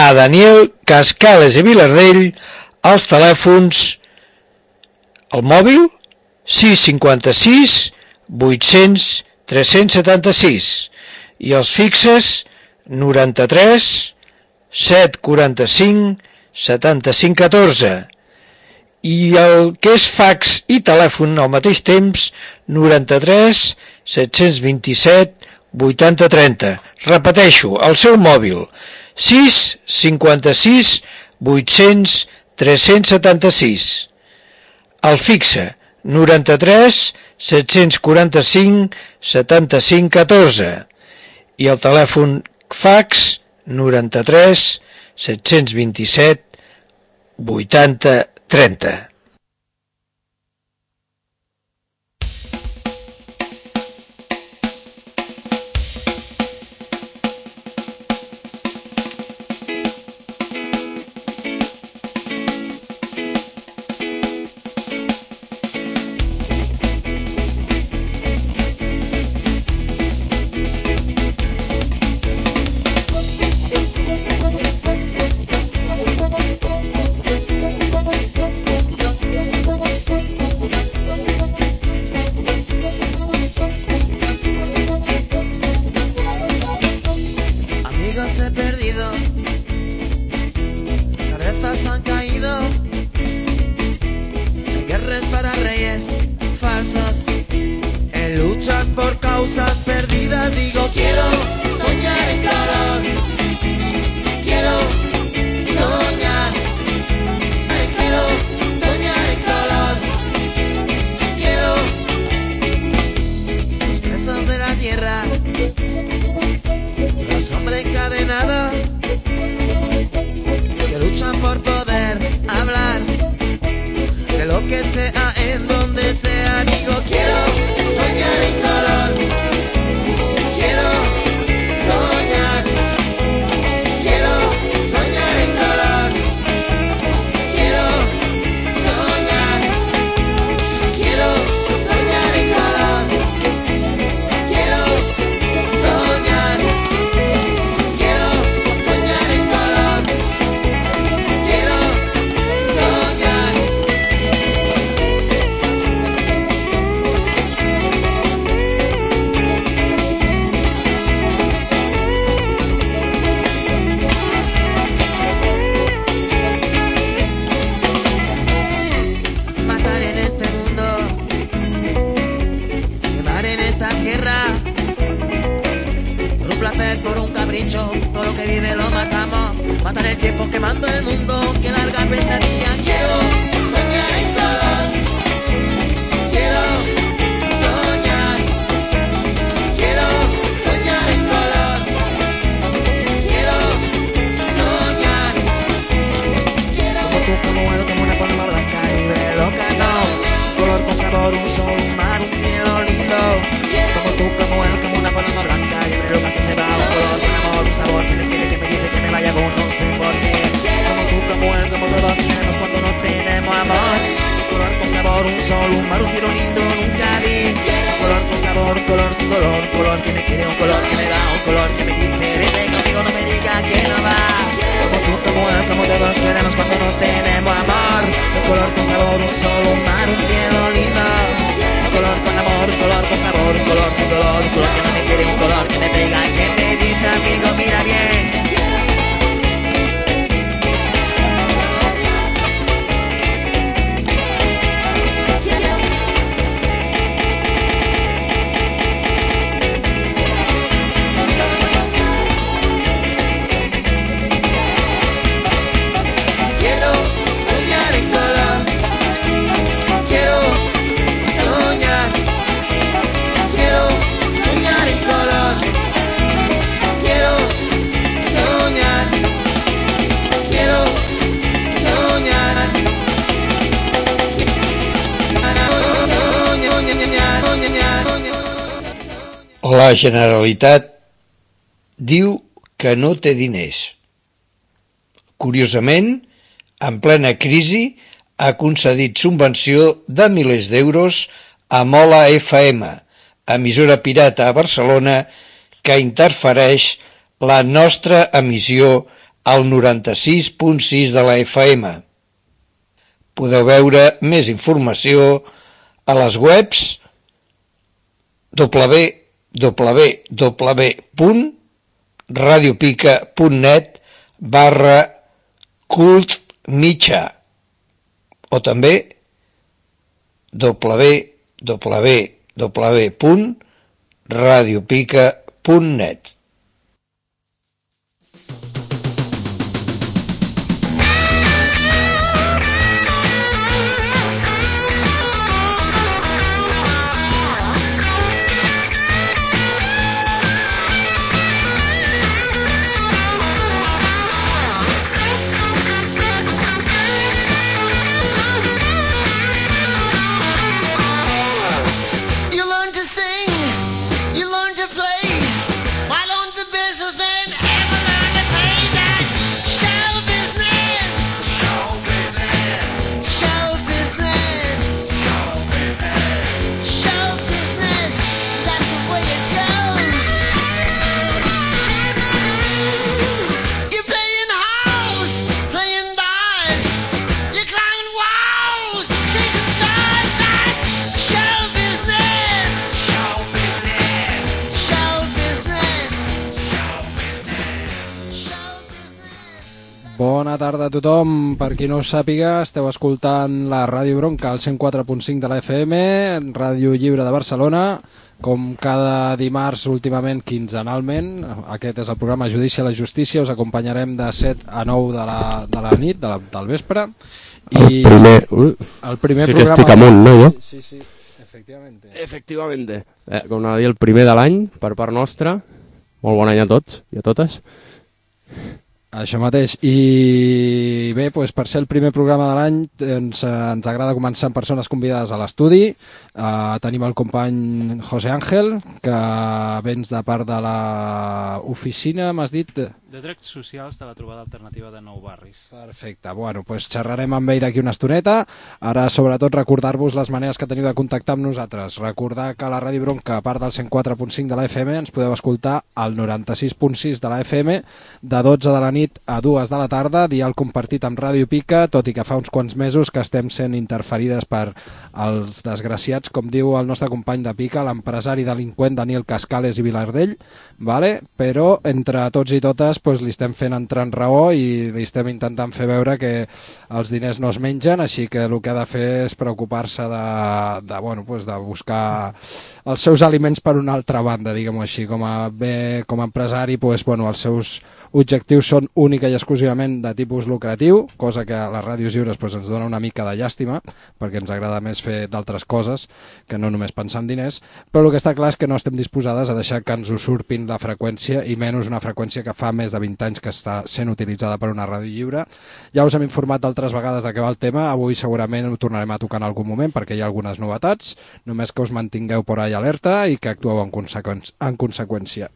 a Daniel Cascales i Vilardell als telèfons, el mòbil 656 800 376 i els fixes 93 745 75 14 i el que és fax i telèfon al mateix temps 93 727 80 30. Repeteixo, el seu mòbil 656 800 376, el fixe 93 745 75 14 i el telèfon fax 93 727 80 30. La Generalitat diu que no té diners. Curiosament, en plena crisi, ha concedit subvenció de milers d'euros a Mola FM, emissora pirata a Barcelona, que interfereix la nostra emissió al 96.6 de la FM. Podeu veure més informació a les webs www.radiopica.net/cultmitjà o també www.radiopica.net. Bona tarda a tothom. Per qui no ho sàpiga, esteu escoltant la Ràdio Bronca al 104.5 de la FM, Ràdio Lliure de Barcelona, com cada dimarts últimament quinzenalment. Aquest és el programa Judici a la Justícia. Us acompanyarem de 7 a 9 de la nit, del vespre. I el primer sí programa... que estic amunt, no, jo? Sí, efectivamente. Efectivamente. Com anava a dir, el primer de l'any, per part nostra. Molt bon any a tots i a totes. Això mateix. I bé, doncs per ser el primer programa de l'any ens agrada començar amb persones convidades a l'estudi. Tenim el company José Ángel, que vens de part de l'oficina, m'has dit? De Drets Socials de la Trobada Alternativa de Nou Barris. Perfecte. Bueno, doncs xerrarem amb ell d'aquí una estoneta. Ara, sobretot, recordar-vos les maneres que teniu de contactar amb nosaltres. Recordar que la Ràdio Bronca, a part del 104.5 de la FM, ens podeu escoltar al 96.6 de la FM, de 12 de la nit a 2 de la tarda, dial compartit amb Ràdio Pica, tot i que fa uns quants mesos que estem sent interferides per els desgraciats, com diu el nostre company de Pica, l'empresari delinqüent Daniel Cascales i Vilardell, vale? Però entre tots i totes pues, li estem fent entrar en raó i li estem intentant fer veure que els diners no es mengen, així que el que ha de fer és preocupar-se de buscar els seus aliments per una altra banda, diguem-ho així. Com a empresari, els seus objectius són única i exclusivament de tipus lucratiu, cosa que a les ràdios lliures ens dona una mica de llàstima, perquè ens agrada més fer d'altres coses que no només pensar en diners, però el que està clar és que no estem disposades a deixar que ens usurpin la freqüència, i menys una freqüència que fa més de 20 anys que està sent utilitzada per una ràdio lliure. Ja us hem informat d'altres vegades de què va el tema, avui segurament ho tornarem a tocar en algun moment perquè hi ha algunes novetats, només que us mantingueu por ahí alerta i que actueu en conseqüència.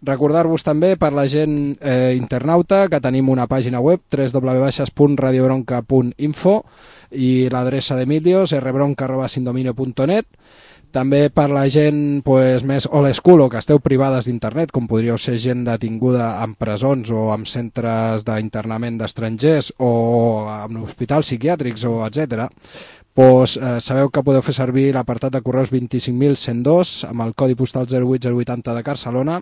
Recordar-vos també per la gent internauta que tenim una pàgina web www.radiobronca.info i l'adreça d'Emilios rbronca@sindominio.net. També per la gent més old school o que esteu privades d'internet, com podríeu ser gent detinguda en presons o en centres d'internament d'estrangers o en hospitals psiquiàtrics o etc. Sabeu que podeu fer servir l'apartat de correus 25.102 amb el codi postal 08080 de Barcelona.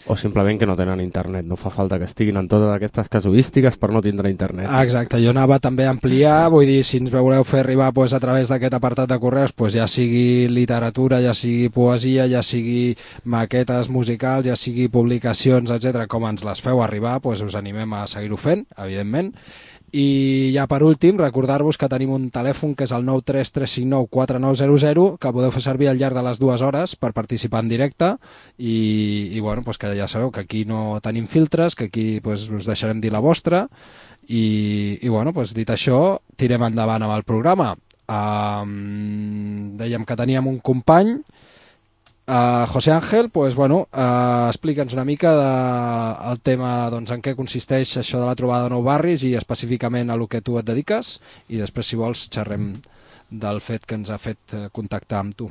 O simplement que no tenen internet, no fa falta que estiguin en totes aquestes casuístiques per no tindre internet. Exacte, jo anava també a ampliar, vull dir, si ens voleu fer arribar a través d'aquest apartat de correus, ja sigui literatura, ja sigui poesia, ja sigui maquetes musicals, ja sigui publicacions, etc, com ens les feu arribar, us animem a seguir-ho fent, evidentment. I ja per últim, recordar-vos que tenim un telèfon que és el 933594900 que podeu fer servir al llarg de les 2 hores per participar en directe i que ja sabeu que aquí no tenim filtres, que aquí us deixarem dir la vostra i dit això, tirem endavant amb el programa. Dèiem que teníem un company, José Ángel, explica'ns una mica el tema, en què consisteix això de la trobada de Nou Barris i específicament a lo que tu et dediques, i després, si vols, xerrem del fet que ens ha fet contactar amb tu.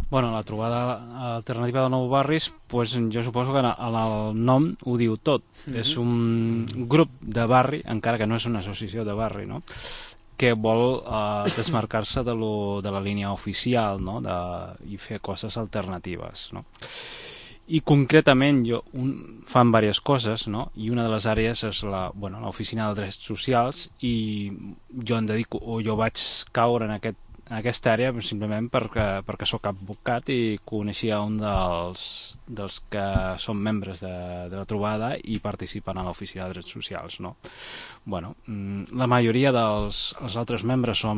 Bueno, la trobada alternativa de Nou Barris, pues, jo suposo que el nom ho diu tot. És un grup de barri, encara que no és una associació de barri, no? Que vol desmarcar-se de la línia oficial, no? I fer coses alternatives, no? I concretament fan diverses coses, no? I una de les àrees és l'oficina de drets socials, i jo em dedico, o jo vaig caure en aquesta àrea simplement perquè sóc advocat i coneixia un dels que són membres de la trobada i participen a l'oficina de drets socials, no? Bueno, la majoria dels altres membres la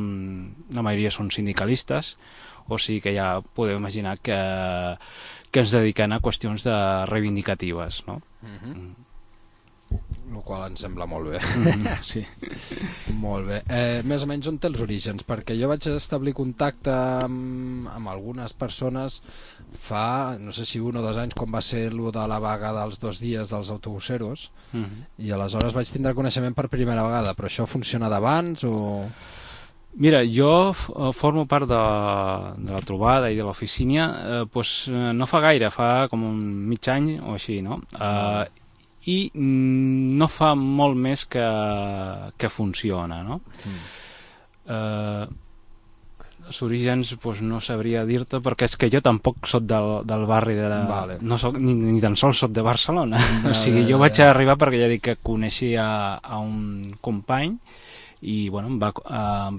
majoria són sindicalistes, o sigui que ja podeu imaginar que ens dediquem a qüestions reivindicatives, no? El qual ens sembla molt bé. Sí. Molt bé. Més o menys on té els orígens? Perquè jo vaig establir contacte amb algunes persones fa, no sé si 1 o 2 anys, quan va ser lo de la vaga dels 2 dies dels autobuseros, i aleshores vaig tindre coneixement per primera vegada, però això funciona d'abans o...? Mira, jo formo part de la trobada i de l'oficina no fa gaire, fa com un mig any o així, no? I no fa molt més que funciona, no? Els orígens no sabria dir-te, perquè és que jo tampoc soc del barri no soc, ni tan sols soc de Barcelona. O sigui, jo vaig arribar perquè ja dic que coneixia a un company i em va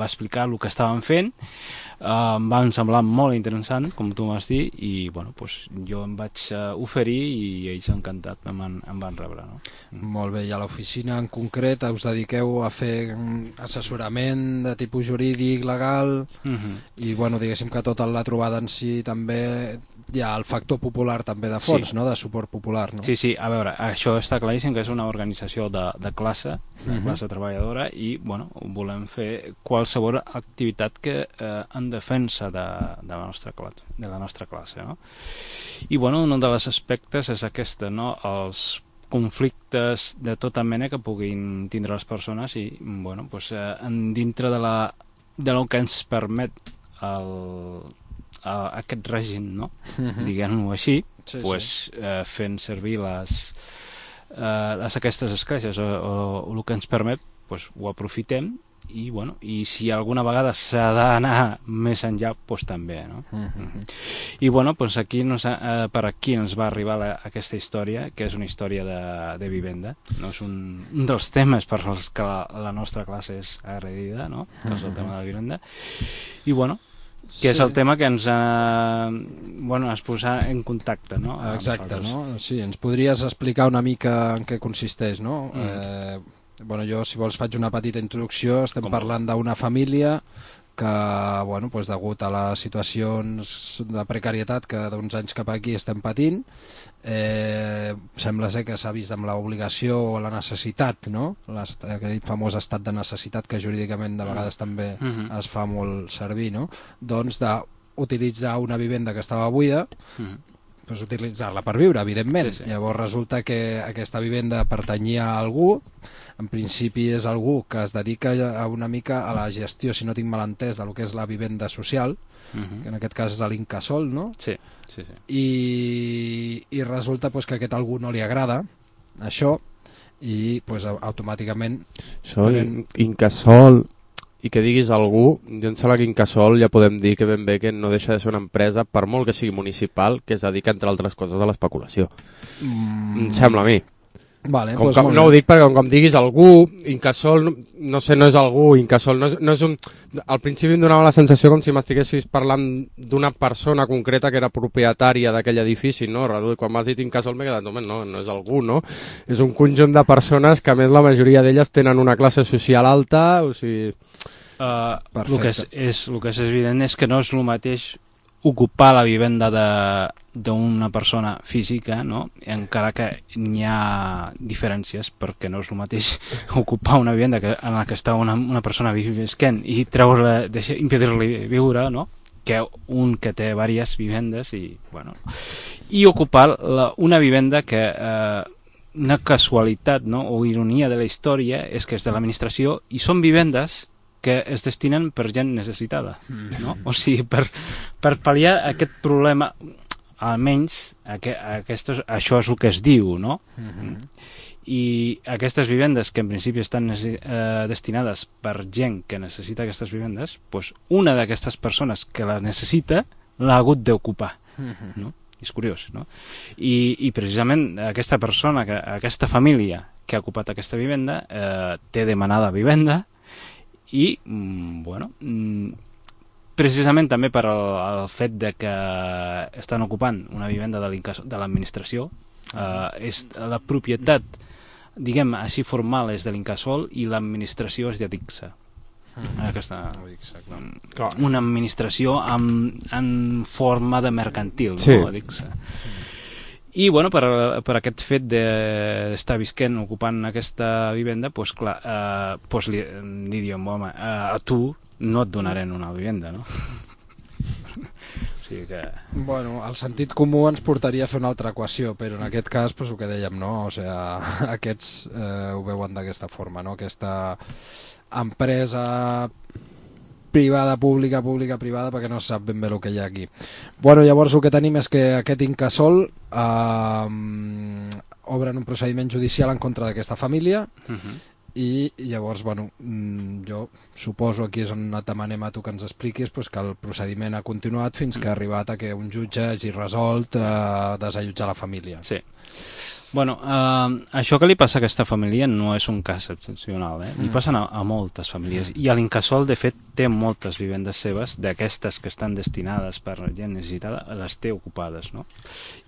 explicar el que estaven fent. Em va semblar molt interessant, com tu m'has dit, i jo em vaig oferir i ells encantat em van rebre, no? Molt bé, i a l'oficina en concret us dediqueu a fer assessorament de tipus jurídic, legal, i diguéssim que tota la trobada en si també hi ha el factor popular també de fons, no? De suport popular, no? Sí, a veure, això està claríssim que és una organització de classe, de classe treballadora, i volem fer qualsevol activitat que en defensa de la nostra classe, no? I un dels aspectes és aquest, no? Els conflictes de tota mena que puguin tindre les persones i dintre del que ens permet aquest règim, no? Diguem-ho així, fent servir aquestes escletxes o el que ens permet, ho aprofitem i si alguna vegada s'ha d'anar més enllà, també, no? I aquí per aquí ens va arribar aquesta història, que és una història de vivenda, no? És un dels temes per als que la nostra classe és agredida, no? Que és el tema de la vivenda, i que és el tema que ens has posat en contacte, no? Exacte, no? Sí, ens podries explicar una mica en què consisteix, no? Jo, si vols, faig una petita introducció. Estem parlant d'una família que, degut a les situacions de precarietat que d'uns anys cap aquí estem patint, sembla ser que s'ha vist amb l'obligació o la necessitat, no? Aquell famós estat de necessitat que jurídicament de vegades també es fa molt servir, no? Doncs d'utilitzar una vivenda que estava buida, utilitzar-la per viure, evidentment. Llavors resulta que aquesta vivenda pertanyia a algú, en principi és algú que es dedica una mica a la gestió, si no tinc mal entès, del que és la vivenda social, que en aquest cas és l'Incasòl, no? Sí. I resulta que a aquest algú no li agrada això i automàticament... Això, Incasòl, i que diguis algú, jo em sembla que Incasòl ja podem dir que ben bé que no deixa de ser una empresa, per molt que sigui municipal, que es dedica, entre altres coses, a l'especulació. Em sembla a mi. Vale, no ho dic perquè com diguis algú, Incasòl, no sé, no és algú, Incasòl no és un... Al principi em donava la sensació com si m'estiguessis parlant d'una persona concreta que era propietària d'aquell edifici, no? Quan m'has dit Incasòl m'he quedat, no és algú, no? És un conjunt de persones que, a més, la majoria d'elles tenen una classe social alta, o sigui... El que és evident és que no és el mateix ocupar la vivenda d'una persona física, no? Encara que n'hi ha diferències, perquè no és el mateix ocupar una vivenda en la que està una persona visquent i impedir-li viure, no? Que un que té diverses vivendes i ocupar una vivenda que una casualitat, no? O ironia de la història és que és de l'administració i són vivendes que es destinen per gent necessitada, no? O sigui, per pal·liar aquest problema, almenys això és el que es diu, no? I aquestes vivendes que en principi estan destinades per gent que necessita aquestes vivendes, doncs una d'aquestes persones que la necessita l'ha hagut d'ocupar, no? És curiós, no? I precisament aquesta persona, aquesta família que ha ocupat aquesta vivenda té demanada vivenda i, bueno, precisament també per el fet de que estan ocupant una vivenda de l'administració, és la propietat, diguem així, formal és de l'Incasòl i l'administració és d'Adixa. Una administració en forma de mercantil, sí. No? Adixa. I bueno, per aquest fet d'estar visquent, ocupant aquesta vivenda, doncs clar, li diem, home, a tu no et donarem una vivenda, no? O sigui que... Bueno, el sentit comú ens portaria a fer una altra equació, però en aquest cas, pues, el que dèiem, no? O sigui, aquests ho veuen d'aquesta forma, no? Aquesta empresa privada, pública, privada, perquè no sap ben bé el que hi ha aquí. Bueno, llavors el que tenim és que aquest Incasòl obren un procediment judicial en contra d'aquesta família, i llavors, bueno, jo suposo aquí és on et demanem a tu que ens expliquis pues, que el procediment ha continuat fins que ha arribat a que un jutge hagi resolt desallotjar la família. Sí. Bueno, això que li passa a aquesta família no és un cas excepcional, li passen a moltes famílies, i a l'Incasòl de fet té moltes vivendes seves, d'aquestes que estan destinades per gent necessitada, les té ocupades, no?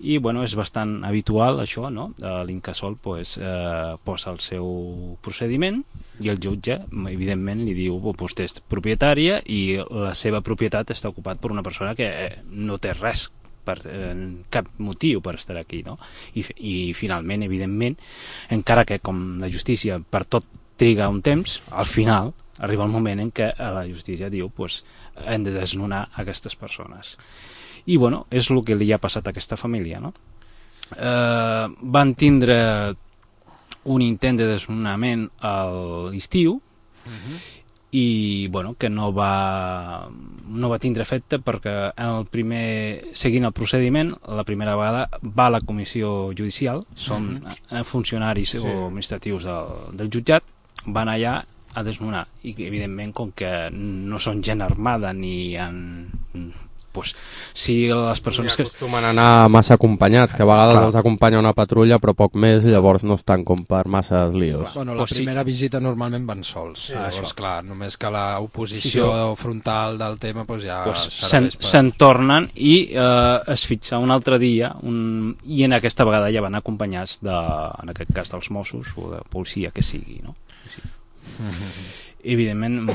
I bueno, és bastant habitual això, no? L'Incasòl pues, posa el seu procediment i el jutge evidentment li diu vostè és propietària i la seva propietat està ocupat per una persona que no té res, cap motiu per estar aquí, no? I finalment, evidentment, encara que com la justícia per tot triga un temps, al final arriba el moment en què la justícia diu pues, hem de desnonar aquestes persones. I bueno, és el que li ha passat a aquesta família, no? Van tindre un intent de desnonament a l'estiu i bueno, que no va tindre efecte perquè seguint el procediment, la primera vegada va a la comissió judicial, són funcionaris o administratius del jutjat, van allà a desnonar i evidentment com que no són gent armada ni pues, si les persones que acostumen a anar massa acompanyats, que a vegades els acompanya una patrulla però poc més, llavors no estan com per massa líos. Bueno, la primera visita normalment van sols, llavors clar, només que l'oposició frontal del tema pues, ja se'n tornen i es fixa un altre dia i en aquesta vegada ja van acompanyats en aquest cas dels Mossos o de policia que sigui, no? Evidentment,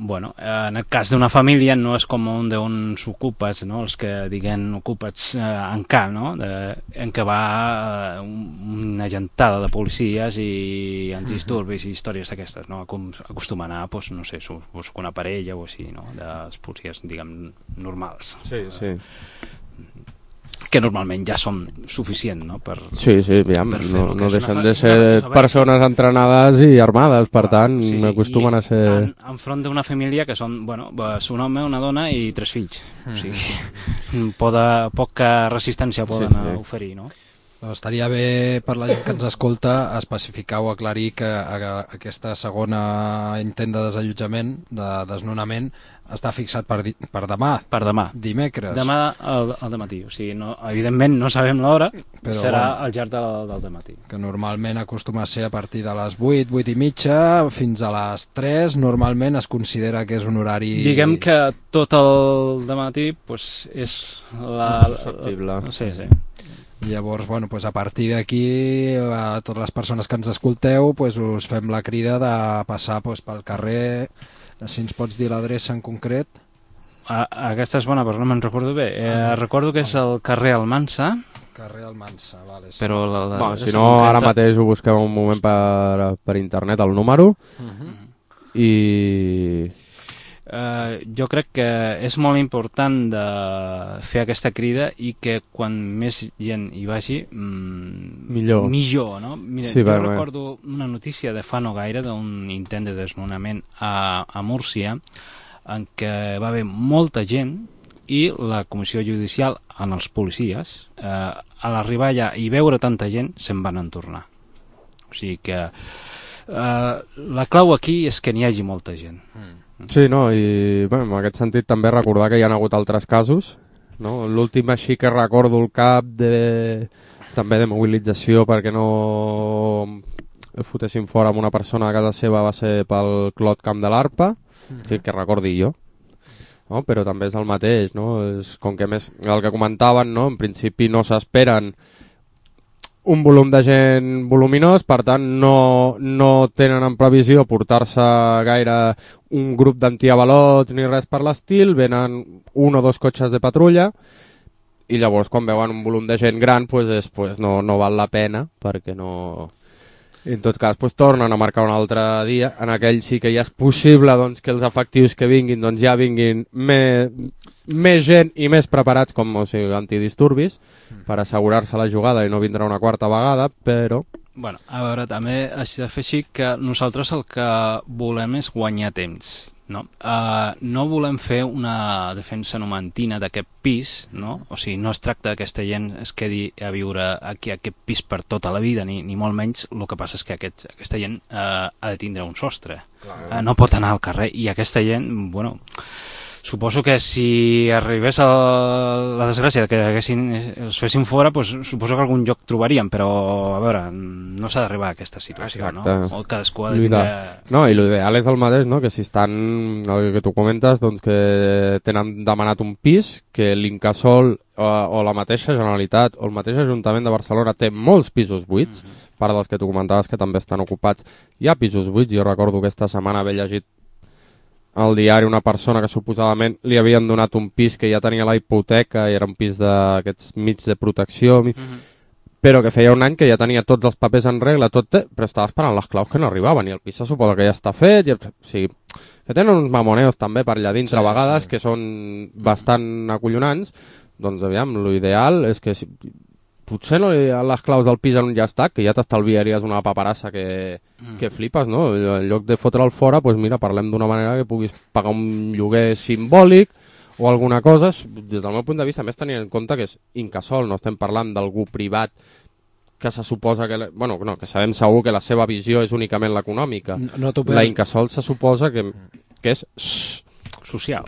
bueno, en el cas d'una família no és com un d'uns ocupes, no? Els que diguen ocupes en camp, no? En què va una gentada de policies i antidisturbis i històries d'aquestes, no? Acostuma a anar, pues, no sé, una parella o així, no? De policies, diguem, normals. Sí, sí. Que normalment ja són suficient, no? Sí, aviam, no deixen de ser persones entrenades i armades, per tant, acostumen a ser... Enfront d'una família que són, bueno, un home, una dona i 3 fills. O sigui, poca resistència poden oferir, no? Estaria bé per la gent que ens escolta especificar o aclarir que aquesta segona intent de desallotjament, de desnonament, està fixat per demà. Per demà. Dimecres. Demà al dematí. O sigui, evidentment no sabem l'hora, serà al llarg del dematí. Que normalment acostuma a ser a partir de les 8, 8 i mitja, fins a les 3, normalment es considera que és un horari... Diguem que tot el dematí pues, és susceptible. Sí. Llavors, bueno, pues a partir d'aquí, a totes les persones que ens escolteu, pues us fem la crida de passar pues, pel carrer. Si ens pots dir l'adreça en concret. Aquesta és bona, però no me'n recordo bé. Recordo que és el carrer Almansa. Carrer Almansa, vale. Sí. Però si no, ara mateix ho busquem un moment per internet, el número. I... Jo crec que és molt important de fer aquesta crida i que quan més gent hi vagi millor, no? Mira, sí, jo recordo una notícia de fa no gaire d'un intent de desnonament a Múrcia en què va haver molta gent i la comissió judicial en els policies a l'arribar allà i veure tanta gent se'n van entornar. O sigui que la clau aquí és que n'hi hagi molta gent. Sí, no, i bé, en aquest sentit també recordar que hi ha hagut altres casos, no? L'últim així que recordo el cap també de mobilització perquè no fotessin fora amb una persona a casa seva va ser pel Clot Camp de l'Arpa, sí, que recordi jo, no? Però també és el mateix, no? És com que més, el que comentaven, no? En principi no s'esperen un volum de gent voluminós, per tant no tenen en previsió portar-se gaire un grup d'antiavalots ni res per l'estil, venen un o dos cotxes de patrulla i llavors quan veuen un volum de gent gran pues no val la pena perquè no... I en tot cas pues, tornen a marcar un altre dia, en aquell sí que ja és possible doncs, que els efectius que vinguin doncs, ja vinguin més gent i més preparats com o sigui, antidisturbis per assegurar-se la jugada i no vindrà una quarta vegada, però... Bueno, a veure, també has de fer així que nosaltres el que volem és guanyar temps, no? No volem fer una defensa numantina d'aquest pis, no? O sigui, no es tracta que aquesta gent es quedi a viure aquí a aquest pis per tota la vida, ni molt menys. El que passa és que aquesta gent ha de tindre un sostre. No pot anar al carrer i aquesta gent, bueno... Suposo que si arribés a la desgràcia que els fessin fora, pues, suposo que algun lloc trobaríem, però a veure, no s'ha d'arribar a aquesta situació. Exacte. No? O cadascú ha de tindre... No, i l'ideal és el mateix, no? Que si estan, el que tu comentes, doncs que tenen demanat un pis, que l'Incasòl o la mateixa Generalitat o el mateix Ajuntament de Barcelona té molts pisos buits, part dels que tu comentaves que també estan ocupats. Hi ha pisos buits, jo recordo que aquesta setmana haver llegit al diari una persona que suposadament li havien donat un pis que ja tenia la hipoteca i era un pis d'aquests mig de protecció, però que feia un any que ja tenia tots els papers en regla, però estava esperant les claus que no arribaven i el pis se suposa que ja està fet, o sigui, que tenen uns mamoneos també per allà dintre a vegades que són bastant acollonants, doncs aviam, l'ideal és que potser no les claus del pis en un llast, que ja t'estalviaries una paperassa que flipes, no? En lloc de fotre'l fora, doncs mira, parlem d'una manera que puguis pagar un lloguer simbòlic o alguna cosa. Des del meu punt de vista, més tenint en compte que és Incasòl, no estem parlant d'algú privat que se suposa que... Bueno, no, que sabem segur que la seva visió és únicament l'econòmica. La Incasòl se suposa que és... Social.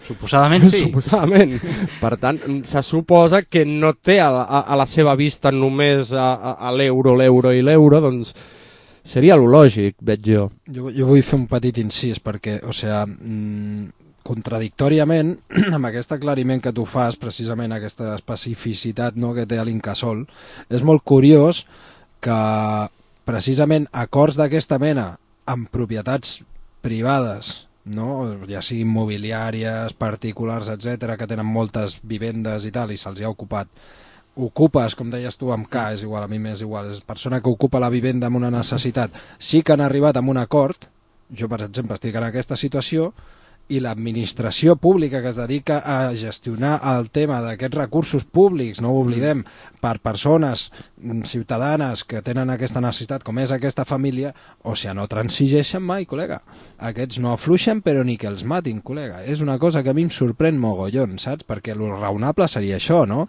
Suposadament sí. Suposadament. Per tant, se suposa que no té a la seva vista només a l'euro, doncs seria lo lògic, veig jo. Jo vull fer un petit incís perquè, o sigui, contradictòriament, amb aquest aclariment que tu fas, precisament aquesta especificitat, no, que té l'Incasòl, és molt curiós que precisament acords d'aquesta mena amb propietats privades, no? Ja siguin immobiliàries, particulars, etc, que tenen moltes vivendes i tal, i se'ls ha ocupat. Ocupes, com deies tu, amb K, és igual, a mi m'és igual, és persona que ocupa la vivenda amb una necessitat. Sí que han arribat amb un acord, jo per exemple estic en aquesta situació, i l'administració pública que es dedica a gestionar el tema d'aquests recursos públics, no ho oblidem, per persones ciutadanes que tenen aquesta necessitat, com és aquesta família, o sigui, no transigeixen mai, col·lega. Aquests no afluixen, però ni que els matin, col·lega. És una cosa que a mi em sorprèn mogollon, saps? Perquè el raonable seria això, no?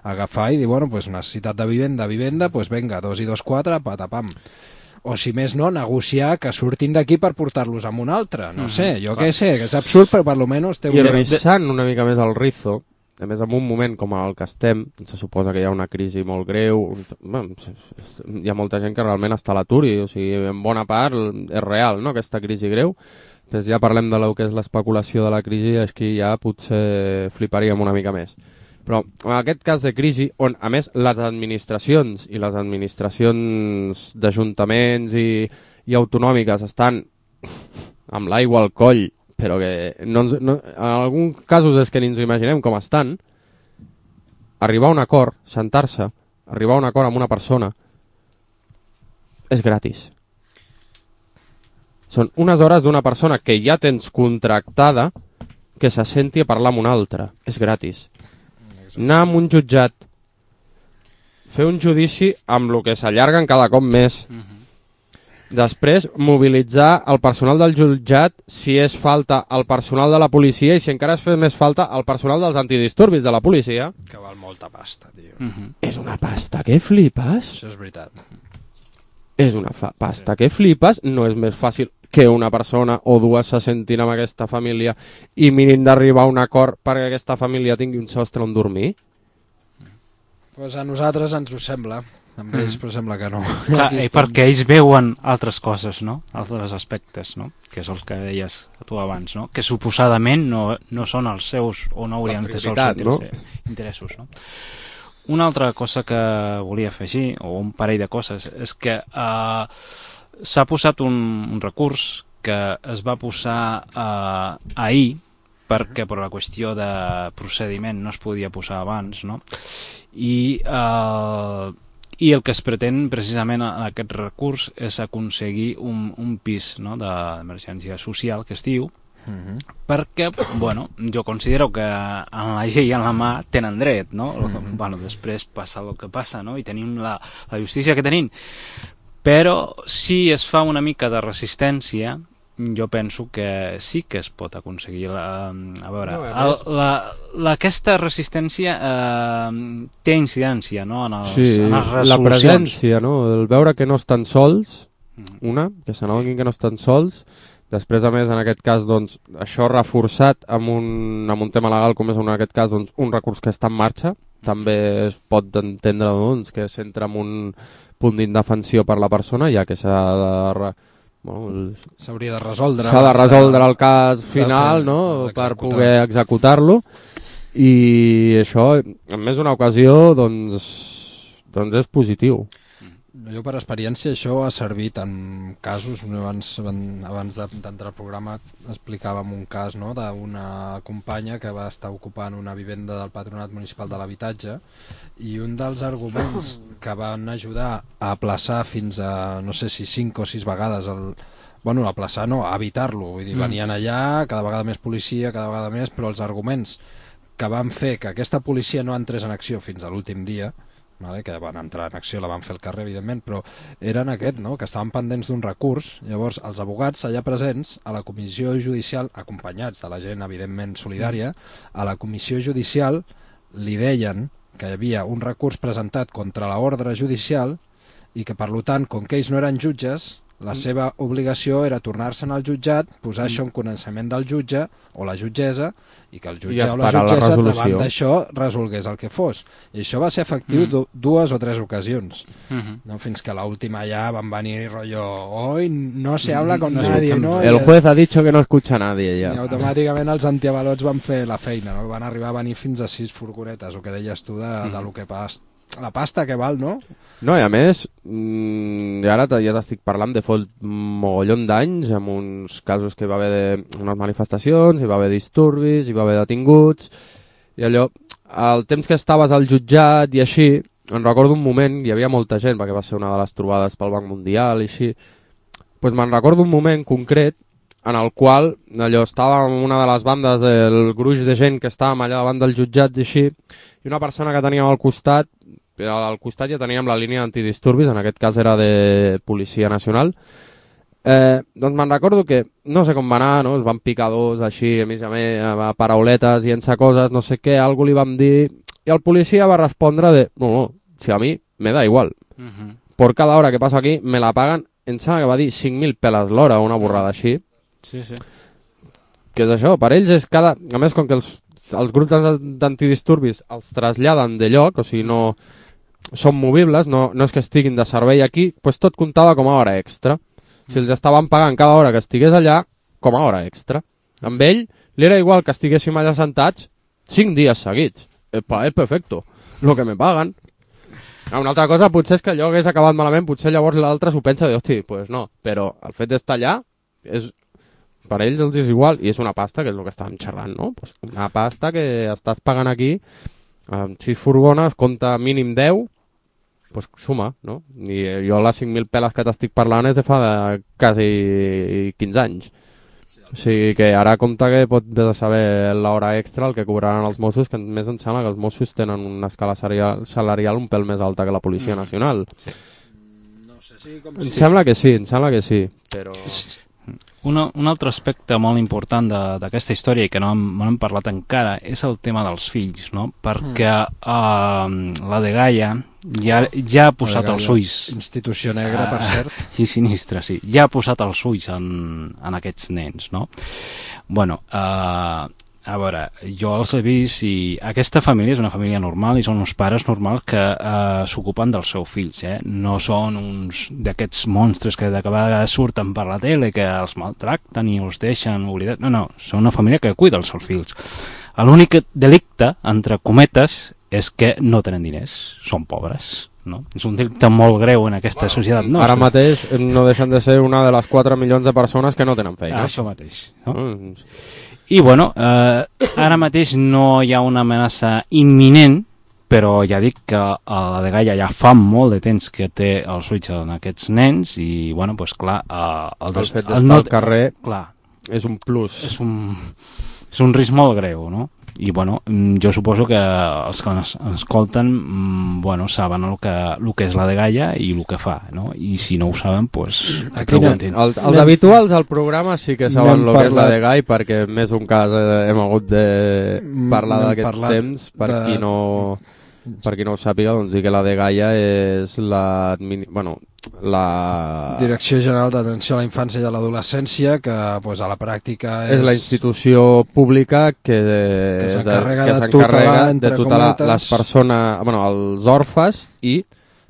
Agafar i dir, bueno, pues necessitat de vivenda, pues venga, 2 i 2, 4, patapam. O si més no, negociar que surtin d'aquí per portar-los a un altre, no sé, jo què sé, que és absurd, però per lo menos té un... I rissant una mica més el rizo, a més en un moment com el que estem, se suposa que hi ha una crisi molt greu, hi ha molta gent que realment està a l'atur i, o sigui, en bona part és real, no?, aquesta crisi greu. Després ja parlem de lo que és l'especulació de la crisi, és que ja potser fliparíem una mica més. Però en aquest cas de crisi, on a més les administracions d'ajuntaments i autonòmiques estan amb l'aigua al coll, però que en alguns casos és que ni ens imaginem com estan, arribar a un acord, sentar-se, arribar a un acord amb una persona, és gratis. Són unes hores d'una persona que ja tens contractada que se senti a parlar amb una altra. És gratis. Anar amb un jutjat, fer un judici amb el que s'allarguen cada cop més. Després, mobilitzar el personal del jutjat si és falta el personal de la policia i si encara es fa més falta el personal dels antidisturbis de la policia. Que val molta pasta, tio. És una pasta que flipes. Això és veritat. És una pasta que flipes. No és més fàcil que una persona o dues se sentin amb aquesta família i mirin d'arribar a un acord perquè aquesta família tingui un sostre on dormir? Pues a nosaltres ens ho sembla. Amb ells, però sembla que no. Clar, perquè ells veuen altres coses, no? Altres aspectes, no? Que és el que deies tu abans, no? Que suposadament no són els seus o no haurien de ser els interessos, no? Una altra cosa que volia afegir, o un parell de coses, és que s'ha posat un recurs que es va posar ahir perquè per la qüestió de procediment no es podia posar abans, no? I el que es pretén precisament en aquest recurs és aconseguir un pis, no, d'emergència social, que es diu, perquè, bueno, jo considero que en la llei en la mà tenen dret, no? Bueno, després passa el que passa, no? I tenim la justícia que tenim. Però si es fa una mica de resistència, jo penso que sí que es pot aconseguir. A veure, aquesta resistència té incidència, no? En les resolucions. La presència, no? El veure que no estan sols, que s'anoguin que no estan sols. Després, a més, en aquest cas, doncs, això reforçat amb un tema legal, com és en aquest cas doncs, un recurs que està en marxa, també es pot entendre doncs, que s'entra en un punt d'indefensió per la persona, ja que s'hauria de resoldre. S'ha de resoldre el cas final, no?, per poder executar-lo, i això, en més d'una ocasió, doncs és positiu. Jo per experiència això ha servit en casos, abans d'entrar al programa explicàvem un cas, no?, d'una companya que va estar ocupant una vivenda del Patronat Municipal de l'Habitatge, i un dels arguments que van ajudar a aplaçar fins a no sé si 5 o 6 vegades aplaçar no, a evitar-lo, vull dir, venien allà, cada vegada més policia, cada vegada més, però els arguments que van fer que aquesta policia no entrés en acció fins a l'últim dia, que van entrar en acció, la van fer al carrer, evidentment, però eren no? Que estaven pendents d'un recurs. Llavors, els abogats allà presents, a la comissió judicial, acompanyats de la gent, evidentment, solidària, a la comissió judicial li deien que hi havia un recurs presentat contra l'ordre judicial i que, per tant, com que ells no eren jutges, la seva obligació era tornar-se'n al jutjat, posar això en coneixement del jutge o la jutgessa, i que el jutge o la jutgessa davant d'això resolgués el que fos. I això va ser efectiu 2 o 3 ocasions. No? Fins que l'última ja van venir rotllo, hoy no se habla con nadie, ¿no? El juez ha dicho que no escucha a nadie ja. I automàticament els antiavalots van fer la feina, no? Van arribar a venir fins a 6 furgonetes, el que deies tu de lo que passa. La pasta que val, no? No, i a més, ara ja t'estic parlant de fot mogollon d'anys, amb uns casos que hi va haver unes manifestacions, hi va haver disturbis, hi va haver detinguts, i allò, el temps que estaves al jutjat i així, em recordo un moment, hi havia molta gent, perquè va ser una de les trobades pel Banc Mundial i així, doncs me'n recordo un moment concret en el qual allò estava en una de les bandes del gruix de gent que estàvem allà davant del jutjat i així, i una persona que teníem al costat ja teníem la línia d'antidisturbis, en aquest cas era de Policia Nacional, doncs me'n recordo que no sé com va anar, no? Es van picar dos així, a més a parauletes i ençà coses, no sé què, algú li vam dir, i el policia va respondre de, no, si a mi me da igual, por cada hora que passo aquí me la paguen, em sembla que va dir 5.000 peles l'hora, una borrada així. Sí. Que és això, per ells és cada... A més, com que els grups d'antidisturbis els traslladen de lloc, o sigui, no són movibles, no és que estiguin de servei aquí, doncs tot comptava com a hora extra. Si els estaven pagant cada hora que estigués allà, com a hora extra. Amb ell, li era igual que estiguéssim allà sentats 5 dies seguits. És perfecto, lo que me paguen. Una altra cosa potser és que allò hagués acabat malament, potser llavors l'altre s'ho pensa de, hosti, pues no, però el fet d'estar allà, per ells els és igual, i és una pasta, que és el que estàvem xerrant, no? Pues una pasta que estàs pagant aquí, amb 6 furgones, compta mínim 10, pues suma, no? I jo les 5.000 peles que t'estic parlant és de fa quasi 15 anys. O sigui que ara compta que pot de saber l'hora extra el que cobraran els Mossos, que més em sembla que els Mossos tenen una escala salarial un pèl més alta que la Policia Nacional. Sí. No sé si com em sembla que sí, però... Un altre aspecte molt important d'aquesta història i que no hem parlat encara és el tema dels fills, no? Perquè la Dgaia ja ha posat els ulls... Institució negra, per cert. I sinistra, sí. Ja ha posat els ulls en aquests nens, no? Bueno, a veure, jo els he vist i aquesta família és una família normal i són uns pares normals que s'ocupen dels seus fills, no són uns d'aquests monstres que de vegades surten per la tele que els maltracten i els deixen oblidats. No, són una família que cuida els seus fills. L'únic delicte, entre cometes, és que no tenen diners, són pobres. No? És un delicte molt greu en aquesta societat. No, ara mateix no deixen de ser una de les 4 milions de persones que no tenen feina. Això mateix. No? I bueno, ara mateix no hi ha una amenaça imminent, però ja dic que la Dgaia ja fa molt de temps que té els ulls en aquests nens i, bueno, doncs clar... el fet d'estar al carrer és un plus. És un risc molt greu, no? I, bueno, jo suposo que els que ens escolten, bueno, saben el que és la Dgaia i el que fa, no? I si no ho saben, doncs preguntin. Els habituals al programa sí que saben el que és la Dgaia, perquè més d'un cas hem hagut de parlar d'aquests temps, per qui no ho sàpiga, doncs dir que la Dgaia és la Direcció General d'Atenció a la Infància i a l'Adolescència, que pues, a la pràctica és la institució pública que s'encarrega de tutelar les persones, els orfes i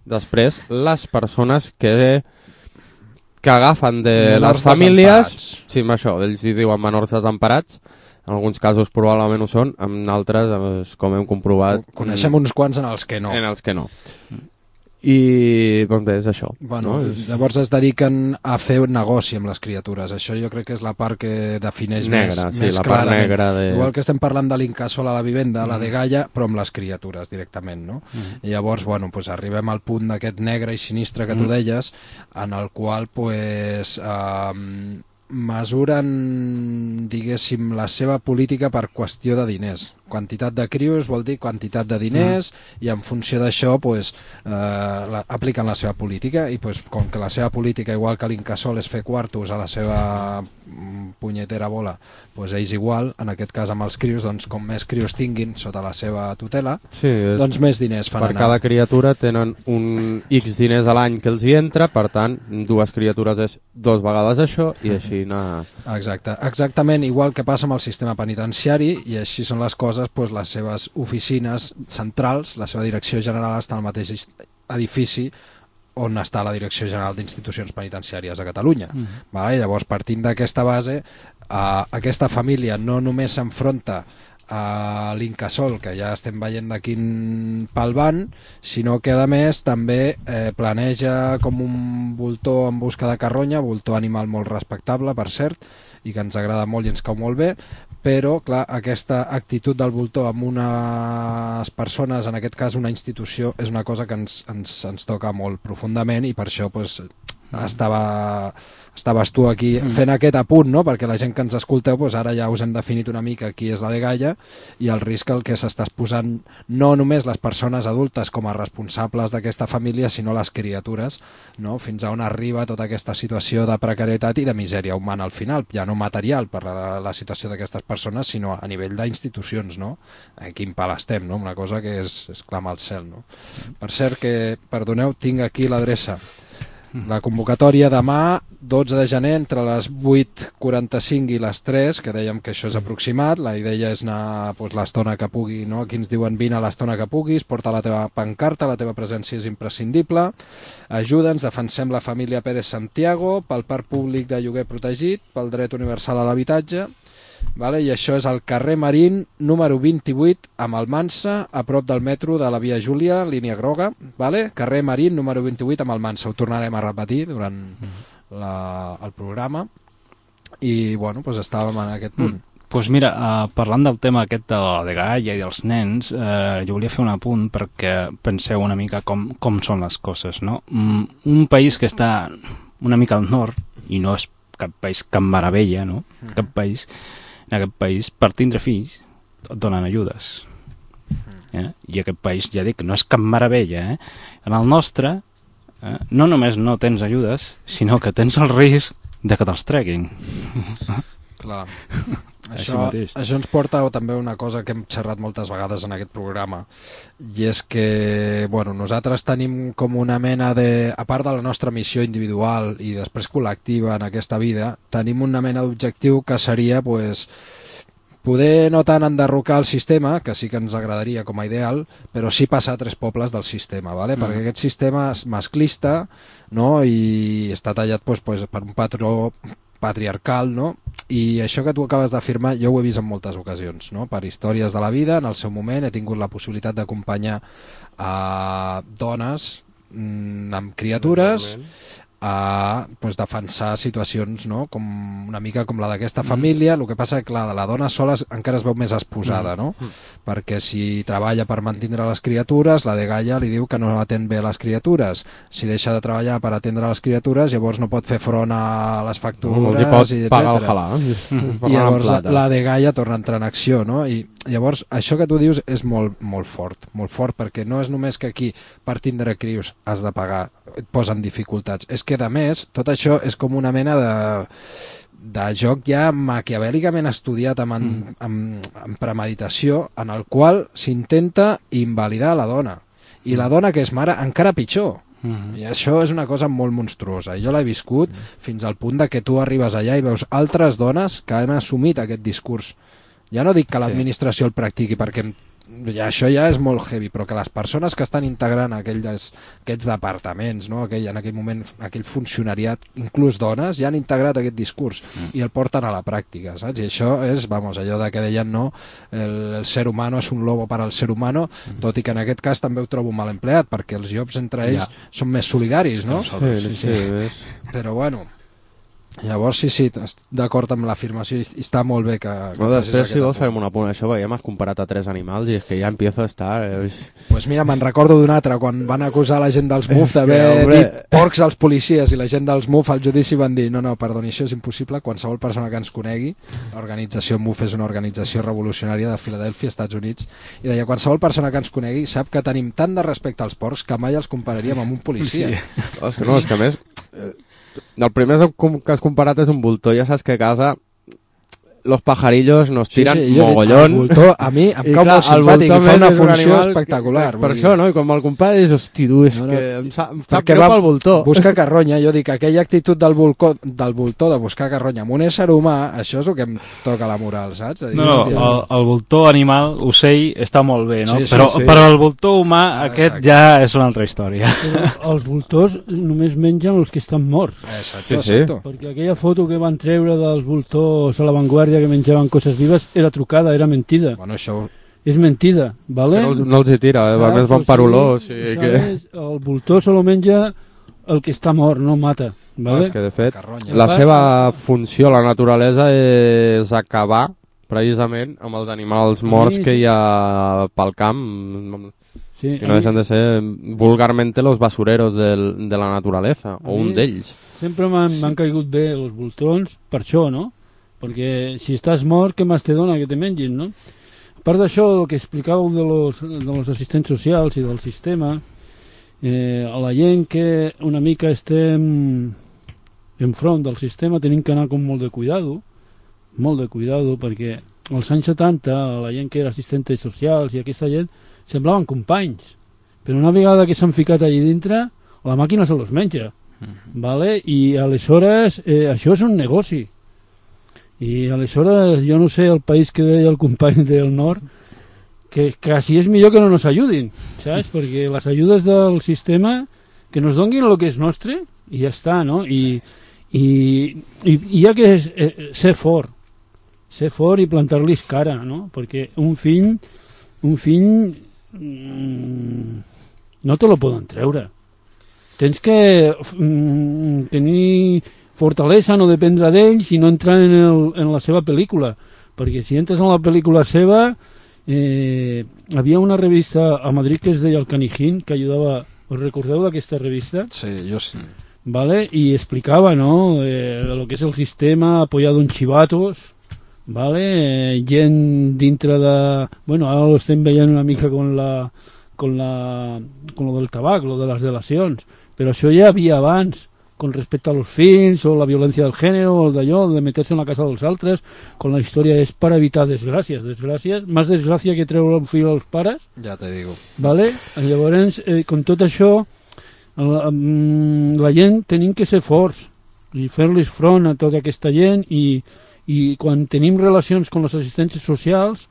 després les persones que agafen de les famílies, sí, això, ells hi diuen menors desemparats. En alguns casos probablement ho són, en altres, com hem comprovat... Coneixem uns quants en els que no. I doncs bé, és això. Bueno, no? Llavors es dediquen a fer un negoci amb les criatures. Això jo crec que és la part que defineix més la clarament. Part negra Igual que estem parlant de l'incasòl a la vivenda, la Dgaia, però amb les criatures directament, no? I llavors, bueno, pues arribem al punt d'aquest negre i sinistre que tu deies, en el qual, pues... mesuren, diguéssim, la seva política per qüestió de diners. Quantitat de crios vol dir quantitat de diners i en funció d'això pues, apliquen la seva política i pues, com que la seva política, igual que l'Incasòl, és fer quartos a la seva punyetera bola, pues ells igual, en aquest cas amb els crios, doncs com més crios tinguin sota la seva tutela, doncs més diners fan anar. Per cada criatura tenen un X diners a l'any que els hi entra, per tant, 2 criatures és 2 vegades això i així anar... Exactament, igual que passa amb el sistema penitenciari i així són les coses, doncs les seves oficines centrals, la seva direcció general està al mateix edifici on està la Direcció General d'Institucions Penitenciàries a Catalunya. Vale? Llavors, partint d'aquesta base, aquesta família no només s'enfronta a l'Incasòl, que ja estem veient de quin pal van, sinó que a més també planeja com un voltor en busca de carronya, voltor animal molt respectable, per cert, i que ens agrada molt i ens cau molt bé, però clar, aquesta actitud del voltor amb unes persones, en aquest cas una institució, és una cosa que ens toca molt profundament i per això pues, estaves tu aquí fent aquest apunt, no? Perquè la gent que ens escolteu pues, ara ja us hem definit una mica qui és la Dgaia i el risc al que s'estàs posant no només les persones adultes com a responsables d'aquesta família, sinó les criatures, no? Fins a on arriba tota aquesta situació de precarietat i de misèria humana al final, ja no material per la situació d'aquestes persones, sinó a nivell d'institucions, no? En quin pal estem, no? Una cosa que és clamar al cel, no? Per cert que, perdoneu, tinc aquí l'adreça. La convocatòria demà, 12 de gener, entre les 8:45 i les 3, que dèiem que això és aproximat, la idea és anar pues, l'estona que pugui, no? Aquí ens diuen vine a l'estona que puguis, porta la teva pancarta, la teva presència és imprescindible, ajuda'ns, defensem la família Pérez Santiago, pel parc públic de lloguer protegit, pel dret universal a l'habitatge, vale? I això és al carrer Marín número 28 a Malmansa, a prop del metro de la Via Júlia, línia groga, vale? Carrer Marín número 28 a Malmansa, ho tornarem a repetir durant el programa i bueno, doncs estàvem en aquest punt. Pues mira, parlant del tema aquest de la dgaia i dels nens, jo volia fer un apunt perquè penseu una mica com són les coses, no? Un país que està una mica al nord, i no és cap país cap meravella, no? En aquest país, per tindre fills, et donen ajudes. I aquest país, ja dic, no és cap meravella. En el nostre, no només no tens ajudes, sinó que tens el risc de que te'ls treguin. Clar. Això ens porta també una cosa que hem xerrat moltes vegades en aquest programa, i és que nosaltres tenim com una mena de, a part de la nostra missió individual i després col·lectiva en aquesta vida, tenim una mena d'objectiu que seria poder no tant enderrocar el sistema, que sí que ens agradaria com a ideal, però sí passar 3 pobles del sistema, ¿vale? Perquè aquest sistema és masclista, no? I està tallat per un patró patriarcal, no? I això que tu acabes d'afirmar jo ho he vist en moltes ocasions, no? Per històries de la vida, en el seu moment he tingut la possibilitat d'acompanyar a dones amb criatures a defensar situacions, no? Com una mica com la d'aquesta família. El que passa que clar, la dona sola encara es veu més exposada, no? Perquè si treballa per mantindre les criatures, la dgaia li diu que no atén bé les criatures. Si deixa de treballar per atendre les criatures, llavors no pot fer front a les factures, i pagar el halà. I llavors la dgaia torna a entrar en acció, no? I llavors això que tu dius és molt fort, perquè no és només que aquí per tindre crios has de pagar, et posen dificultats, és que a més tot això és com una mena de joc ja maquiavèlicament estudiat amb premeditació, en el qual s'intenta invalidar la dona, i la dona que és mare encara pitjor. I això és una cosa molt monstruosa, i jo l'he viscut fins al punt de que tu arribes allà i veus altres dones que han assumit aquest discurs. Ja no dic que l'administració el practiqui, perquè això ja és molt heavy, però que les persones que estan integrant aquests departaments, no? En aquell moment, aquell funcionariat, inclús dones, ja han integrat aquest discurs i el porten a la pràctica, saps? I això és, allò de que deien, no? El ser humano és un lobo per al ser humano, tot i que en aquest cas també ho trobo mal empleat, perquè els jobs entre ells són més solidaris, no? Sí. Però llavors sí, d'acord amb l'afirmació, i està molt bé que després si vols farem una punt, això ja m'has comparat a 3 animals i és que ja empiezo a estar... Pues mira, me'n recordo d'un altre, quan van acusar la gent dels MUF d'haver dit porcs als policies, i la gent dels MUF al judici van dir no, perdoni, això és impossible, qualsevol persona que ens conegui, l'organització MUF és una organització revolucionària de Filadèlfia, Estats Units, i deia, qualsevol persona que ens conegui sap que tenim tant de respecte als porcs que mai els compararíem amb un policia. No, és que a més... El primer que has comparat és un voltor, ja saps que a casa los pajarillos nos tiran mogollón. El voltor a mi em cau molt simpàtic i fa una funció espectacular. Per això, no? I quan me'l compares, hosti, tu, és que em sap greu pel voltor. Busca carronya, jo dic, aquella actitud del voltor de buscar carronya amb un ésser humà, això és el que em toca la moral, saps? El voltor animal, ocell, està molt bé, no? Però el voltor humà, aquest ja és una altra història. Però els voltors només mengen els que estan morts. Exacte. Perquè aquella foto que van treure dels voltors a l'avantguàrdia que menjaven coses vives era trucada, era mentida. Això... És mentida, ¿vale? És que no els hi tira, a més van per olor. El voltor solo menja el que està mort, no mata. ¿vale? És que de fet la seva funció a la naturalesa és acabar precisament amb els animals morts que hi ha pel camp. Sí, que no deixen de ser vulgarmente los basureros de la naturaleza, o un d'ells. Sempre m'han caigut bé els voltons per això, no? Perquè si estàs mort, què més te dona que te mengin, no? A part d'això, el que explicàveu de los assistents socials i del sistema, a la gent que una mica estem enfront del sistema tenim que anar com molt de cuidado, perquè als anys 70 la gent que era assistents socials i aquesta gent semblaven companys, però una vegada que s'han ficat allà dintre, la màquina se los menja, ¿vale? I aleshores això és un negoci. I aleshores jo no sé el país que deia el company del nord, que quasi és millor que no nos ayudin, saps? Perquè les ajudes del sistema que nos donguin el que és nostre i ja està, no? I hi ha que ser fort i plantar-los cara, no? Perquè un fill no te lo poden treure. Tens que tenir fortalesa, no dependre d'ells i no entrar en la seva pel·lícula, perquè si entres en la pel·lícula seva, havia una revista a Madrid que es deia El Canijín, que ajudava, us recordeu d'aquesta revista? Sí, jo sí. ¿Vale? Y explicaba, ¿no? Lo que es el sistema apoyado en chivatos, ¿vale? Gent dintre de... Bueno, ara ho estem veient una mica con lo del tabac, lo de les delacions, però això ja havia abans, con respecte a los fills, o la violència del gènere, o d'allò, de meterse en la casa dels altres, con la història és per evitar desgràcies, més desgràcia que treure un fill als pares. Ja te digo. ¿Vale? Llavors, con tot això, la gent tenim que ser forts i fer-los front a tota aquesta gent i quan tenim relacions amb les assistències socials,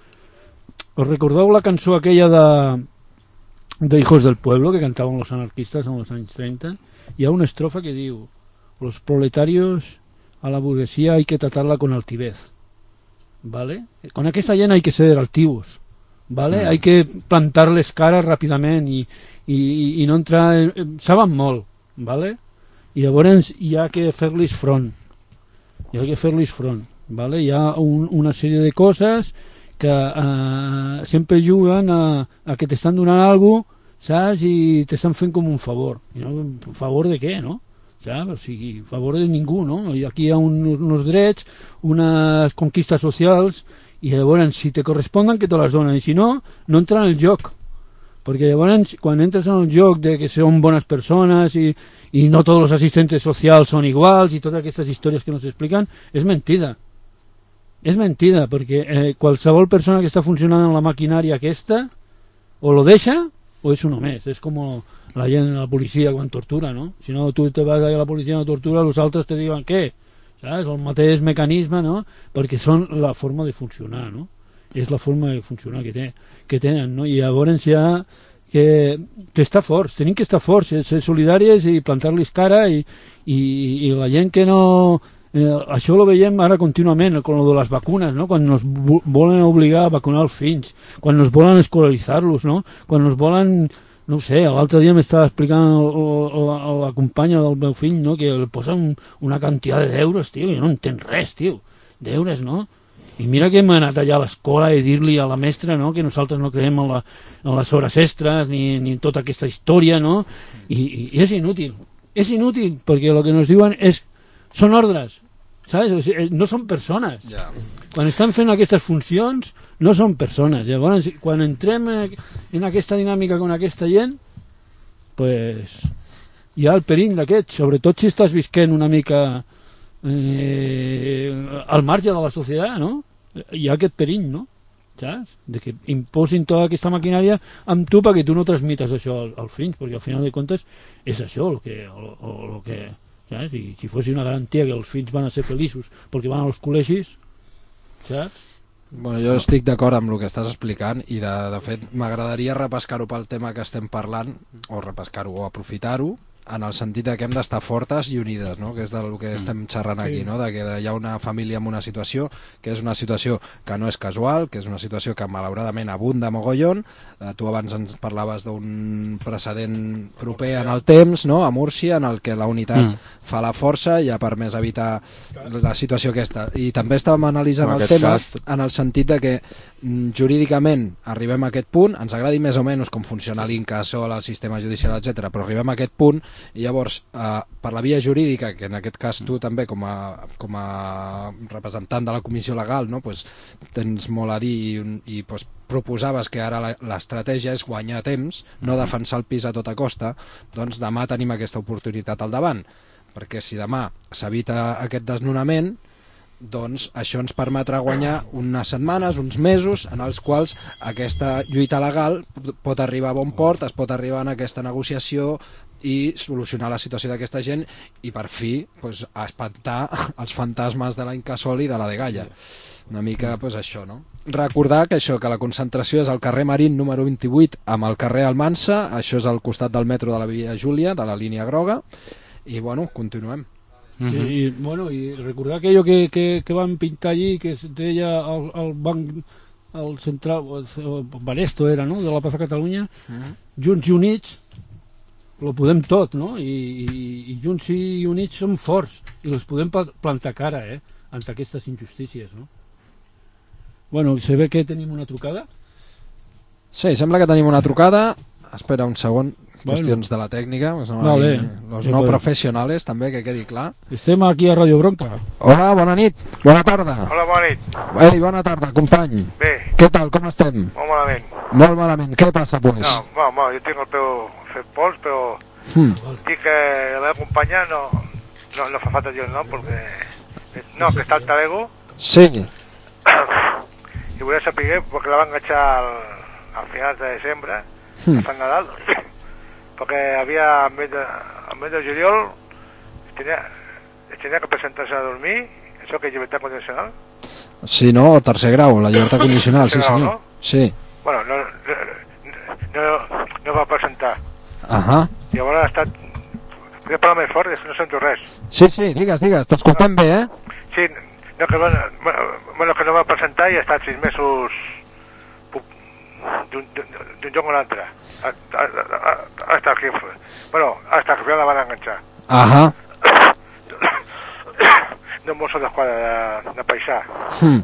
us recordeu la cançó aquella de Hijos del Pueblo que cantaven los anarquistes en els anys 30? Hi ha una estrofa que diu: los proletarios a la burguesía hay que tratarla con altivez, ¿vale? Con aquesta gent hay que ser altivos, ¿vale? Hay que plantar-les cara ràpidament i no entrar... saben molt, ¿vale? I llavors hi ha que fer-los front, ¿vale? Hi ha una sèrie de coses que sempre juguen a que t'estan donant alguna cosa, saps? I t'estan fent com un favor. ¿No? Favor de què, no? ¿Saps? O sigui, favor de ningú, no? I aquí hi ha uns drets, unes conquistes socials, i llavors, si te corresponden, que te les donen, i si no, no entra en el joc. Perquè llavors, quan entres en el joc de que són bones persones i no tots els assistents socials són iguals i totes aquestes històries que nos expliquen, és mentida. És mentida, perquè qualsevol persona que està funcionant en la maquinària aquesta, o lo deixa o és uno més. És com la gent de la policia quan tortura, no? Si no, tu te vas a la policia i no tortura, els altres te diuen què? Saps? El mateix mecanisme, no? Perquè són la forma de funcionar, no? És la forma de funcionar que tenen, no? I llavors hi ha que estar forts, tenim que estar forts, ser solidàries i plantar-los cara i la gent que no... això ho veiem ara contínuament con lo de les vacunes, no? Quan nos volen obligar a vacunar els fills, quan nos volen escolaritzar-los, no? Quan nos volen, no ho sé, l'altre dia m'estava explicant la companya del meu fill, no? Que li posen una quantitat d'euros, tio, jo no entenc res, tio, d'euros, no? I mira que hem anat allà a l'escola i dir-li a la mestra, no?, que nosaltres no creiem en les hores extres ni en tota aquesta història, no? I és inútil, perquè el que ens diuen són ordres, saps? O sigui, no són persones. Quan estan fent aquestes funcions no són persones. Llavors, quan entrem en aquesta dinàmica con aquesta gent, pues hi ha el perill d'aquest, sobretot si estàs visquent una mica al marge de la societat, no? Hi ha aquest perill, no? Saps? De que imposin tota aquesta maquinària amb tu perquè tu no transmites això als fills, perquè al final de comptes és això el que saps? I si fos una garantia que els fills van a ser feliços perquè van als col·legis, saps? Bueno, jo estic d'acord amb el que estàs explicant i de fet m'agradaria repescar-ho pel tema que estem parlant, o repescar-ho o aprofitar-ho, en el sentit que hem d'estar fortes i unides, no? Que és del que estem xerrant aquí, no? De que hi ha una família amb una situació que és una situació que no és casual, que és una situació que malauradament abunda mogollon. Tu abans ens parlaves d'un precedent proper en el temps, no? A Múrcia, en el que la unitat fa la força i ha permès evitar la situació aquesta. I també estàvem analitzant el tema en el sentit de que jurídicament arribem a aquest punt, ens agradi més o menys com funciona l'Incasòl, el sistema judicial, etc., però arribem a aquest punt i llavors per la via jurídica, que en aquest cas tu també com a representant de la comissió legal, no? Pues, tens molt a dir i pues, proposaves que ara l'estratègia és guanyar temps, no defensar el pis a tota costa, doncs demà tenim aquesta oportunitat al davant, perquè si demà s'evita aquest desnonament, doncs això ens permetrà guanyar unes setmanes, uns mesos en els quals aquesta lluita legal pot arribar a bon port, es pot arribar en aquesta negociació i solucionar la situació d'aquesta gent i per fi pues, espantar els fantasmes de la Incasòl i de la Degalla. Una mica pues, això, no? Recordar que això, que la concentració és al carrer Marín número 28 amb el carrer Almansa, això és al costat del metro de la Via Júlia, de la línia groga, i bueno, continuem. I recordar aquello que van pintar allí, que es deia el banc, el central, el Banesto era, no?, de la Plaça Catalunya, Junts i Units, lo podem tot, no? I Junts i Units som forts i els podem plantar cara, ante aquestes injustícies, no? Bueno, se ve que tenim una trucada. Sí, sembla que tenim una trucada. Espera un segon, qüestions de la tècnica. Vale. Los no professionals, també, que quedi clar. Estem aquí a Radio Bronca. Hola, bona nit, bona tarda. Hola, bona nit. Ei, bona tarda, company. Bé, Què tal, com estem? molt malament. Molt malament, què passa, pues? No, jo tinc el peu fet pols, però dic que la meva companya no fa falta dir el nom, perquè... No, que està al Talego, Sí, i volia saber, perquè la va enganxar al final de desembre, a Sant Nadal, perquè havia, al mes de juliol, es tenia que presentar-se a dormir, això que és llibertat condicional. sí, no, tercer grau, la llibertat condicional, sí Tercer grau, senyor. no? Sí. Bueno, no va presentar. Ahà. Llavors ha estat... Podria parlar més fort, és que no sento res. Sí, digues, t'escoltem bé, eh? Sí, no, que no va presentar i ha estat 6 mesos d'un lloc a l'altre. Hasta que al final la van enganxar. Ahà. D'un mosso d'esquadra de paisà. Hm.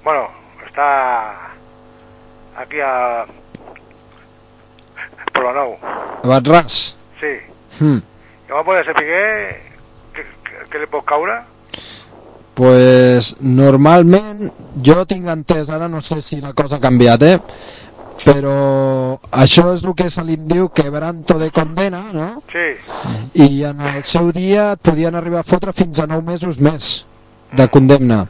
Bueno, està aquí a Polo Nou. Batràs. Sí. Hm. I vam poder saber què li pot caure. Pues normalment jo tinc entès, ara no sé si la cosa ha canviat, però això és el que se li diu quebranto de condena, no? Sí. I en el seu dia et podien arribar a fotre fins a 9 mesos més de condemna,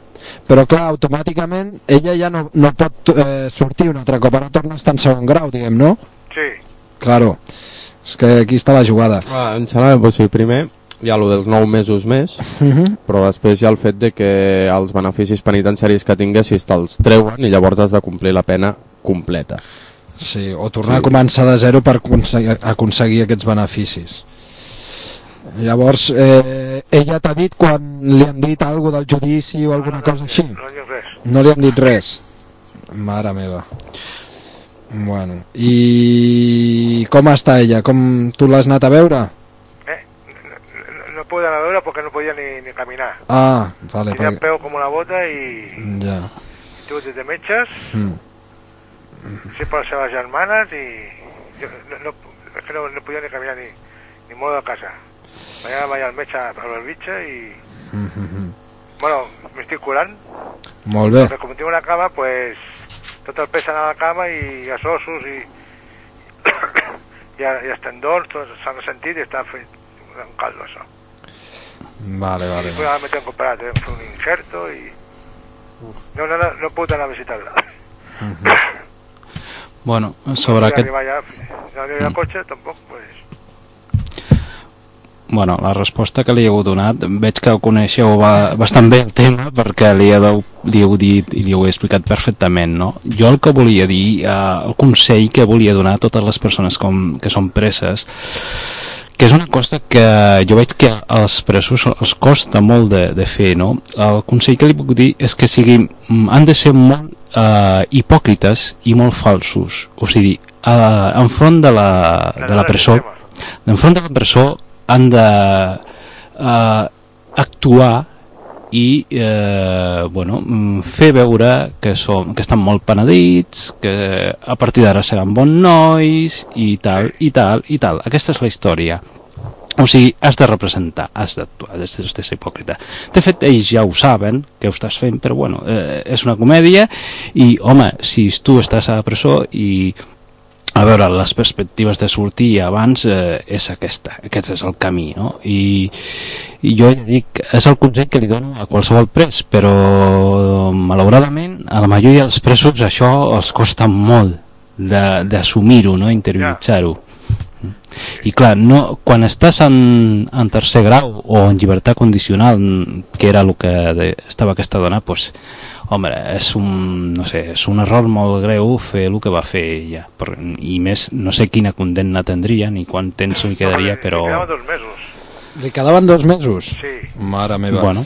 però clar, automàticament ella ja no pot sortir un altre cop, ara torna a estar en segon grau, diguem, no? Sí. Claro, és que aquí està la jugada. Em sembla que sigui, primer hi ha el dels 9 mesos més, però després hi ha el fet de que els beneficis penitenciaris que tinguessis te'ls treuen i llavors has de complir la pena completa. Sí, o tornar a començar de zero per aconseguir aquests beneficis. Llavors, ella t'ha dit quan li han dit alguna del judici o alguna cosa així? No dic res. No li han dit res? Mare meva. Bueno, i com està ella? Com tu l'has anat a veure? No pude anar a veure perquè no podia ni caminar. Ah, vale. Tenia el peu com una bota i... Ja. Tinc des de metges, sí per les seves germanes i... És que no podia ni caminar ni moure de casa. Vaig al metge a Belvitge i... Bueno, m'estic curant. Molt bé. Perquè com tinc una cama, pues, tot el pes anava a la cama i els ossos i els tendons s'han ressentit i està fet un caldo, això. Vale. Después me tengo que comprar, tengo que hacer un injerto y... No puedo anar a visitar-la. Bueno, sobre aquest... No arriba al cotxe, tampoc, pues... Bueno, la resposta que li heu donat, veig que coneixeu bastant bé el tema perquè li heu dit i li heu explicat perfectament, no? Jo el que volia dir, el consell que volia donar a totes les persones que són preses, que és una cosa que jo veig que als presos els costa molt de fer, no? El consell que li puc dir és que han de ser molt hipòcrites i molt falsos, o sigui, enfront de la presó, enfront de la presó han de actuar i fer veure que estan molt penedits, que a partir d'ara seran bons nois i tal. Aquesta és la història. O sigui, has de representar, has d'actuar, has de ser hipòcrita. De fet, ells ja ho saben que ho estàs fent, però bueno, és una comèdia i, home, si tu estàs a la presó i a veure, les perspectives de sortir abans és aquest és el camí, no? I jo ja dic, és el consell que li dono a qualsevol pres, però malauradament a la majoria dels presos això els costa molt d'assumir-ho, no? Interioritzar-ho. I clar, quan estàs en tercer grau o en llibertat condicional, que era el que estava aquesta dona, doncs, home, és un error molt greu fer el que va fer ella. I més, no sé quina condemna tindria ni quant temps li quedaria, però... Li quedaven 2 mesos. Li quedaven 2 mesos? Sí. Mare meva. Bueno,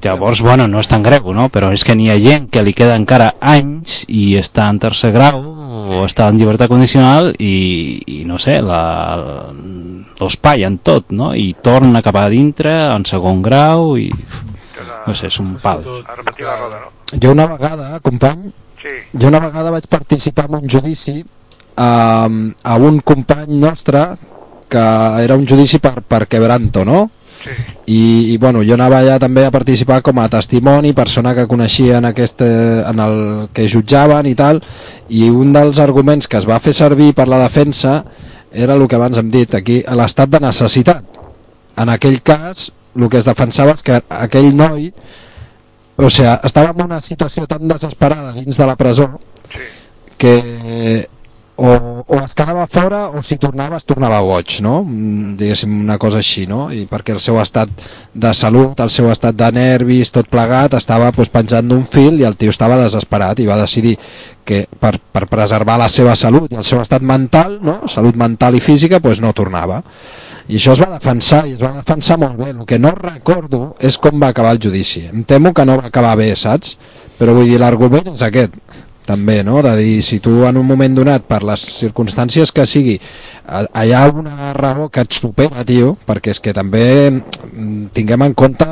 llavors, no és tan greu, no? Però és que n'hi ha gent que li queda encara anys i està en tercer grau o està en llibertat condicional i no sé, l'espai en tot, no? I torna cap a dintre en segon grau i... No sé, és un pal. A repetir la roda, no? Jo una vegada, company, vaig participar en un judici a un company nostre que era un judici per quebranto, no? Sí. I bueno, jo anava allà també a participar com a testimoni, persona que coneixia en el que jutjaven i tal, i un dels arguments que es va fer servir per la defensa era el que abans hem dit aquí, l'estat de necessitat. En aquell cas el que es defensava és que aquell noi, o sigui, estava en una situació tan desesperada dins de la presó que o es quedava fora o si tornava es tornava boig, no? Diguéssim una cosa així, no? I perquè el seu estat de salut, el seu estat de nervis, tot plegat, estava penjant d'un fil i el tio estava desesperat i va decidir que per preservar la seva salut i el seu estat mental, no? Salut mental i física, no tornava. I això es va defensar, i es va defensar molt bé. El que no recordo és com va acabar el judici. Em temo que no va acabar bé, saps? Però vull dir, l'argument és aquest també, no? De dir, si tu en un moment donat, per les circumstàncies que sigui, hi ha una raó que et supera, tio, perquè és que també tinguem en compte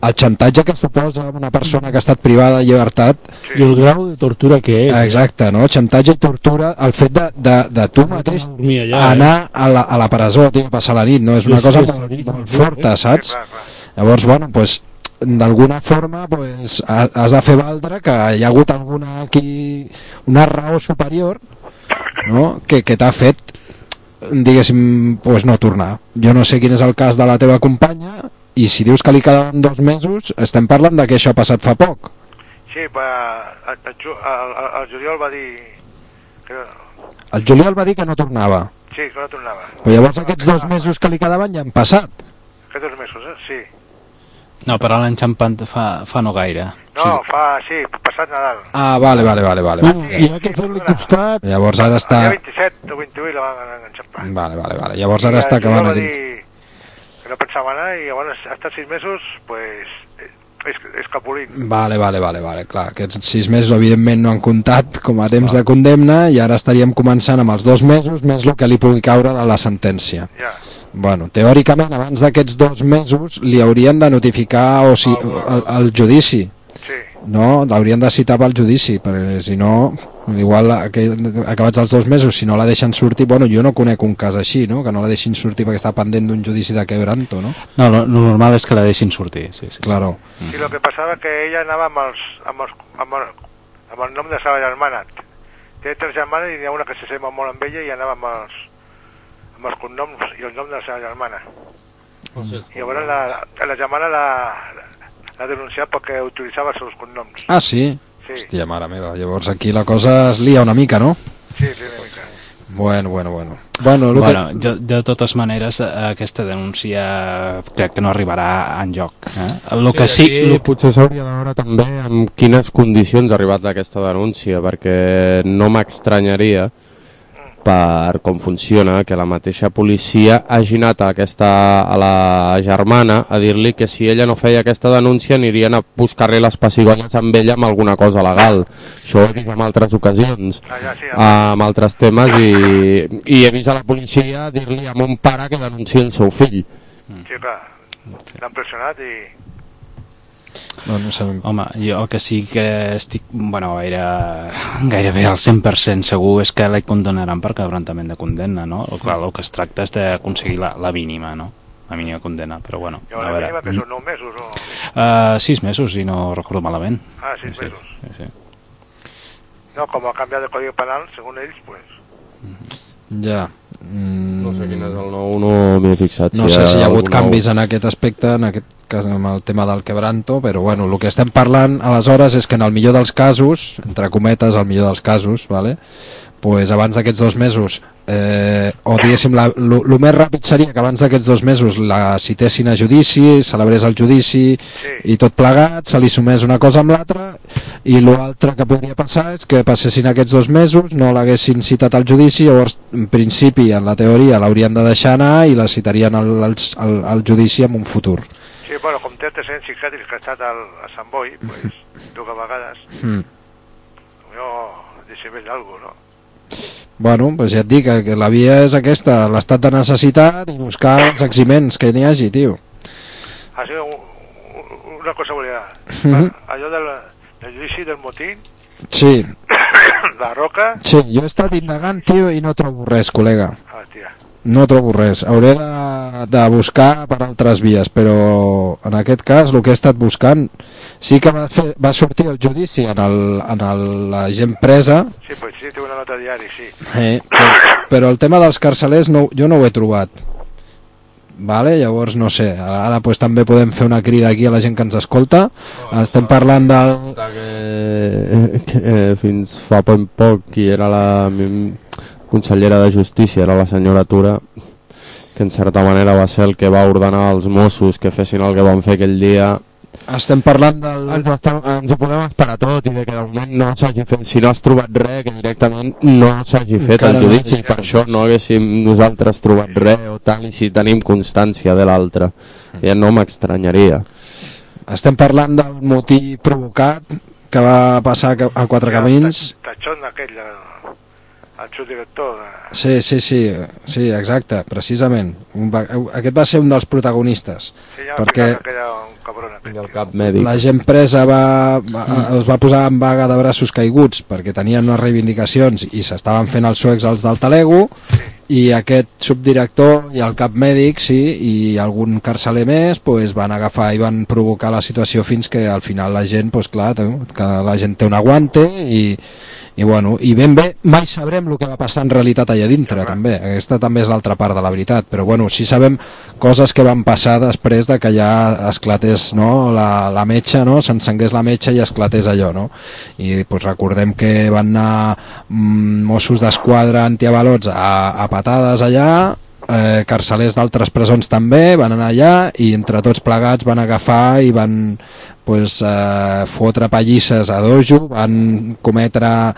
el xantatge que suposa una persona que ha estat privada de llibertat i el grau de tortura que és. Exacte, no? Xantatge i tortura, el fet de tu mateix anar a la presó, tio, a passar la nit, no? És una cosa molt forta, saps? Llavors, bueno, d'alguna forma has de fer valdre que hi ha hagut una raó superior, no? que t'ha fet, diguéssim, no tornar. Jo no sé quin és el cas de la teva companya, i si dius que li quedaven 2 mesos, estem parlant de que això ha passat fa poc. Sí, el juliol va dir que... El juliol va dir que no tornava. Sí, que no tornava. Però llavors aquests 2 mesos que li quedaven ja han passat. Aquests 2 mesos, sí. No, però l'any xampant fa no gaire. No, sí, passat Nadal. Ah, vale. I ha que fer-li costat. Llavors ara està... El dia 27 o 28 la van enxampar. Vale. Llavors ara està acabant aquí. Que no pensava anar i llavors ha estat 6 mesos, escapulint. Vale, clar. Aquests 6 mesos evidentment no han comptat com a temps de condemna i ara estaríem començant amb els 2 mesos més el que li pugui caure de la sentència. Ja. Bueno, teòricament abans d'aquests 2 mesos li haurien de notificar el judici. Sí. No, l'haurien de citar pel judici, perquè si no, igual acabats els 2 mesos, si no la deixen sortir, jo no conec un cas així, no? Que no la deixin sortir perquè està pendent d'un judici de quebranto, no? No, lo normal és que la deixin sortir, sí. Claro. Sí, lo que passava que ella anava amb el nom de la seva germana. Té 3 germanes i n'hi ha una que s'assembla molt amb ella i anava amb els cognoms i el nom de la seva germana. I llavors la germana l'ha denunciat perquè utilitzava els seus cognoms. Ah, sí? Hòstia, mare meva. Llavors aquí la cosa es lia una mica, no? Sí, una mica. Bueno, de totes maneres, aquesta denúncia crec que no arribarà enlloc. Potser s'hauria de veure també en quines condicions ha arribat aquesta denúncia, perquè no m'estranyaria per com funciona que la mateixa policia hagi anat a la germana a dir-li que si ella no feia aquesta denúncia anirien a buscar-li les pessigolles amb ella amb alguna cosa legal. Això ho he vist en altres ocasions, amb altres temes, i he vist a la policia dir-li a mon pare que denunciï el seu fill. Sí, clar, l'han pressionat i... No sé. Home, jo que sí que estic gairebé al 100% segur és que la condenaran per quebrantament de condemna, no? Clar, el que es tracta és d'aconseguir la mínima, no? La mínima condemna, però bueno. I la mínima que són 9 mesos o...? 6 mesos, si no recordo malament. Ah, 6 mesos. Sí. No, com ha canviat el Codi Penal, segons ells, pues... Ja. No sé quin és el nou, no m'he fixat. No sé si hi ha hagut canvis en aquest aspecte, en aquest cas amb el tema del quebranto, però bueno, el que estem parlant aleshores és que en el millor dels casos, entre cometes, el millor dels casos, vale? Pues abans d'aquests 2 mesos, o diguéssim, el més ràpid seria que abans d'aquests 2 mesos la citessin a judici, celebrés el judici i tot plegat, se li sumés una cosa amb l'altra, i l'altre que podria passar és que passessin aquests 2 mesos, no l'haguessin citat al judici, llavors en principi, en la teoria, l'haurien de deixar anar i la citarien al judici en un futur. Sí, bueno, com té antecedents psiquiàtrics que ha estat a Sant Boi, pues, 2 vegades, jo deixem ell alguna cosa, no? Bueno, pues ja et dic que la via és aquesta, l'estat de necessitat i buscar els eximents que n'hi hagi, tio. Una cosa volia... Allò El judici del motín, Sí, la Roca... sí, jo he estat indagant, tio, i no trobo res, col·lega. Hòstia. No trobo res. Hauré de buscar per altres vies, però en aquest cas el que he estat buscant sí que va sortir el judici en la gent presa, Sí, pues sí, té una nota a diari, sí. però el tema dels carcelers jo no ho he trobat. Vale? Llavors no sé, ara pues, també podem fer una crida aquí a la gent que ens escolta. Estem parlant del... que fins fa poc qui era la consellera de Justícia era la senyora Tura, que en certa manera va ser el que va ordenar als Mossos que fessin el que van fer aquell dia. Estem parlant del... Ens ho podem esperar tot i de que de moment no s'hagi fet, si no has trobat res, que directament no s'hagi fet Encara el no judici, s'hagi per això no haguéssim nosaltres trobat res o tal, i si tenim constància de l'altre, ja no m'estranyaria. Estem parlant del motí provocat que va passar a Quatre Camins. Tachón aquell, el subdirector de... Sí, exacte, precisament. Aquest va ser un dels protagonistes. Sí, ja perquè que era un cabron aquell. I el cap mèdic. la gent presa es va posar en vaga de braços caiguts perquè tenien unes reivindicacions i s'estaven fent els suecs als del Talego, i aquest subdirector i el cap mèdic, sí, i algun carceler més pues, van agafar i van provocar la situació fins que al final la gent, pues, clar, que la gent té un aguante i bueno, i ben bé mai sabrem el que va passar en realitat allà dintre, també. Aquesta també és l'altra part de la veritat, però bueno, sí sabem coses que van passar després de que ja esclatés, no, la metxa, no, s'encengués la metxa i esclatés allò, no? I pues, recordem que van anar Mossos d'Esquadra antiavalots a patades allà, carcelers d'altres presons també van anar allà i entre tots plegats van agafar i van pues, fotre pallisses a dojo, van cometre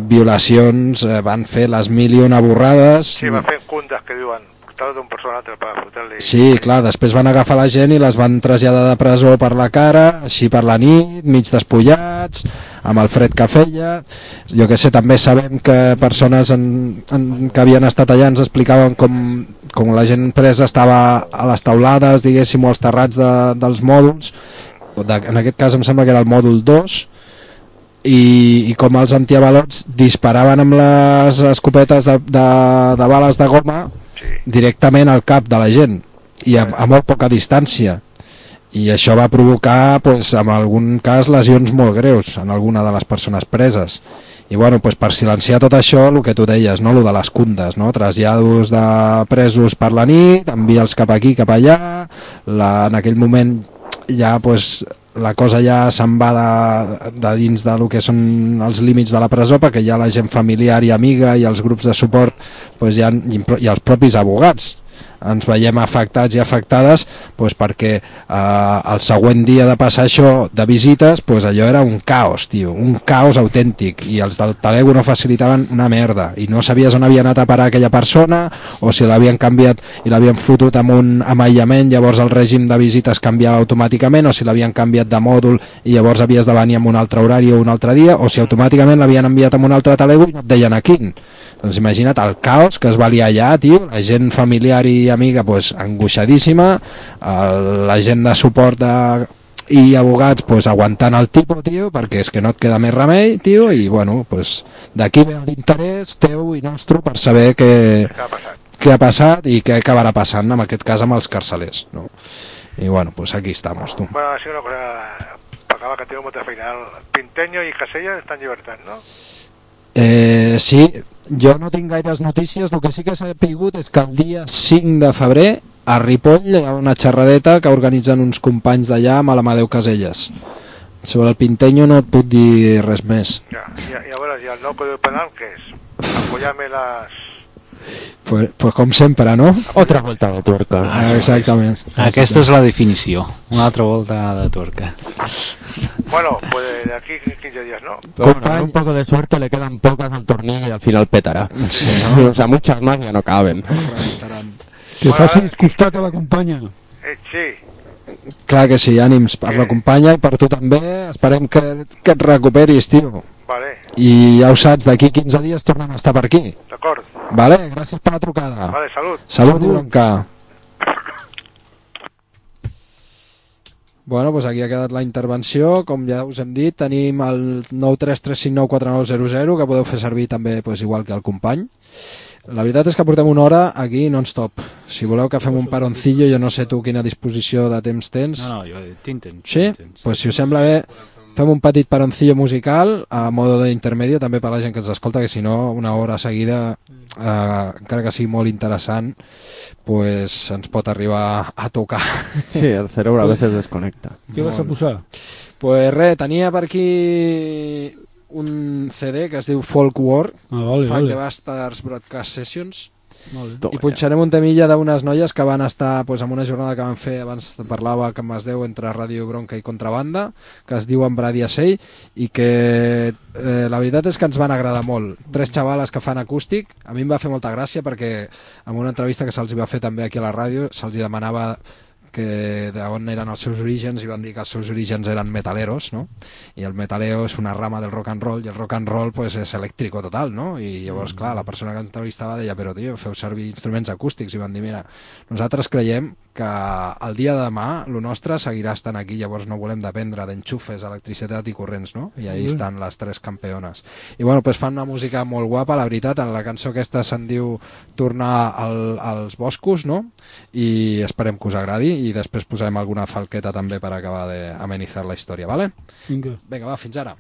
violacions, van fer les 1001 borrades. Sí, va fer cundes que diuen, portar d'un persona a l'altre per fotre-li... Sí, clar, després van agafar la gent i les van traslladar de presó per la cara, així per la nit, mig despullats, amb el fred que feia. Jo que sé, també sabem que persones que havien estat allà ens explicaven com la gent presa estava a les taulades, diguéssim, o als terrats dels mòduls, en aquest cas em sembla que era el mòdul 2, i com els antiavalots disparaven amb les escopetes de bales de goma directament al cap de la gent i a molt poca distància, i això va provocar pues, en algun cas lesions molt greus en alguna de les persones preses. I bueno, pues, per silenciar tot això, el que tu deies, no? Lo de les cundes, no? Trasllados de presos per la nit, envia'ls cap aquí, cap allà, en aquell moment ja pues, la cosa ja se'n va de dins de lo que són els límits de la presó, perquè ja la gent familiar i amiga i els grups de suport pues, i els propis abogats ens veiem afectats i afectades pues, perquè el següent dia de passar això de visites pues, allò era un caos, tio, un caos autèntic, i els del Talego no facilitaven una merda i no sabies on havia anat a parar aquella persona o si l'havien canviat i l'havien fotut amb un aïllament, llavors el règim de visites canviava automàticament, o si l'havien canviat de mòdul i llavors havies de venir amb un altre horari o un altre dia, o si automàticament l'havien enviat amb un altre Talego i no et deien a quin. Doncs imagina't el caos que es va liar allà, tio, la gent familiar i amiga pues, angoixadíssima, la gent de suport i abogats pues, aguantant el tipus, tio, perquè és que no et queda més remei, tio, i bueno, pues, d'aquí ve l'interès teu i nostre per saber què ha passat i què acabarà passant, en aquest cas amb els carcelers, no? I bueno, pues aquí estamos, tu. Bueno, ha sido una cosa per acabar, que tengo molta feina. Pinteño i Casella estan en llibertat, no? Sí, jo no tinc gaires notícies, el que sí que s'ha sapigut és que el dia 5 de febrer a Ripoll hi ha una xerradeta que organitzen uns companys d'allà amb l'Amadeu Caselles. Sobre el Pinteño no et puc dir res més. Ja, i a veure, i el nou codi penal què és? Apoyar-me les... Pues com sempre, no? Otra vuelta de tuerca. Exactament. Aquesta és la definició, una altra volta de tuerca. Bueno, pues de aquí 15 días, ¿no? Bueno, con un poco de suerte le quedan pocas al tornillo y al final petará. Sí, ¿no? O sea, muchas más ya no caben. Que facis costat a la companya. Sí. Clar que sí, ànims per la companya i per tu també. Esperem que et recuperis, tio. Vale. I ja ho saps, d'aquí 15 dies tornem a estar per aquí. D'acord. Vale, gràcies per la trucada. Vale, salut. Salut i bronca. Bueno, doncs aquí ha quedat la intervenció. Com ja us hem dit, tenim el 933594900 que podeu fer servir també igual que el company. La veritat és que portem una hora aquí non-stop. Si voleu que fem un paroncillo, jo no sé tu quina disposició de temps tens. No, jo tinc temps. Sí? Doncs si us sembla bé, fem un petit paroncillo musical a modo d'intermedio també per a la gent que ens escolta, que si no una hora seguida, encara que sigui molt interessant, pues ens pot arribar a tocar. Sí, el cerebro a veces desconecta. Què vas a posar? Pues res, tenia per aquí un CD que es diu Folk War, Fuck the Bastards Broadcast Sessions, i punxarem un temilla d'unes noies que van estar en una jornada que van fer, abans parlava que es deu entre Ràdio Bronca i Contrabanda, que es diuen Bradia Sei, i que la veritat és que ens van agradar molt. 3 xavales que fan acústic. A mi em va fer molta gràcia perquè en una entrevista que se'ls va fer també aquí a la ràdio se'ls demanava que d'on eren els seus orígens, i van dir que els seus orígens eren metaleros, no? I el metaleo és una rama del rock and roll, i el rock and roll és elèctrico total, no? I llavors, clar, la persona que ens entrevistava deia, però tio, feu servir instruments acústics, i van dir, mira, nosaltres creiem que el dia de demà el nostre seguirà estant aquí, llavors no volem dependre d'enxufes, electricitat i corrents, no? I ahí estan les 3 campeones. I bueno, fan una música molt guapa, la veritat. En la cançó aquesta se'n diu Tornar als boscos, no? I esperem que us agradi, i després posarem alguna falqueta també per acabar d'amenitzar la història, vale? Vinga, va, fins ara.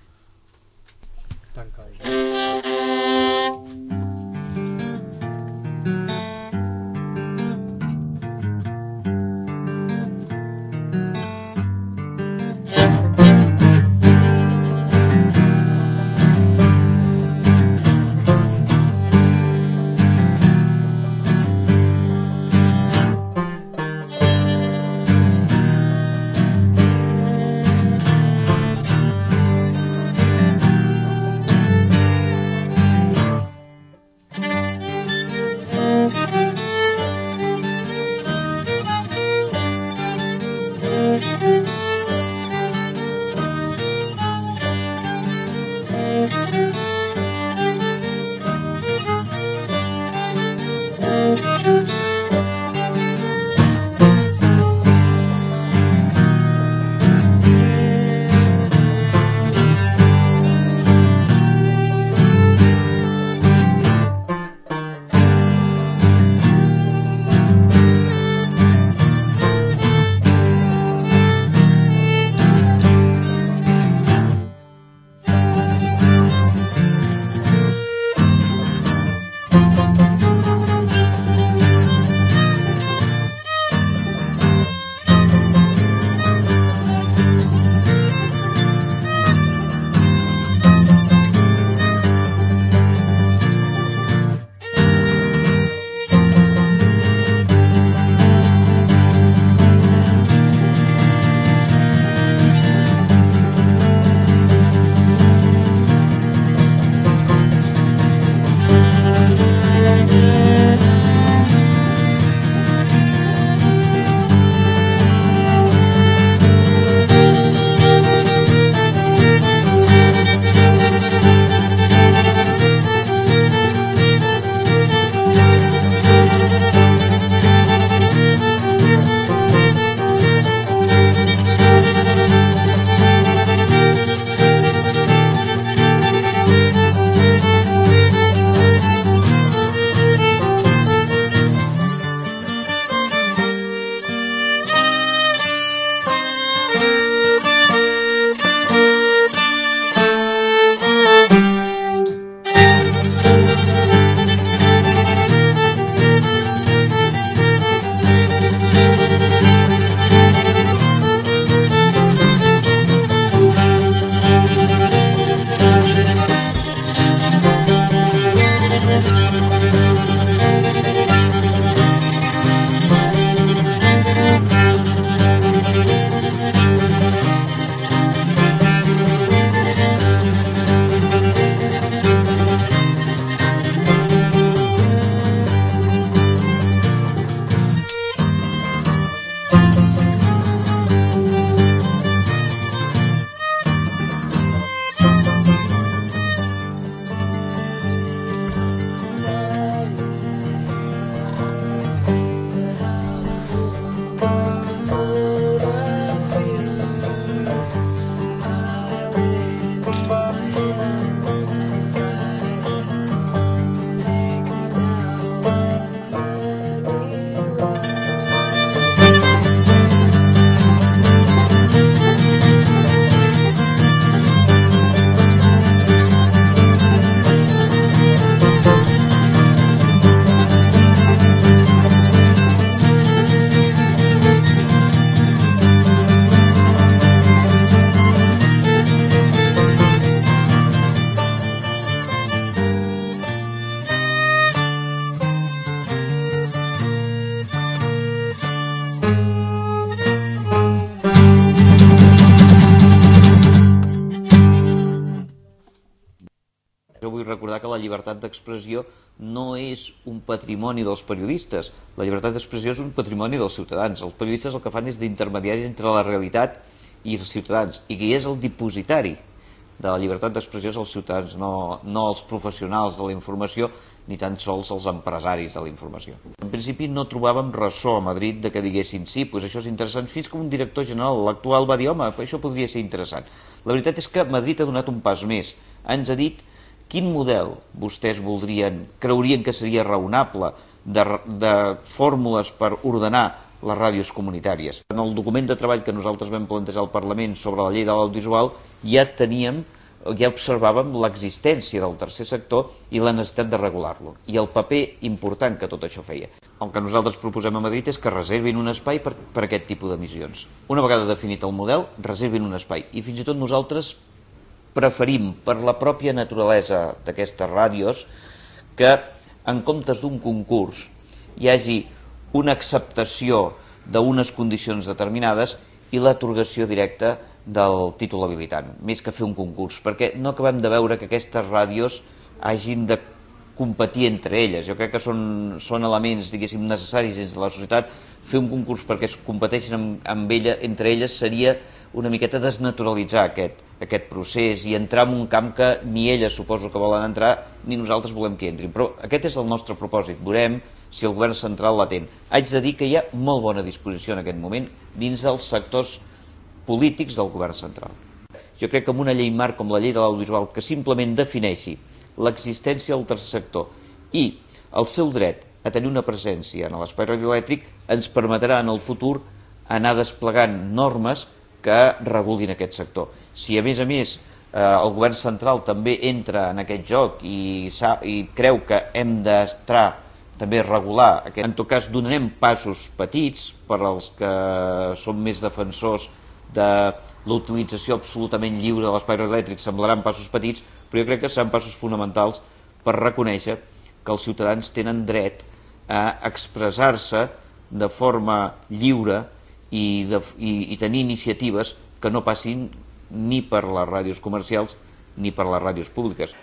llibertat d'expressió no és un patrimoni dels periodistes, la llibertat d'expressió és un patrimoni dels ciutadans. Els periodistes el que fan és d'intermediaris entre la realitat i els ciutadans, i qui és el dipositari de la llibertat d'expressió és els ciutadans, no els professionals de la informació, ni tan sols els empresaris de la informació. En principi no trobàvem ressò a Madrid de que diguessin sí, doncs això és interessant, fins que un director general, l'actual, va dir home, això podria ser interessant. La veritat és que Madrid ha donat un pas més, ens ha dit quin model vostès creurien que seria raonable de fórmules per ordenar les ràdios comunitàries. En el document de treball que nosaltres vam plantejar al Parlament sobre la llei de l'audiovisual ja observàvem l'existència del tercer sector i la necessitat de regular-lo, i el paper important que tot això feia. El que nosaltres proposem a Madrid és que reservin un espai per aquest tipus d'emissions. Una vegada definit el model, reservin un espai, i fins i tot nosaltres preferim, per la pròpia naturalesa d'aquestes ràdios, que en comptes d'un concurs hi hagi una acceptació d'unes condicions determinades i l'atorgació directa del títol habilitant, més que fer un concurs, perquè no acabem de veure que aquestes ràdios hagin de competir entre elles. Jo crec que són elements, diguéssim, necessaris dins de la societat. Fer un concurs perquè es competeixin entre elles seria una miqueta desnaturalitzar aquest procés i entrar en un camp que ni elles suposo que volen entrar ni nosaltres volem que entrin. Però aquest és el nostre propòsit. Veurem si el govern central l'atén. Haig de dir que hi ha molt bona disposició en aquest moment dins dels sectors polítics del govern central. Jo crec que amb una llei marc com la llei de l'audiovisual que simplement defineixi l'existència del tercer sector i el seu dret a tenir una presència en l'espai radioelèctric ens permetrà en el futur anar desplegant normes que regulin aquest sector. Si a més el govern central també entra en aquest joc i creu que hem d'estar també regular, en tot cas donarem passos petits per als que som més defensors de l'utilització absolutament lliure de l'espai radioelèctric, semblaran passos petits, però jo crec que seran passos fonamentals per reconèixer que els ciutadans tenen dret a expressar-se de forma lliure i tenir iniciatives que no passin ni per les ràdios comercials ni per les ràdios públiques.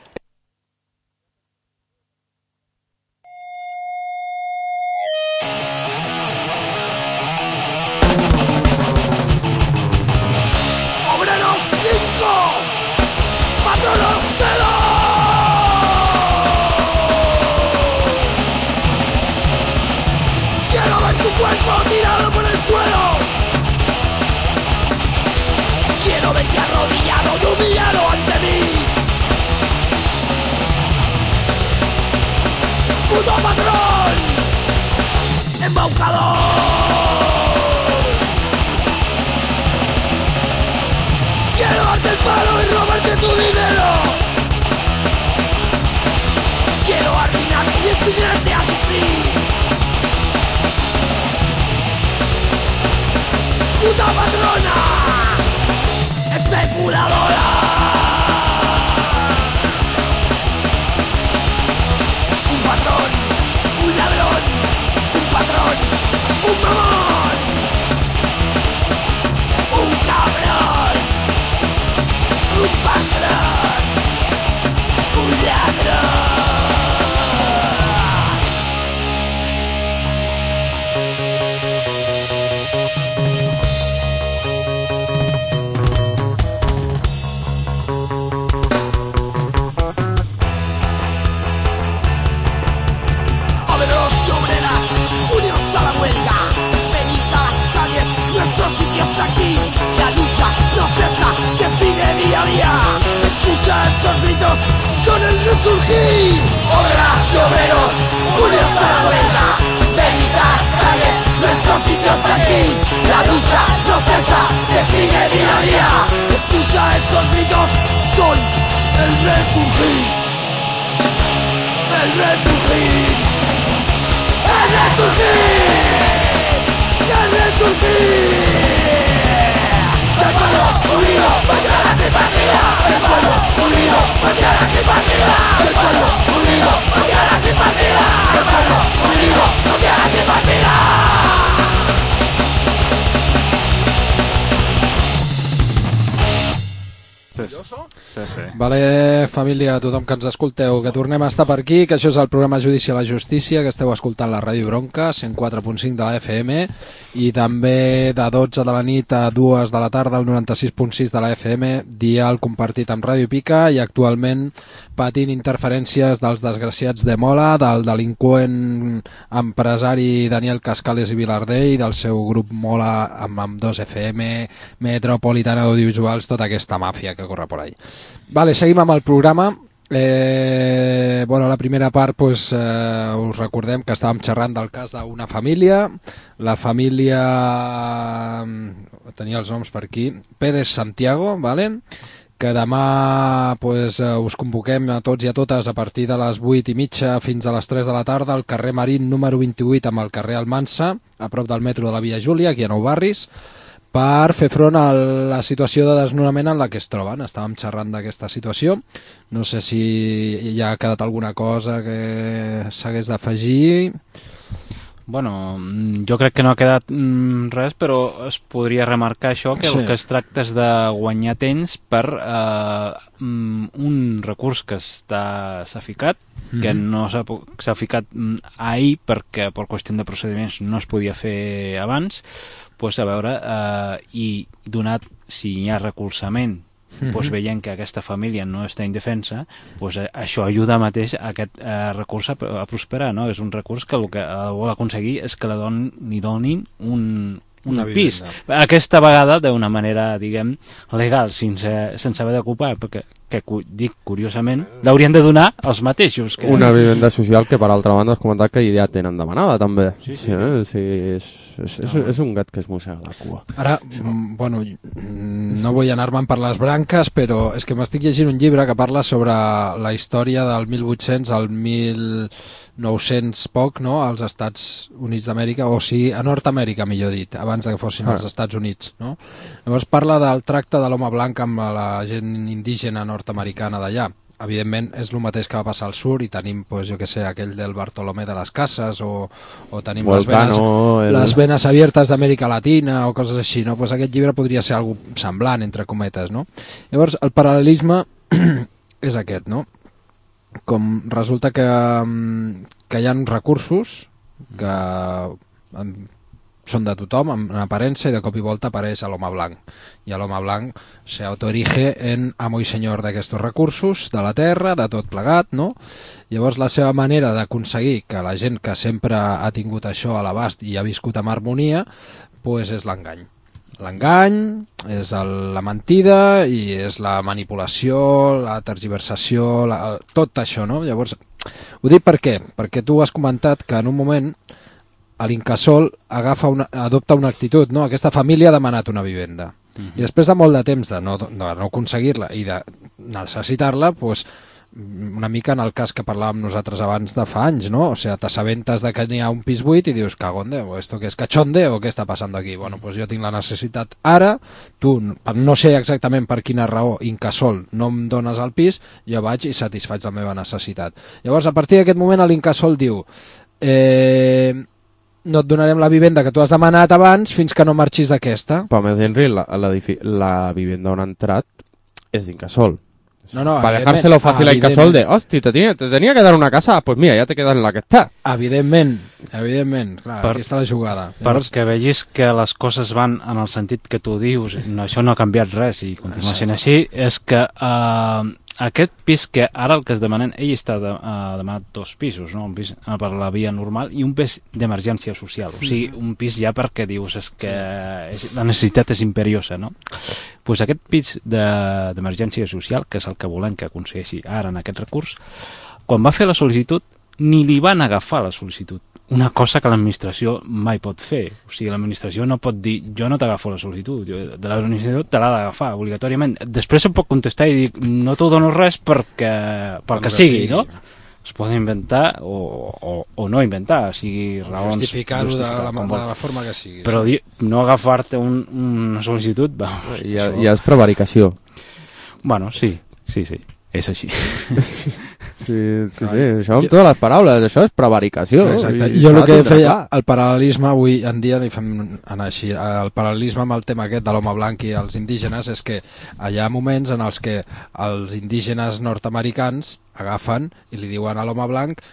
Sí. Vale, família, tothom que ens escolteu, que tornem a estar per aquí, que això és el programa Judici a la Justícia, que esteu escoltant la Ràdio Bronca, 104.5 de la FM, i també de 12 de la nit a 2 de la tarda al 96.6 de la FM, dial compartit amb Ràdio Pica, i actualment patint interferències dels desgraciats de Mola, del delinqüent empresari Daniel Cascales i Vilardell, i del seu grup Mola amb 2FM, Metropolitana Audiovisuals, tota aquesta màfia que corre por ahí. Vale, seguim amb el programa. Bueno, la primera part pues, us recordem que estàvem xerrant del cas d'una família. La família tenia els noms per aquí, Pérez Santiago, vale? Que demà pues, us convoquem a tots i a totes a partir de les 8:30 fins a les 3 de la tarda al carrer Marín número 28 amb el carrer Almansa, a prop del metro de la Via Júlia, aquí a Nou Barris, per fer front a la situació de desnonament en la que es troben. Estàvem xerrant d'aquesta situació. No sé si hi ha quedat alguna cosa que s'hagués d'afegir. Bueno, jo crec que no ha quedat res, però es podria remarcar això, que el que es tracta és de guanyar temps per un recurs que s'ha ficat, que no s'ha ficat ahir perquè per qüestió de procediments no es podia fer abans, pues a veure, i donat si hi ha recolzament, pues veient que aquesta família no està indefensa, pues això ajuda mateix a aquest recurs a prosperar, no? És un recurs que el que vol aconseguir és que li donin un pis. Aquesta vegada d'una manera, diguem, legal, sense haver d'ocupar, perquè que dic curiosament, l'haurien de donar els mateixos. Una vivenda social que per altra banda has comentat que ja tenen demanada també. Sí. És un gat que es mossega la cua. Ara, bueno, no vull anar-me'n per les branques, però és que m'estic llegint un llibre que parla sobre la història del 1800 al 1900 poc, no?, als Estats Units d'Amèrica, o sigui, a Nord-Amèrica, millor dit, abans que fossin els Estats Units, no? Llavors parla del tracte de l'home blanc amb la gent indígena nord-americana d'allà. Evidentment és el mateix que va passar al sur i tenim, pues, jo que sé, aquell del Bartolomé de les Cases o tenim les venes abiertes d'Amèrica Latina o coses així, no? Pues aquest llibre podria ser algo semblant, entre cometes, no? Llavors el paral·lelisme és aquest, no? Com resulta que hi ha recursos que són de tothom en aparença i de cop i volta apareix a l'home blanc i a l'home blanc s'autoerige en amo i senyor d'aquests recursos de la terra, de tot plegat, no? Llavors la seva manera d'aconseguir que la gent que sempre ha tingut això a l'abast i ha viscut amb harmonia, pues és l'engany. L'engany és la mentida i és la manipulació, la tergiversació, tot això, no? Llavors, ho dic per què? Perquè tu has comentat que en un moment l'Incasòl adopta una actitud, no? Aquesta família ha demanat una vivenda i després de molt de temps de no aconseguir-la i de necessitar-la, pues, una mica en el cas que parlàvem nosaltres abans de fa anys, no? O sigui, t'assabentes de que n'hi ha un pis buit i dius, cagón Déu, esto que és cachonde o què està passant aquí? Bueno, pues jo tinc la necessitat ara, tu, no sé exactament per quina raó, Incasòl, no em dones el pis, jo vaig i satisfaig la meva necessitat. Llavors, a partir d'aquest moment, l'Incasòl diu no et donarem la vivenda que tu has demanat abans fins que no marxis d'aquesta. Però més Henry, la vivenda on ha entrat és d'Incasòl. No, para dejárselo fàcil a Incasòl de, hosti, te tenía que dar una casa, pues mira, ya te quedas en la que está. Evidentment, clar, aquí està la jugada. Perquè vegis que les coses van en el sentit que tu dius, això no ha canviat res i continua sent així, és que aquest pis que ara el que es demanen, ell està demanat 2 pisos, no? Un pis per la via normal i un pis d'emergència social, o sigui, un pis ja perquè dius és que la necessitat és imperiosa, no? Pues aquest pis d'emergència social, que és el que volem que aconsegueixi ara en aquest recurs, quan va fer la sol·licitud ni li van agafar la sol·licitud, una cosa que l'administració mai pot fer. O sigui, l'administració no pot dir jo no t'agafo la sol·licitud, de l'administració te l'ha d'agafar obligatòriament. Després se'n pot contestar i dir no t'ho dono res pel que sigui, no? Es poden inventar o no inventar, o sigui, raons... Justificar-ho de la forma que sigui. Però no agafar-te una sol·licitud... Ja és prevaricació. Bueno, sí, és així. Sí, això amb totes les paraules, això és prevaricació. Exacte. Jo el que feia, el paral·lelisme avui en dia, li fem anar així, el paral·lelisme amb el tema aquest de l'home blanc i els indígenes és que hi ha moments en els que els indígenes nord-americans agafen i li diuen a l'home blanc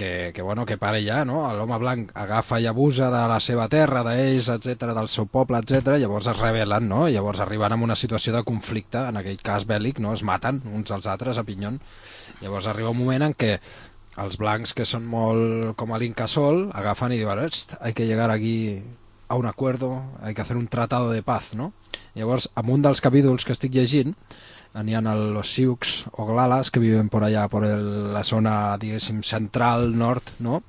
que pare ja, no? L'home blanc agafa i abusa de la seva terra, d'ells, etc, del seu poble, etc. Llavors es rebel·len, no? Llavors arriben a una situació de conflicte, en aquell cas bèl·lic, no? Es maten uns als altres a pinyón. Llavors arriba un moment en què els blancs, que són molt com a l'Incasol, agafen i diuen, hay que llegar aquí a un acuerdo, hay que hacer un tratado de paz, no? Llavors, en un dels capítols que estic llegint, n'hi ha los Sioux o Glalas que viven por allá, por la zona, diguéssim, central, nord, no?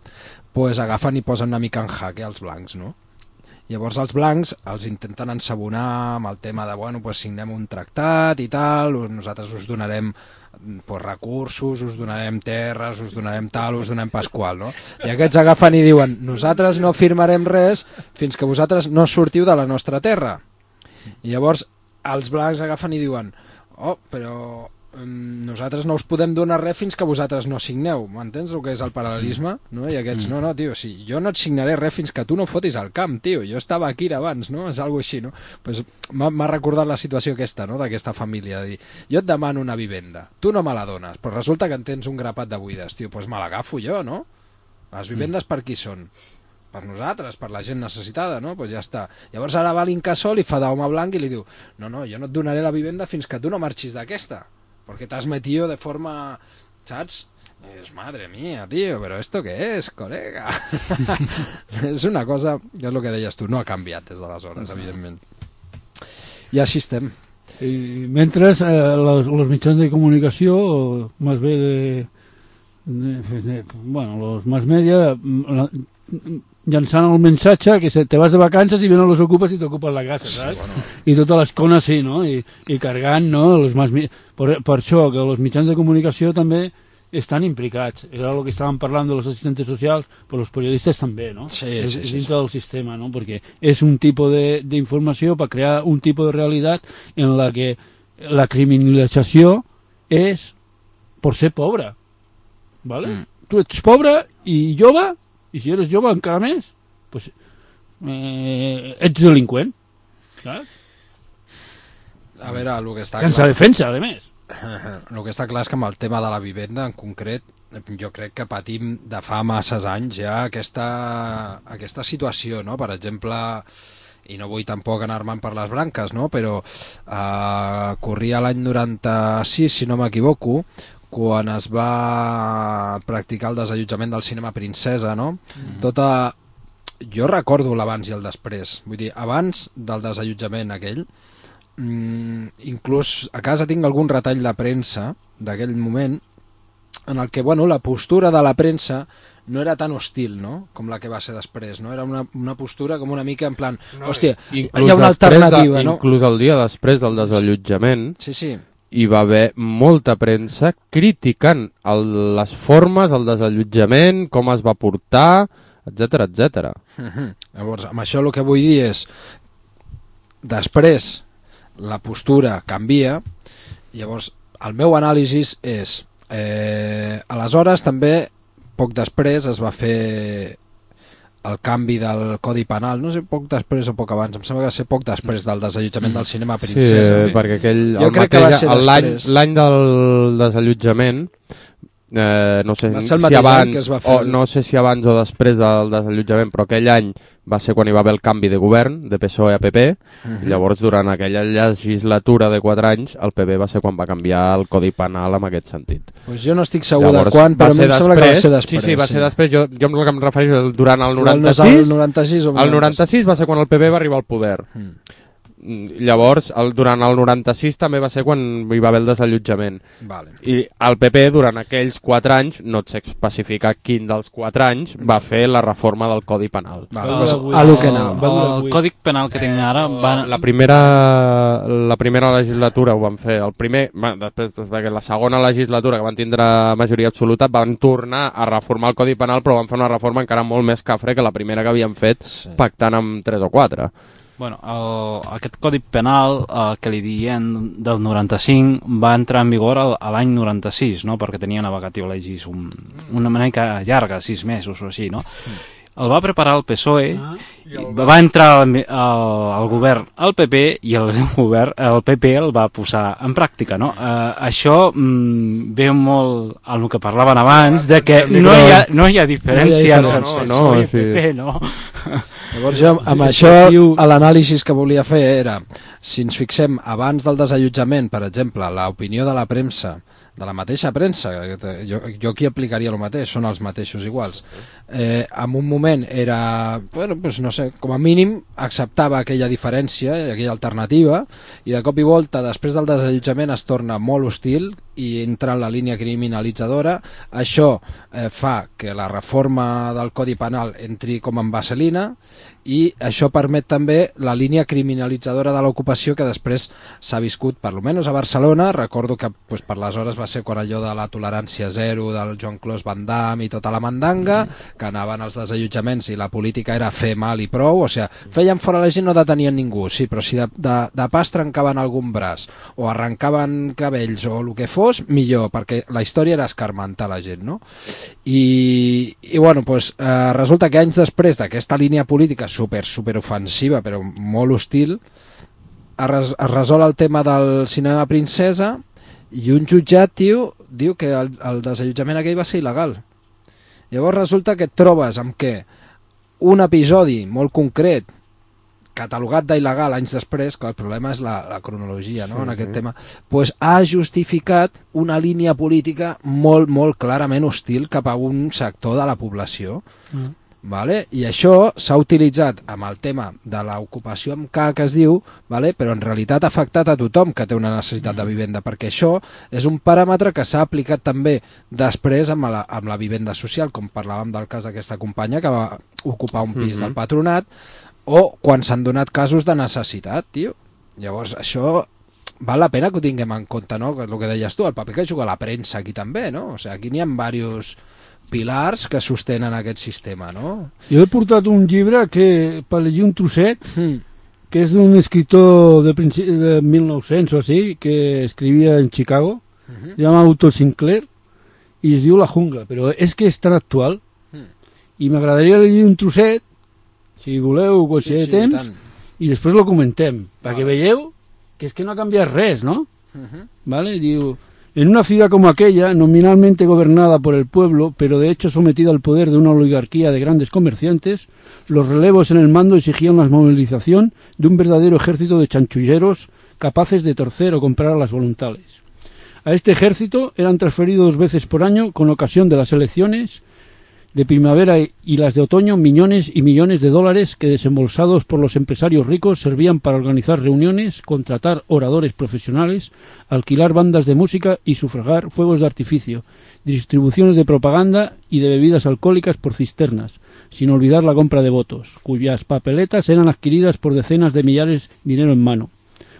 Pues agafen i posen una mica en jaque als blancs, no? Llavors els blancs els intenten ensabonar amb el tema de, bueno, pues signem un tractat i tal, nosaltres us donarem recursos, us donarem terres, us donarem tal, us donem pasqual, no? I aquests agafen i diuen, nosaltres no firmarem res fins que vosaltres no sortiu de la nostra terra. I llavors els blancs agafen i diuen, però nosaltres no us podem donar res fins que vosaltres no signeu. M'entens el que és el paral·lelisme? No? I aquests, no, tio, sí, jo no et signaré res fins que tu no fotis al camp, tio, jo estava aquí d'abans, no? És algo així, no? Pues m'ha recordat la situació aquesta, no? D'aquesta família, de dir, jo et demano una vivenda, tu no me la dones, però resulta que en tens un grapat de buides, tio, pues me l'agafo jo, no? Les vivendes per qui són? Per nosaltres, per la gent necessitada, no? Pues ja està. Llavors ara va l'Incasol i fa d'home blanc i li diu, no, jo no et donaré la vivenda fins que tu no marxis d'aquesta, perquè t'has metido de forma, saps? És, madre mía, tío, pero ¿esto qué es, colega? És una cosa, és el que deies tu, no ha canviat des d'aleshores, evidentment. I així estem. I mentre los mitjans de comunicació, més bé bueno, los más media, llançant el missatge que te vas de vacances i venen los ocupes i t'ocupen la casa, saps? Sí, bueno. I totes les cones sí, no? I cargant, no? Per això que els mitjans de comunicació també estan implicats. Era el que estàvem parlant de los assistentes socials, però els periodistes també, no? Sí, és dintre del sistema, no? Perquè és un tipus d'informació per crear un tipus de realitat en la que la criminalització és per ser pobre, ¿vale? Tu ets pobre i jove, i si eres jove encara més, pues, ets delinqüent, saps? A veure, el que està sense clar... defensa, a més. El que està clar és que amb el tema de la vivenda en concret, jo crec que patim de fa masses anys ja aquesta situació, no? Per exemple, i no vull tampoc anar-me'n per les branques, no? Però corria l'any 96, si no m'equivoco, quan es va practicar el desallotjament del cinema Princesa, no? Jo recordo l'abans i el després, vull dir, abans del desallotjament aquell, inclús a casa tinc algun retall de premsa d'aquell moment en el que, bueno, la postura de la premsa no era tan hostil, no?, com la que va ser després, no? Era una postura com una mica en plan, hòstia, hi ha una alternativa, no? Inclús el dia després del desallotjament, sí, hi va haver molta premsa criticant les formes, el desallotjament, com es va portar, etc etc. Llavors, amb això el que vull dir és, després la postura canvia, llavors el meu anàlisi és, aleshores també, poc després es va fer el canvi del Codi Penal, no sé, poc després o poc abans, em sembla que va ser poc després del desallotjament del cinema Princesa. Sí, perquè l'any del desallotjament, no sé si abans o després del desallotjament, però aquell any va ser quan hi va haver el canvi de govern, de PSOE a PP, i llavors durant aquella legislatura de 4 anys, el PP va ser quan va canviar el Codi Penal en aquest sentit. Pues jo no estic segur de quan, però em sembla que va ser després. Sí, va ser després, jo el que em refereixo durant el 96, el 96 va ser quan el PP va arribar al poder. Llavors, durant el 96 també va ser quan hi va haver el desallotjament. Vale. I el PP durant aquells 4 anys, no et sé especificar quin dels 4 anys, va fer la reforma del Codi Penal. El Codi Penal que tinc ara... La primera legislatura ho van fer. Després, la segona legislatura, que van tindre majoria absoluta, van tornar a reformar el Codi Penal, però van fer una reforma encara molt més cafre que la primera que havien fet, pactant amb 3 o 4. Bueno, aquest Codi Penal que li diem del 95 va entrar en vigor a l'any 96, no? Perquè tenia una vacatio legis una mica llarga, 6 mesos o així, no? El va preparar el PSOE, va entrar al govern el PP i el PP el va posar en pràctica, no? Això ve molt al que parlaven abans, de que no hi ha diferència entre el PSOE i el PP, no? Llavors jo amb això l'anàlisi que volia fer era, si ens fixem abans del desallotjament, per exemple, l'opinió de la premsa, de la mateixa premsa, jo aquí aplicaria el mateix, són els mateixos iguals, en un moment era, bueno, pues no sé, com a mínim acceptava aquella diferència, aquella alternativa, i de cop i volta després del desallotjament es torna molt hostil i entra en la línia criminalitzadora. Això fa que la reforma del Codi Penal entri com en vaselina, i això permet també la línia criminalitzadora de l'ocupació que després s'ha viscut, per almenys a Barcelona. Recordo que pues, per les hores va ser quan allò de la tolerància zero del Joan Clos Van Damme i tota la mandanga, que anaven als desallotjaments i la política era fer mal i prou, o sigui, feien fora la gent, no detenien ningú, sí, però si de pas trencaven algun braç o arrencaven cabells o el que fos, millor, perquè la història era escarmentar la gent, no? I bueno, pues, resulta que anys després d'aquesta línia política super ofensiva però molt hostil es resol el tema del cinema princesa i un jutjat diu que el desallotjament aquell va ser il·legal. Llavors resulta que et trobes amb que un episodi molt concret catalogat d'il·legal anys després, que el problema és la cronologia, no? En aquest tema, pues, ha justificat una línia política molt clarament hostil cap a un sector de la població. Vale? I això s'ha utilitzat amb el tema de l'ocupació amb K, que es diu, vale? Però en realitat ha afectat a tothom que té una necessitat de vivenda, perquè això és un paràmetre que s'ha aplicat també després amb la vivenda social, com parlàvem del cas d'aquesta companya que va ocupar un pis del patronat, o quan s'han donat casos de necessitat, tio. Llavors això val la pena que ho tinguem en compte, no? El que deies tu, el paper que juga la premsa aquí també, no? O sigui, aquí n'hi ha diversos pilars que sostenen aquest sistema, no? Jo he portat un llibre que, per llegir un trosset, que és d'un escriptor de 1900 o així, que escrivia en Chicago, se llama Otto Sinclair, i es diu La jungla, però és que és tan actual, i m'agradaria llegir un trosset, si voleu, o si hi ha temps, i després lo comentem, perquè veieu que és que no ha canviat res, no? ¿Vale? Diu... En una ciudad como aquella, nominalmente gobernada por el pueblo, pero de hecho sometida al poder de una oligarquía de grandes comerciantes, los relevos en el mando exigían la movilización de un verdadero ejército de chanchulleros capaces de torcer o comprar a las voluntades. A este ejército eran transferidos 2 veces por año, con ocasión de las elecciones de primavera y las de otoño, millones y millones de dólares que, desembolsados por los empresarios ricos, servían para organizar reuniones, contratar oradores profesionales, alquilar bandas de música y sufragar fuegos de artificio, distribuciones de propaganda y de bebidas alcohólicas por cisternas, sin olvidar la compra de votos, cuyas papeletas eran adquiridas por decenas de millares dinero en mano.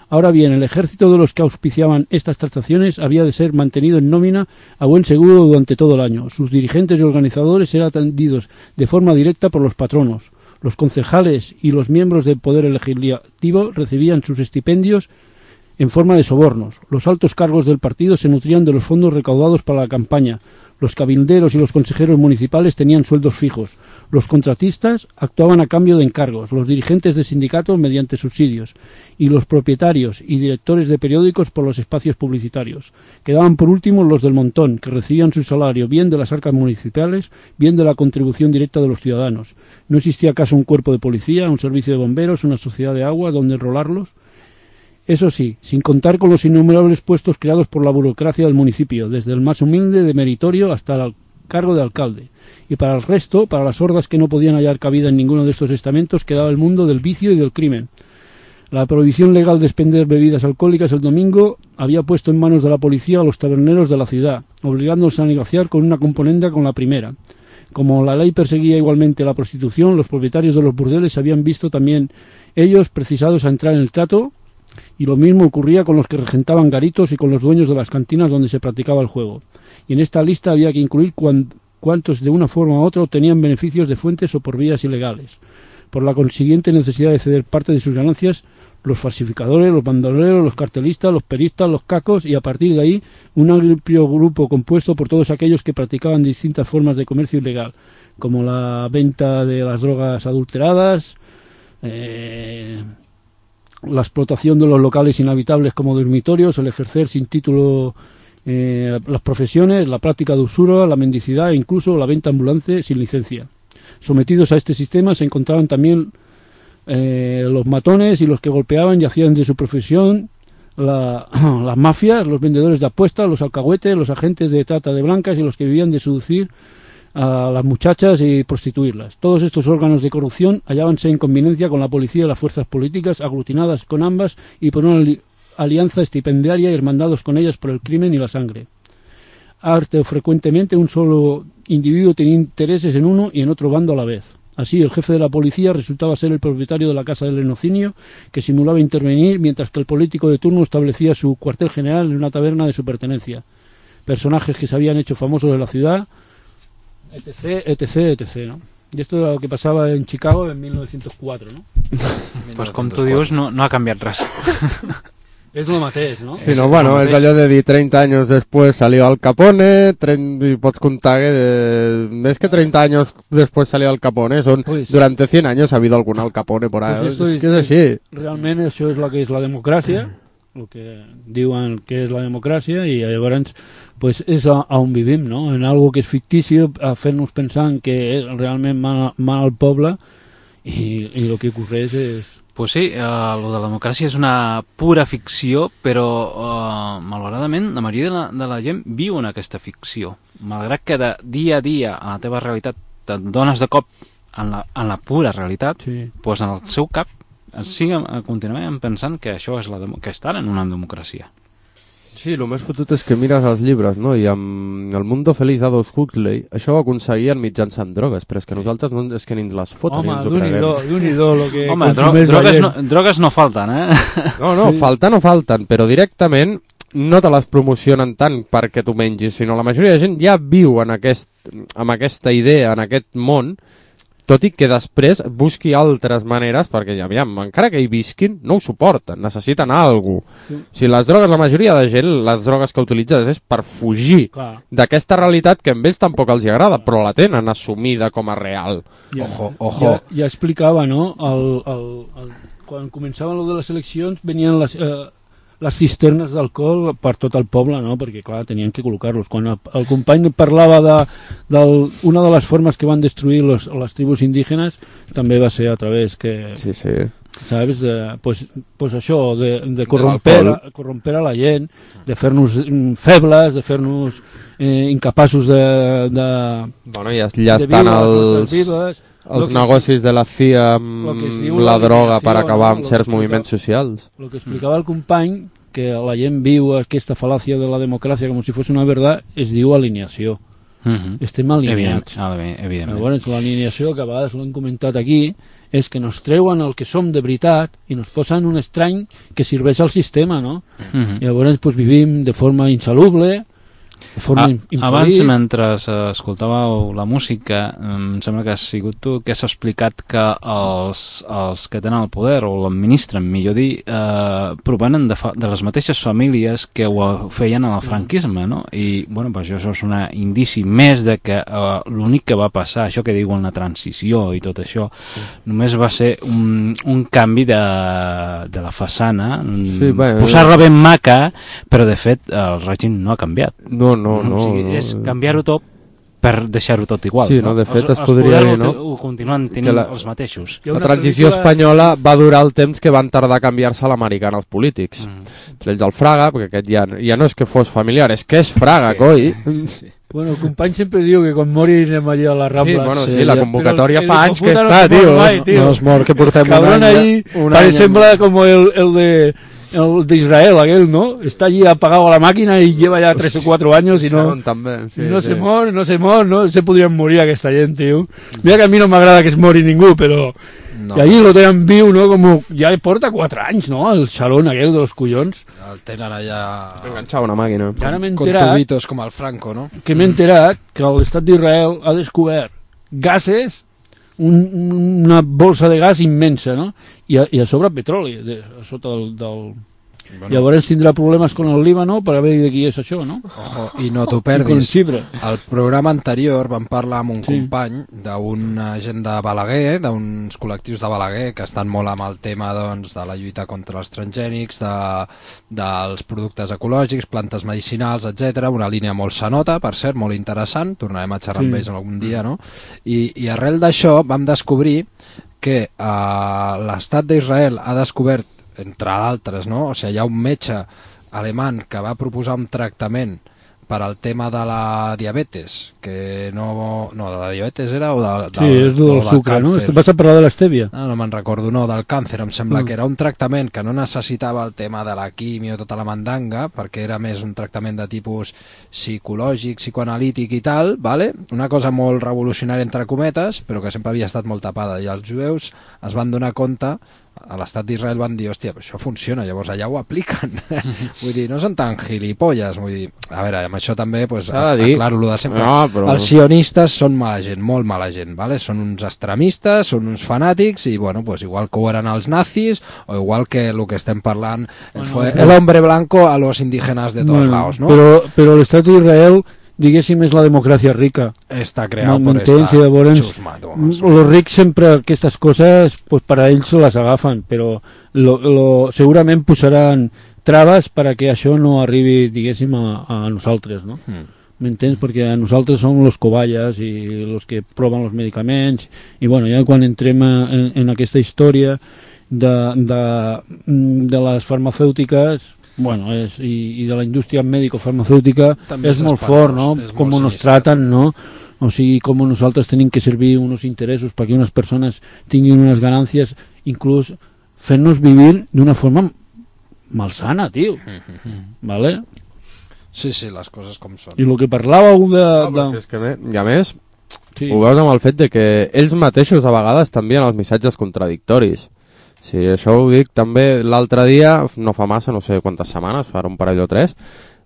Ahora bien, el ejército de los que auspiciaban estas transacciones había de ser mantenido en nómina a buen seguro durante todo el año. Sus dirigentes y organizadores eran atendidos de forma directa por los patronos. Los concejales y los miembros del poder legislativo recibían sus estipendios en forma de sobornos. Los altos cargos del partido se nutrían de los fondos recaudados para la campaña. Los cabilderos y los consejeros municipales tenían sueldos fijos. Los contratistas actuaban a cambio de encargos, los dirigentes de sindicatos mediante subsidios, y los propietarios y directores de periódicos por los espacios publicitarios. Quedaban por último los del montón, que recibían su salario bien de las arcas municipales, bien de la contribución directa de los ciudadanos. ¿No existía acaso un cuerpo de policía, un servicio de bomberos, una sociedad de agua donde enrolarlos? Eso sí, sin contar con los innumerables puestos creados por la burocracia del municipio, desde el más humilde de meritorio hasta el cargo de alcalde. Y para el resto, para las hordas que no podían hallar cabida en ninguno de estos estamentos, quedaba el mundo del vicio y del crimen. La prohibición legal de expender bebidas alcohólicas el domingo había puesto en manos de la policía a los taberneros de la ciudad, obligándolos a negociar con una componenda con la primera. Como la ley perseguía igualmente la prostitución, los propietarios de los burdeles habían visto también ellos precisados a entrar en el trato, y lo mismo ocurría con los que regentaban garitos y con los dueños de las cantinas donde se practicaba el juego. Y en esta lista había que incluir cuantos de una forma u otra obtenían beneficios de fuentes o por vías ilegales. por la consiguiente necesidad de ceder parte de sus ganancias los falsificadores, los bandoleros, los cartelistas, los peristas, los cacos y a partir de ahí un amplio grupo compuesto por todos aquellos que practicaban distintas formas de comercio ilegal, como la venta de las drogas adulteradas, la explotación de los locales inhabitables como dormitorios, el ejercer sin título las profesiones, la práctica de usura, la mendicidad e incluso la venta ambulante sin licencia. Sometidos a este sistema se encontraban también los matones y los que golpeaban y hacían de su profesión las mafias, los vendedores de apuestas, los alcahuetes, los agentes de trata de blancas y los que vivían de seducir a las muchachas y prostituirlas. Todos estos órganos de corrupción hallábanse en conveniencia con la policía y las fuerzas políticas, aglutinadas con ambas y por una alianza estipendiaria y hermandados con ellas por el crimen y la sangre. Arte frecuentemente un solo individuo tenía intereses en uno y en otro bando a la vez. Así, el jefe de la policía resultaba ser el propietario de la casa del lenocinio, que simulaba intervenir, mientras que el político de turno establecía su cuartel general en una taberna de su pertenencia. Personajes que se habían hecho famosos de la ciudad, etc., etc., etc., ¿no? I esto és el que passava en Chicago en 1904, no? Pues com tu dius, no ha canviat res. És el mateix, no? Sí, no, bueno, és allò de dir 30 años después salió Al Capone, y pots contar que més que 30 años después salió Al Capone, durante 100 años ha habido algún Al Capone por ahí, Pues és que és així. Realment això és el que és la democràcia, el que diuen que és la democràcia, i llavors pues, és on vivim, no? En algo que és fictici, a fer-nos pensant que realment mana el poble, i el que ocorreix és... Pues sí, lo de la democràcia és una pura ficció, però malauradament la majoria de la gent viu en aquesta ficció. Malgrat que de dia a dia a la teva realitat et dones de cop en la pura realitat, sí. Pues en el seu cap continuem pensant que això és que estan en una democràcia. Sí, el més fotut és que mires els llibres, no? I amb El Mundo Feliz d'Aldous Huxley això ho aconseguien mitjançant drogues, però és que nosaltres no, és que ni ens les foten. Home, d'un-i-do lo que home, drogues no falten, No, falten no falten, però directament no te les promocionen tant perquè tu mengis, sinó la majoria de gent ja viu amb aquesta idea, en aquest món, tot i que després busqui altres maneres, perquè aviam, encara que hi visquin, no ho suporten, necessiten alguna cosa. Si les drogues, la majoria de gent, les drogues que utilitzes és per fugir d'aquesta realitat que a ells tampoc els agrada, però la tenen assumida com a real. Ojo. Ja explicava, no? Quan començaven lo de les eleccions, venien les cisternes d'alcohol per tot el poble, no? Perquè, clar, tenien que col·locar-los. Quan el company parlava d'una de les formes que van destruir les tribus indígenes, també va ser a través que... Sí. ¿Sabes? Pues això, de corromper a la gent, de fer-nos febles, de fer-nos incapaços de bueno, ja estan els negocis de la CIA amb la droga per acabar amb certs moviments socials. El que explicava el company, que la gent viu aquesta fal·làcia de la democràcia com si fos una veritat, es diu alineació. Estem alineats. Evidentment. Llavors, l'alineació, que a vegades l'hem comentat aquí, és que nos treuen el que som de veritat i nos posen un estrany que serveix al sistema, no? Llavors, pues, vivim de forma insalubre, de forma infeliç. Abans, mentre escoltàveu la música, em sembla que has sigut tu que has explicat que els que tenen el poder, o l'administren, millor dir, provenen de les mateixes famílies que ho feien en el franquisme, no? I, bueno, pues això és un indici més de que l'únic que va passar, això que diuen la transició i tot això, només va ser un canvi de la façana, posar-la ben maca, però de fet el règim no ha canviat. No. O sigui, és canviar-ho tot per deixar-ho tot igual. Sí, no? De fet, es podria dir, no? Ho continuen tenint els mateixos. La transició espanyola va durar el temps que van tardar a canviar-se a l'americana els polítics. Entre ells el Fraga, perquè aquest ja no és que fos familiar, és que és Fraga, coi. Sí. Bueno, el company sempre diu que quan mori anem allà a la Rambla. Sí, la convocatòria fa anys que està, tio. No es mor que portem un any. Sembla com el de Israel, aquel, ¿no? Está allí apagado a la máquina y lleva ya 3 o 4 años y no se mor, no se podrien morir aquesta gent, tio. Mira que a mi no m'agrada que es mori ningú, però... No. I allí lo tenen viu, no? Com ja porta 4 anys, no? El xalón aquel de los collons. El tenen allà... enganxat una màquina. Con tubitos com el Franco, no? Que m'he enterat que l'estat d'Israel ha descobert gasos una bolsa de gas immensa, no? I a sobre petroli, a sota del... Bueno. Llavors tindrà problemes con el Líbano per haver de qui és això, no? Ojo, i no t'ho perdis. Al programa anterior vam parlar amb un company d'un gent de Balaguer, d'uns col·lectius de Balaguer que estan molt amb el tema doncs, de la lluita contra els transgènics, dels productes ecològics, plantes medicinals, etc. Una línia molt sanota, per cert, molt interessant. Tornarem a xerrar amb ells algun dia, no? I arrel d'això vam descobrir que l'estat d'Israel ha descobert, entre d'altres, no? O sigui, hi ha un metge alemany que va proposar un tractament per al tema de la diabetes, que no de la diabetes era o sí, és del sucre, no? Vas a parlar de l'estèvia. No me'n recordo, no, del càncer, em sembla que era un tractament que no necessitava el tema de la quimio, tota la mandanga, perquè era més un tractament de tipus psicològic, psicoanalític i tal, vale? Una cosa molt revolucionària entre cometes, però que sempre havia estat molt tapada, i els jueus es van donar compte, a l'estat d'Israel van dir, hòstia, això funciona, llavors allà ho apliquen. Vull dir, no són tan gilipolles, vull dir, a veure, amb això també, pues, aclaro-lo de sempre. No, però... Els sionistes són mala gent, molt mala gent, ¿vale? Són uns extremistes, són uns fanàtics, i bueno, pues igual que ho eren els nazis, o igual que el que estem parlant fue el hombre blanco a los indígenas de todos lados, ¿no? Però l'estat d'Israel, diguéssim, és la democràcia rica. Està creat per esta xusma. Els rics sempre aquestes coses, pues, per a ells les agafen, però segurament posaran traves perquè això no arribi, diguéssim, a nosaltres, no? M'entens? Perquè a nosaltres som los cobayes i los que proven els medicaments, i bueno, ja quan entrem en aquesta història de les farmacèutiques, bueno, i de la indústria mèdico-farmacèutica és molt fort, no? Com nos traten, no? O sigui, com nosaltres tenim que servir uns interessos perquè unes persones tinguin unes ganàncies, inclús fent-nos vivir d'una forma malsana, tio. ¿Vale? Sí, les coses com són. I el que parlàveu de... Si és que i a més, ho veus amb el fet de que ells mateixos a vegades t'envien els missatges contradictoris. Sí, això ho dic també l'altre dia, no fa massa, no sé quantes setmanes, fa un parell o tres,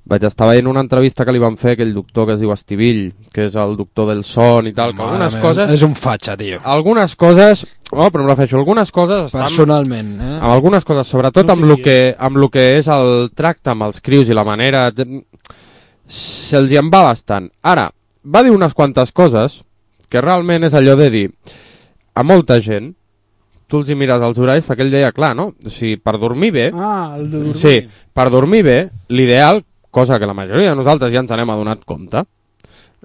vaig estar veient una entrevista que li van fer aquell doctor que es diu Estivill, que és el doctor del son i tal, que algunes coses... És un fatxa, tio. Algunes coses... No, però em refereixo, algunes coses... Personalment, amb algunes coses, sobretot amb el que és el tracte amb els crios i la manera... Se'ls hi en va bastant. Ara, va dir unes quantes coses que realment és allò de dir a molta gent, tu els hi mires els horaris perquè ell deia, clar, no? O sigui, per dormir bé... el de dormir. Sí, per dormir bé, l'ideal, cosa que la majoria de nosaltres ja ens n'hem adonat compte,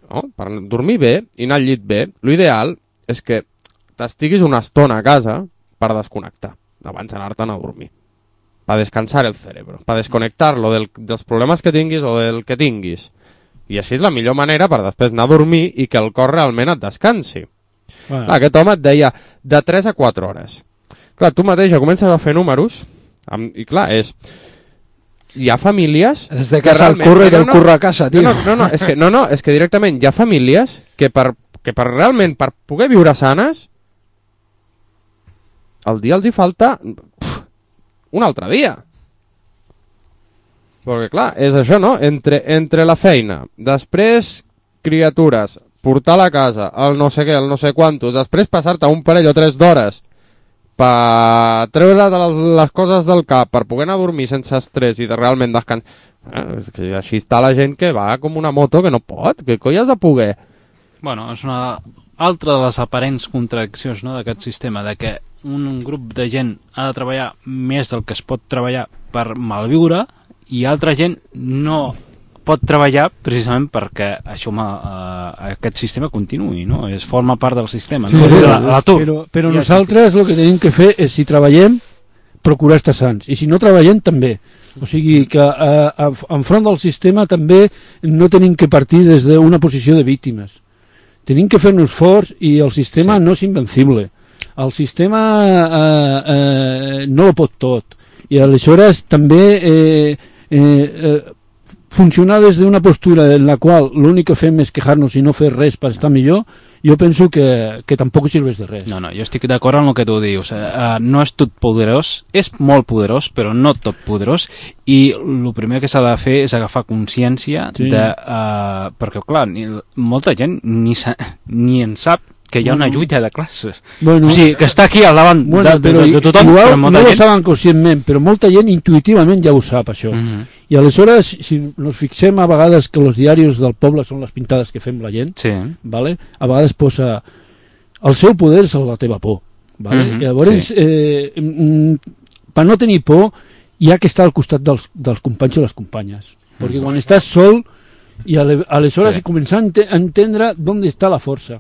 no? Per dormir bé i anar al llit bé, l'ideal és que t'estiguis una estona a casa per desconnectar, abans d'anar-te'n a dormir. Per descansar el cerebro, per desconnectar-lo dels problemes que tinguis o del que tinguis. I així és la millor manera per després anar a dormir i que el cor realment et descansi. Clar, aquest home et deia de 3 a 4 hores. Clar, tu mateix ja comences a fer números i clar, hi ha famílies... Des de casa al curro i del curro a casa, tio. És que directament hi ha famílies que realment per poder viure sanes el dia els hi falta un altre dia. Perquè clar, és això, no? Entre la feina, després criatures, portar a la casa, el no sé què, el no sé quantos, després passar-te un parell o 3 d'hores per treure les coses del cap, per poder anar a dormir sense estrès i de realment descansar. És que així està la gent que va com una moto que no pot, que coi has de poder. Bueno, és una altra de les aparents contradiccions, no, d'aquest sistema, de que un grup de gent ha de treballar més del que es pot treballar per malviure i altra gent no pot treballar precisament perquè això aquest sistema continuï, no? Forma part del sistema, sí, no? Però nosaltres el que tenim que fer és, si treballem, procurar estar sants, i si no treballem també. O sigui que enfront del sistema també no tenim que partir des d'una posició de víctimes. Tenim que fer-nos forts i el sistema no és invencible. El sistema no ho pot tot. I aleshores també funcionar des d'una postura en la qual l'únic que fem és quejar-nos i no fer res per estar millor, jo penso que tampoc serveix de res. No, jo estic d'acord amb el que tu dius. No és tot poderós, és molt poderós, però no tot poderós, i el primer que s'ha de fer és agafar consciència de... perquè, clar, molta gent ni en sap que hi ha una lluita de classes. Bueno, O sigui, que està aquí al davant de tothom, igual però no molta ho gent... saben conscientment, però molta gent intuïtivament ja ho sap, això. I aleshores, si nos fixem a vegades que els diaris del poble són les pintades que fem la gent, Sí. vale? A vegades posa el seu poder és la teva por. Vale? I llavors, per no tenir por, hi ha que estar al costat dels companys o les companyes. Perquè quan estàs sol, i aleshores començar a entendre on està la força.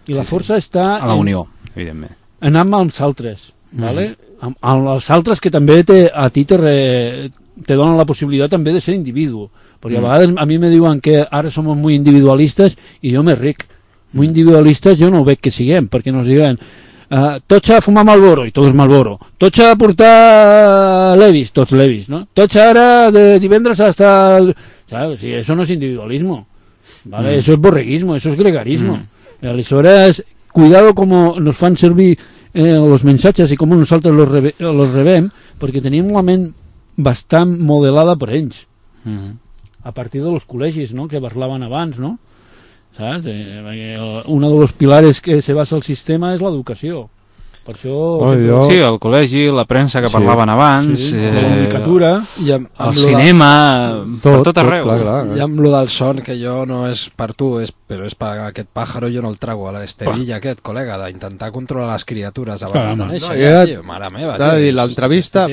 I la força està... A la unió, evidentment. Anar amb els altres, ¿vale? Amb els altres que també a ti te donen la possibilitat també de ser individu. Perquè a vegades a mi me diuen que ara som muy individualistes i jo me ric. Muy individualistes jo no ho veig que siguem, perquè nos diuen tots a fumar Marlboro, i tots Marlboro. Tots a portar Levis, tots Levis, ¿no? Tots ara de divendres hasta... ¿Sabes? Sí, eso no es individualismo, ¿vale? Eso es borreguismo, eso es gregarismo. Aleshores, cuidado com nos fan servir els missatges i com nosaltres los rebem, perquè tenim una ment bastant modelada per ells. A partir dels col·legis, no?, que parlaven abans, no? ¿Saps? Uno de los pilares que se basa el sistema és l'educació. Per això... Sí, el col·legi, la premsa que parlaven abans, la comunicatura, el cinema, per tot arreu. Clar. I amb lo del son, que jo no és per tu, però és per aquest pàjaro, jo no el trago a l'Estevilla aquest, col·lega, d'intentar controlar les criatures abans de néixer. Mare meva, tio. L'entrevista,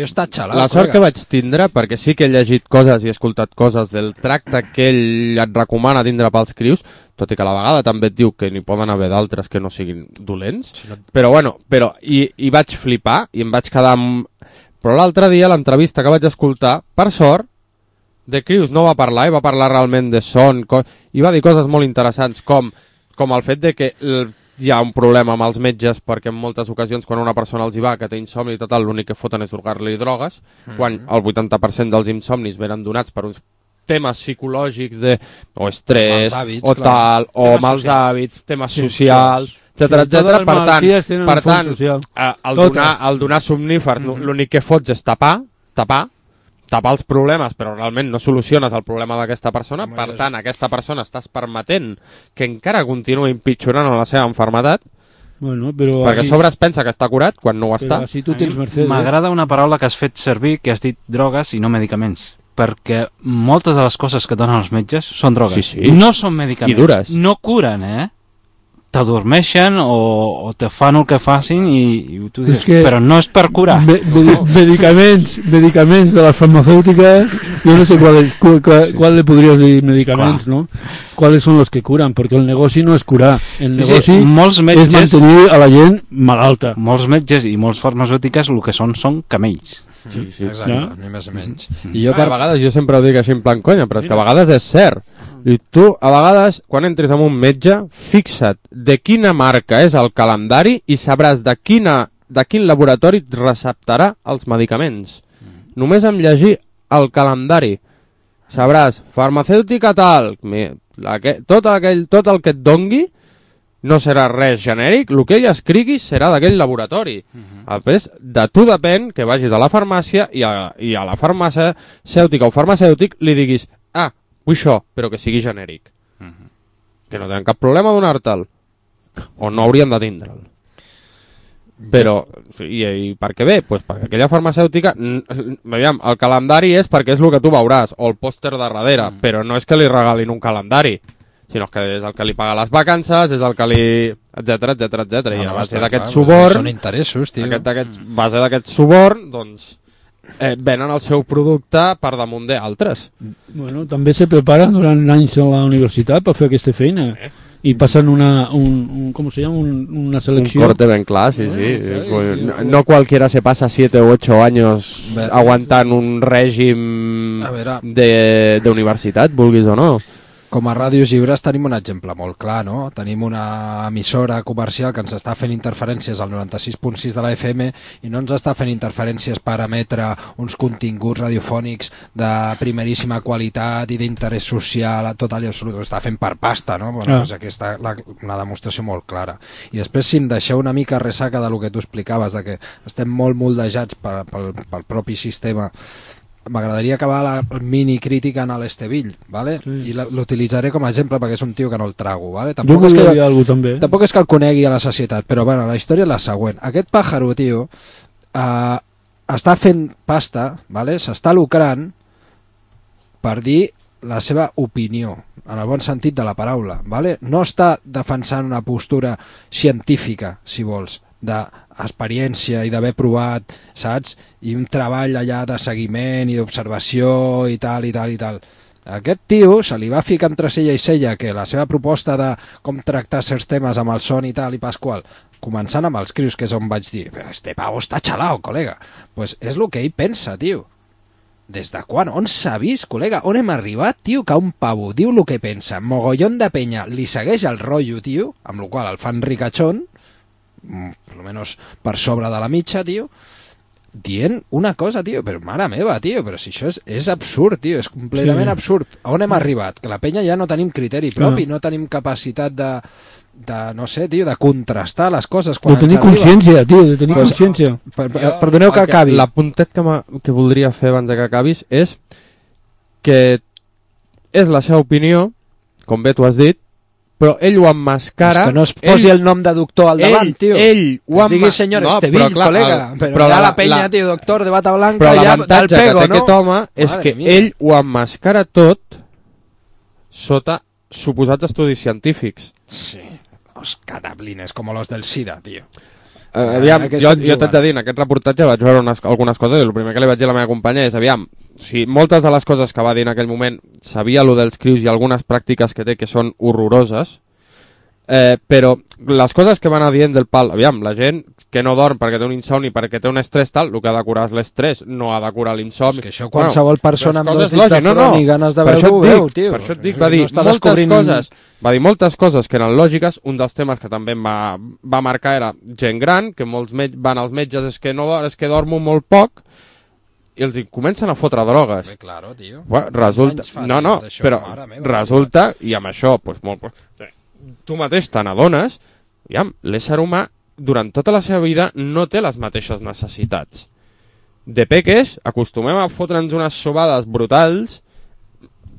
la sort que vaig tindre, perquè sí que he llegit coses i he escoltat coses del tracte que ell et recomana tindre pels crius, tot i que a la vegada també et diu que n'hi poden haver d'altres que no siguin dolents, però bueno, i vaig flipar i em vaig quedar amb... Però l'altre dia l'entrevista que vaig escoltar, per sort, de crius no va parlar, i va parlar realment de son, i va dir coses molt interessants, com el fet de que hi ha un problema amb els metges, perquè en moltes ocasions quan una persona els hi va, que té insomni i tot, l'únic que foten és donar-li drogues, quan el 80% dels insomnis venen donats per uns temes psicològics o estrès, o tal, o mals hàbits, temes socials, etcètera. Per tant, al donar somnífers l'únic que fots és tapar els problemes, però realment no soluciones el problema d'aquesta persona. Per tant, aquesta persona estàs permetent que encara continuï empitjorant la seva malaltia, perquè a sobre es pensa que està curat quan no ho està. M'agrada una paraula que has fet servir, que has dit drogues i no medicaments, perquè moltes de les coses que donen els metges són drogues. No són medicaments. I dures. No curen, t'adormeixen o te fan el que facin i tu dius, però no és per curar. Medicaments de les farmacèutiques, yo no sé cuál le podrías decir medicaments, ¿no? ¿Cuáles son los que curan? Porque el negoci no és curar, el negoci és mantenir a la gent malalta. Molts metges i molts farmacèutiques el que són camells. Sí, exacte, ni més o menys. I a vegades, jo sempre ho dic així en plan conya, però és que a vegades és cert. I tu, a vegades, quan entres amb un metge, fixa't de quina marca és el calendari i sabràs de quin laboratori et receptarà els medicaments. Només amb llegir el calendari sabràs, farmacèutica tal, tot el que et dongui no serà res genèric, el que ell escrigui serà d'aquell laboratori. Després, de tu depèn que vagis a la farmàcia i a la farmacèutica o farmacèutic li diguis, vull això, però que sigui genèric. Que no tenen cap problema a donar-te'l. O no haurien de tindre'l. Però, i per què bé? Pues perquè aquella farmacèutica, el calendari és perquè és el que tu veuràs, o el pòster de darrere, però no és que li regalin un calendari, sinó que és el que li paga les vacances, és el que li... etcètera. I a base d'aquest suborn... Són interessos, tio. A base d'aquest suborn, doncs, venen el seu producte per damunt d'altres. Bueno, també se preparen durant anys a la universitat per fer aquesta feina. I passen una selecció. Un corte ben clar, sí. No cualquiera se pasa 7 o 8 años aguantant un règim de universitat, vulguis o no. Com a Ràdios Lliures tenim un exemple molt clar, no? Tenim una emissora comercial que ens està fent interferències al 96.6 de la FM i no ens està fent interferències per emetre uns continguts radiofònics de primeríssima qualitat i d'interès social, tot allò absolut. Ho està fent per pasta, no? Bueno, doncs aquesta és una demostració molt clara. I després, si em deixeu una mica ressaca del que tu explicaves, de que estem molt moldejats pel propi sistema m'agradaria acabar la mini crítica en l'Esteville, ¿vale? I l'utilitzaré com a exemple perquè és un tio que no el trago, ¿vale? Jo volia dir alguna cosa també. Tampoc és que el conegui a la societat, però bueno, la història és la següent. Aquest pàjaro, tio, està fent pasta, ¿vale? S'està lucrant per dir la seva opinió, en el bon sentit de la paraula, ¿vale? No està defensant una postura científica, si vols, d'experiència i d'haver provat, saps? I un treball allà de seguiment i d'observació i tal, i tal, i tal. Aquest tio se li va ficar entre cella i cella que la seva proposta de com tractar certs temes amb el son i tal i pasqual, començant amb els crios, que és on vaig dir, este pavo està xalao, col·lega. Pues és el que ell pensa, tio. Des de quan? On s'ha vist, col·lega? On hem arribat, tio, que un pavo diu el que pensa, mogollon de penya, li segueix el rotllo, tio, amb el qual el fan ricachón, per lo menos per sobre de la mitja, tio, dient una cosa, tio, però mare meva, tio, però si això és absurd, tio, és completament absurd. A on hem arribat? Que la penya ja no tenim criteri propi, no tenim capacitat de no sé, tio, de contrastar les coses quan de tenir consciència, tio, de tenir consciència. Perdoneu que acabi. L'apuntet que voldria fer abans que acabis és que és la seva opinió, com bé tu has dit, però ell ho emmascara... És que no es posi el nom de doctor al davant, tio. Ell ho emmascara... Digui senyor Esteville, col·lega. Però ja la penya, tio, doctor de bata blanca, però ja del pego, no? Però l'avantatge que té aquest home és que ell ho emmascara tot sota suposats estudis científics. Sí. Los catablines, com los del SIDA, tio. Aviam, jo t'haig de dir, en aquest reportatge vaig veure algunes coses i el primer que li vaig dir a la meva companya és, aviam, si moltes de les coses que va dir en aquell moment sabia lo dels crius i algunes pràctiques que té que són horroroses, però les coses que van anar dient del pal, aviam, la gent que no dorm perquè té un insomni, perquè té un estrès tal, el que ha de curar és l'estrès, no ha de curar l'insomni. És que això qualsevol persona amb dos dits de front i ganes de veure-ho veu, tio. Per això et dic, va dir moltes coses que eren lògiques. Un dels temes que també em va marcar era gent gran, que molts van als metges, és que dormo molt poc, i els comencen a fotre drogues. Claro, tio. Resulta, però resulta, i amb això, tu mateix te n'adones, l'ésser humà durant tota la seva vida no té les mateixes necessitats. De peques acostumem a fotre'ns unes sobades brutals.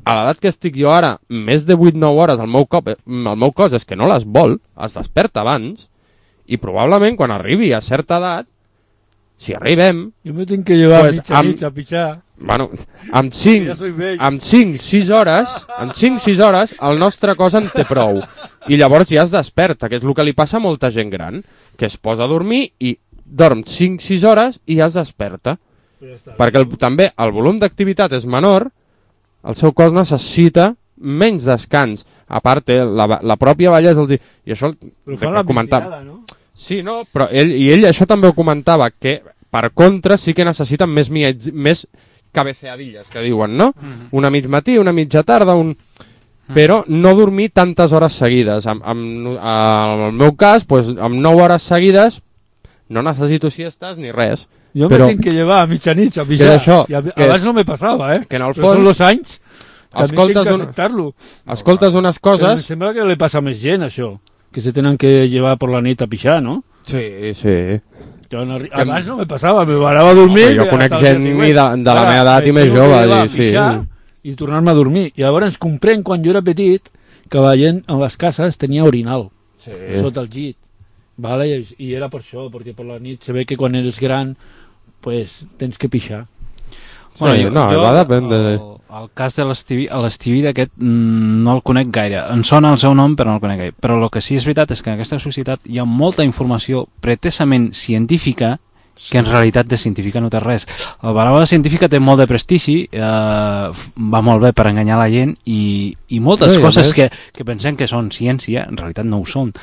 A l'edat que estic jo ara, més de 8-9 hores el meu cos és que no les vol, es desperta abans, i probablement quan arribi a certa edat, si arribem... Jo me tinc que llevar mitja a pitjar. Bueno, amb 5-6 hores el nostre cos en té prou i llavors ja es desperta, que és el que li passa a molta gent gran, que es posa a dormir i dorm 5-6 hores i ja es desperta, perquè també el volum d'activitat és menor, el seu cos necessita menys descans, a part la pròpia vellesa i això però fa la vigilada, no? Sí, no, però ell això també ho comentava, que per contra sí que necessiten més cabeceadilles, que diuen, no? Una mig matí, una mitja tarda, però no dormir tantes hores seguides. En el meu cas, amb 9 hores seguides no necessito siestes ni res. Jo me tinc que llevar a mitjanit a pitjar. Abans no me passava, que en el fons... Però són els anys escoltes també tinc que acceptar-lo. Escoltes unes coses... Però em sembla que li passa a més gent, això, que se tenen que llevar per la nit a pixar, no? Sí. Abans no me passava, me parava a dormir... Jo conec gent de la meva edat i més jove. I tornar-me a dormir. I llavors comprenc, quan jo era petit, que la gent a les cases tenia orinal sota el llit. Vale? I era per això, perquè per la nit se ve que quan eres gran pues, tens que pixar. Bueno, va dependre. El cas de l'Esteville aquest no el conec gaire. Em sona el seu nom, però no el conec gaire. Però el que sí és veritat és que en aquesta societat hi ha molta informació pretesament científica que en realitat de científica no té res. La paraula científica té molt de prestigi, va molt bé per enganyar la gent i moltes coses que pensem que són ciència, en realitat no ho són.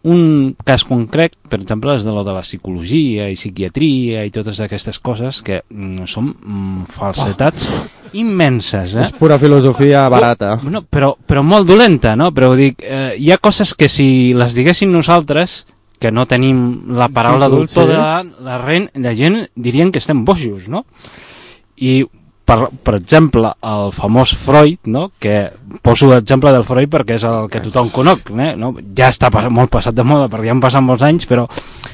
Un cas concret, per exemple, és de lo de la psicologia i psiquiatria i totes aquestes coses que són falsetats immenses. És pura filosofia barata. No, però molt dolenta, no? Però dic, hi ha coses que si les diguéssim nosaltres, que no tenim la paraula doctor de la gent dirien que estem bojos, no? I per exemple, el famós Freud, no? Que poso l'exemple del Freud perquè és el que tothom conec, no? Ja està molt passat de moda perquè ja han passat molts anys, però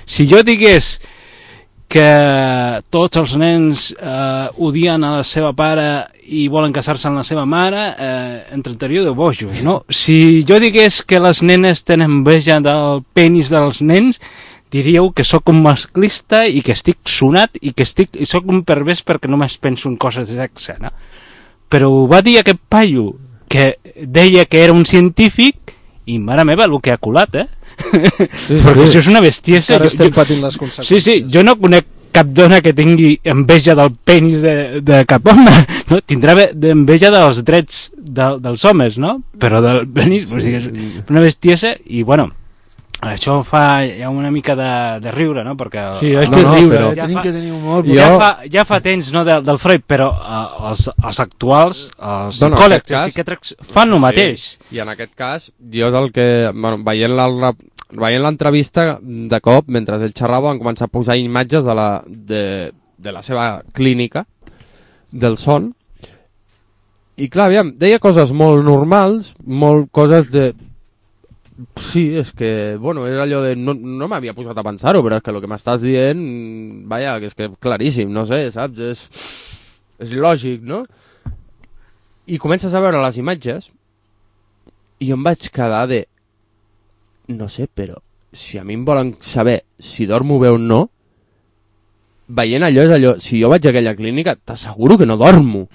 si jo digués que tots els nens odien a la seva pare i volen casar-se amb la seva mare, entretaria de bojos, no? Si jo digués que les nenes tenen enveja del penis dels nens, diríeu que sóc un masclista i que estic sonat i que sóc un pervers perquè només penso en coses de sexe, no? Però ho va dir aquest paio que deia que era un científic i mare meva el que ha colat, Sí, perquè això és una bestiesa. Ara estem patint les conseqüències. Sí, jo no conec cap dona que tingui enveja del penis de cap home, no? Tindrà enveja dels drets dels homes, no? Però del penis, o sigui, és una bestiesa i, bueno, això fa ja una mica de riure, no? Perquè Sí, és que riure, però tenim que tenir humor. ja fa temps, no, del Freud, però els actuals, els psicòlegs, els psiquiàtrics fan el mateix. I en aquest cas, jo és el que, bueno, veient l'entrevista, de cop, mentre ell xerrava, van començar a posar imatges de la seva clínica, del son, i clar, aviam, deia coses molt normals, molt coses de... Sí, és que, bueno, és allò de... No m'havia posat a pensar-ho, però és que el que m'estàs dient, vaja, que és que claríssim, no sé, saps? És lògic, no? I comences a veure les imatges i em vaig quedar de... No sé, però si a mi em volen saber si dormo bé o no, veient allò és allò... Si jo vaig a aquella clínica, t'asseguro que no dormo.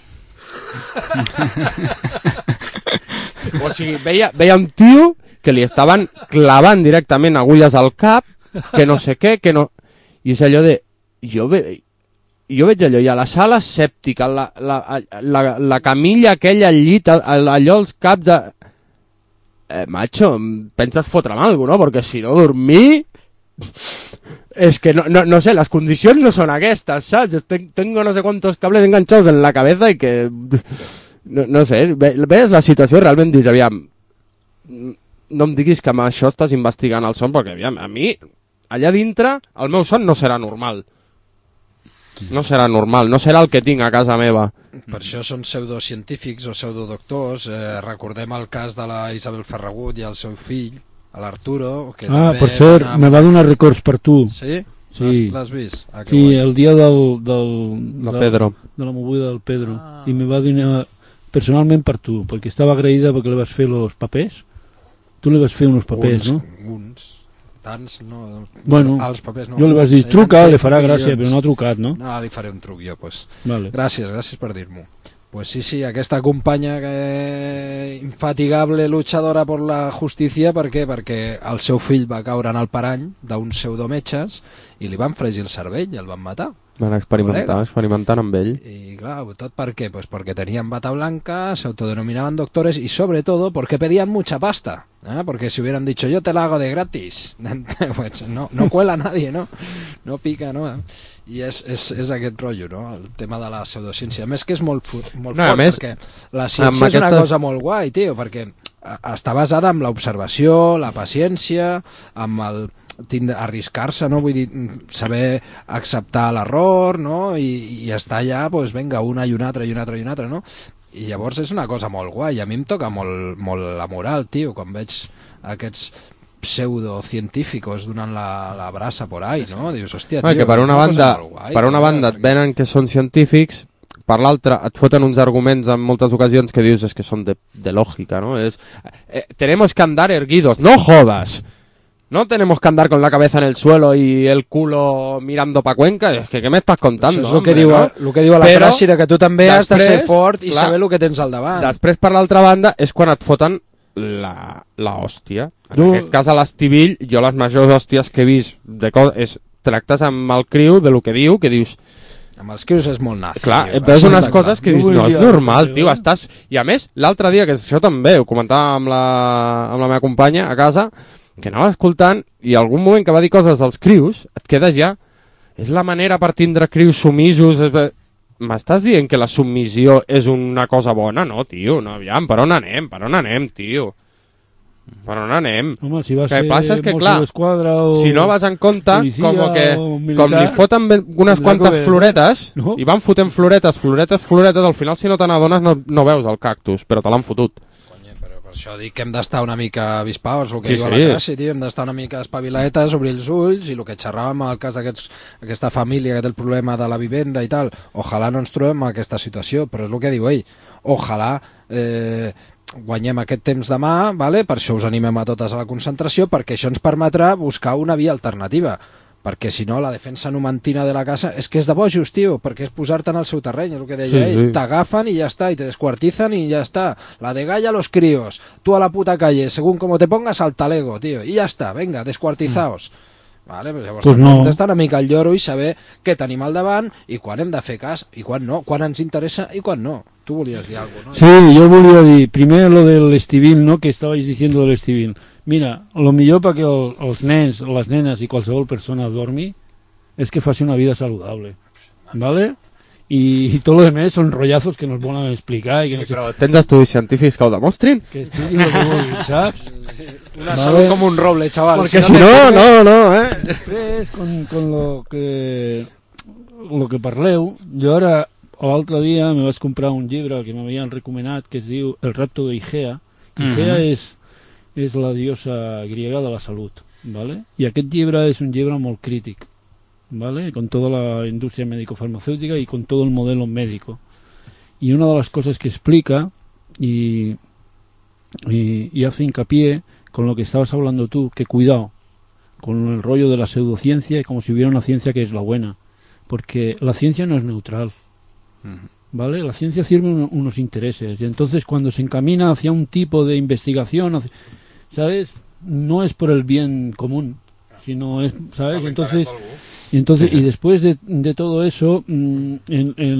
O sigui, veia un tio que li estaven clavant directament agulles al cap, que no sé què, que no... I és allò de... Jo veig allò, i a la sala escèptica, la camilla aquella al llit, allò als caps de... macho, penses fotre'm alguna cosa, no? Perquè si no dormir... Es que no sé, las condicions no són aquestes, saps? Tengo no sé cuántos cables enganchados en la cabeza y que... No sé, ves la situació realment dius, aviam... No em diguis que amb això estàs investigant el son, perquè aviam, a mi, allà dintre, el meu son no serà normal. No serà normal, no serà el que tinc a casa meva. Per això són pseudocientífics o pseudodoctors. Recordem el cas de la Isabel Ferragut i el seu fill, l'Arturo. Per cert, me va donar records per tu. Sí? Sí. L'has vist? Sí, el dia de Pedro. De la moguda del Pedro. I me va donar personalment per tu, perquè estava agraïda perquè li vas fer els papers. Tu li vas fer uns papers, no? Tants, no... Bueno, els papers no. jo li vas dir, truca, li farà gràcia, però no ha trucat, no? No, li faré un truc jo, pues. Vale. Gràcies per dir-m'ho. Pues sí, aquesta companya infatigable luchadora per la justícia, per què? Perquè el seu fill va caure en el parany d'uns pseudometges i li van fregir el cervell i el van matar. Van experimentant amb ell. I clar, tot per què? Pues porque tenían bata blanca, se autodenominaban doctores y sobre todo porque pedían mucha pasta. Porque si hubieran dicho yo te la hago de gratis, pues no cuela nadie, no pica, no? I és aquest rotllo, no? El tema de la pseudociència. A més que és molt fort, perquè la ciència és una cosa molt guai, tio, perquè està basada en l'observació, la paciència, amb el arriscar-se, no? Vull dir, saber acceptar l'error, no? I estar allà, doncs, vinga, una i una altra, no? I llavors és una cosa molt guai. A mi em toca molt la moral, tio, quan veig aquests pseudocientíficos donant la brasa por ahí, no? Dius, hòstia, tio, que per una banda et venen que són científics, per l'altra et foten uns arguments en moltes ocasions que dius és que són de lògica, no? Tenemos que andar erguidos, no jodas. No tenemos que andar con la cabeza en el suelo y el culo mirando pa Cuenca. Es que, ¿qué me estás contando? Això és el que diu a la frase, que tu també has de ser fort i saber el que tens al davant. Després, per l'altra banda, és quan et foten la hòstia. En aquest cas, a l'Estivill, jo les majors hòsties que he vist tractes amb el criu de lo que diu, que dius... Amb els crius és molt nazi. Clar, veus unes coses que dius, no, és normal, tio, estàs... I a més, l'altre dia, que això també ho comentava amb la meva companya a casa, que anava escoltant i algun moment que va dir coses als crius, et quedes ja... És la manera per tindre crius sumisos... M'estàs dient que la submissió és una cosa bona? No, tio, no, aviam, per on anem, tio? Per on anem? Home, si vas ser Mossos d'Esquadra o... Si no vas en compte, com li foten unes quantes floretes, no? I van fotent floretes, al final si no te n'adones no veus el cactus, però te l'han fotut. Però això dic que hem d'estar una mica avispaos, el que Sí, diu sí. la classe, tio, hem d'estar una mica espavilaetes, obrir els ulls, i el que xerràvem al cas d'aquesta família que té el problema de la vivenda i tal, ojalà no ens trobem en aquesta situació, però és el que diu ell, ojalà guanyem aquest temps demà, vale? Per això us animem a totes a la concentració, perquè això ens permetrà buscar una via alternativa, perquè si no la defensa numantina de la casa és que és de bojos, tio, perquè és posar-te en el seu terreny, és el que deia Sí, ell, sí. t'agafen i ja està, i te descuartizan i ja està, la de galla a los críos, tú a la puta calle, según como te pongas al talego, tío, i ja està, venga, descuartizaos. Vale, pues llavors Pues no. estar una mica al lloro i saber què tenim al davant i quan hem de fer cas i quan no, quan ens interessa i quan no. Tu volies dir alguna cosa, no? Sí, yo volia dir, primer lo del estivil, ¿no?, que estabais diciendo del estivil. Mira, lo millor perquè els nens, les nenes i qualsevol persona dormi és que faci una vida saludable, ¿vale? Y todo lo demás son rollazos que nos volen explicar i que Sí, no sé, però tens estudis científics que ho demostrin? que expliquin lo que vulguin, saps? Una Vale. salut com un roble, chaval. Perquè si no, Després, con lo que parleu, jo ara l'altre dia me vaig comprar un llibre que m'havien recomanat que es diu El rapto d'Igea. Igea és la diosa griega de la salut, ¿vale? I aquest llibre és un llibre molt crític, ¿vale? Con toda la industria médico-farmacéutica y con todo el modelo médico. Y una de las cosas que explica y hace hincapié con lo que estabas hablando tú, que cuidado con el rollo de la pseudociencia, como si hubiera una ciencia que es la buena, porque la ciencia no es neutral, ¿vale? La ciencia sirve unos intereses, y entonces cuando se encamina hacia un tipo de investigación, ¿sabes? No es por el bien común, sino es, ¿sabes? Entonces, y después de todo eso, en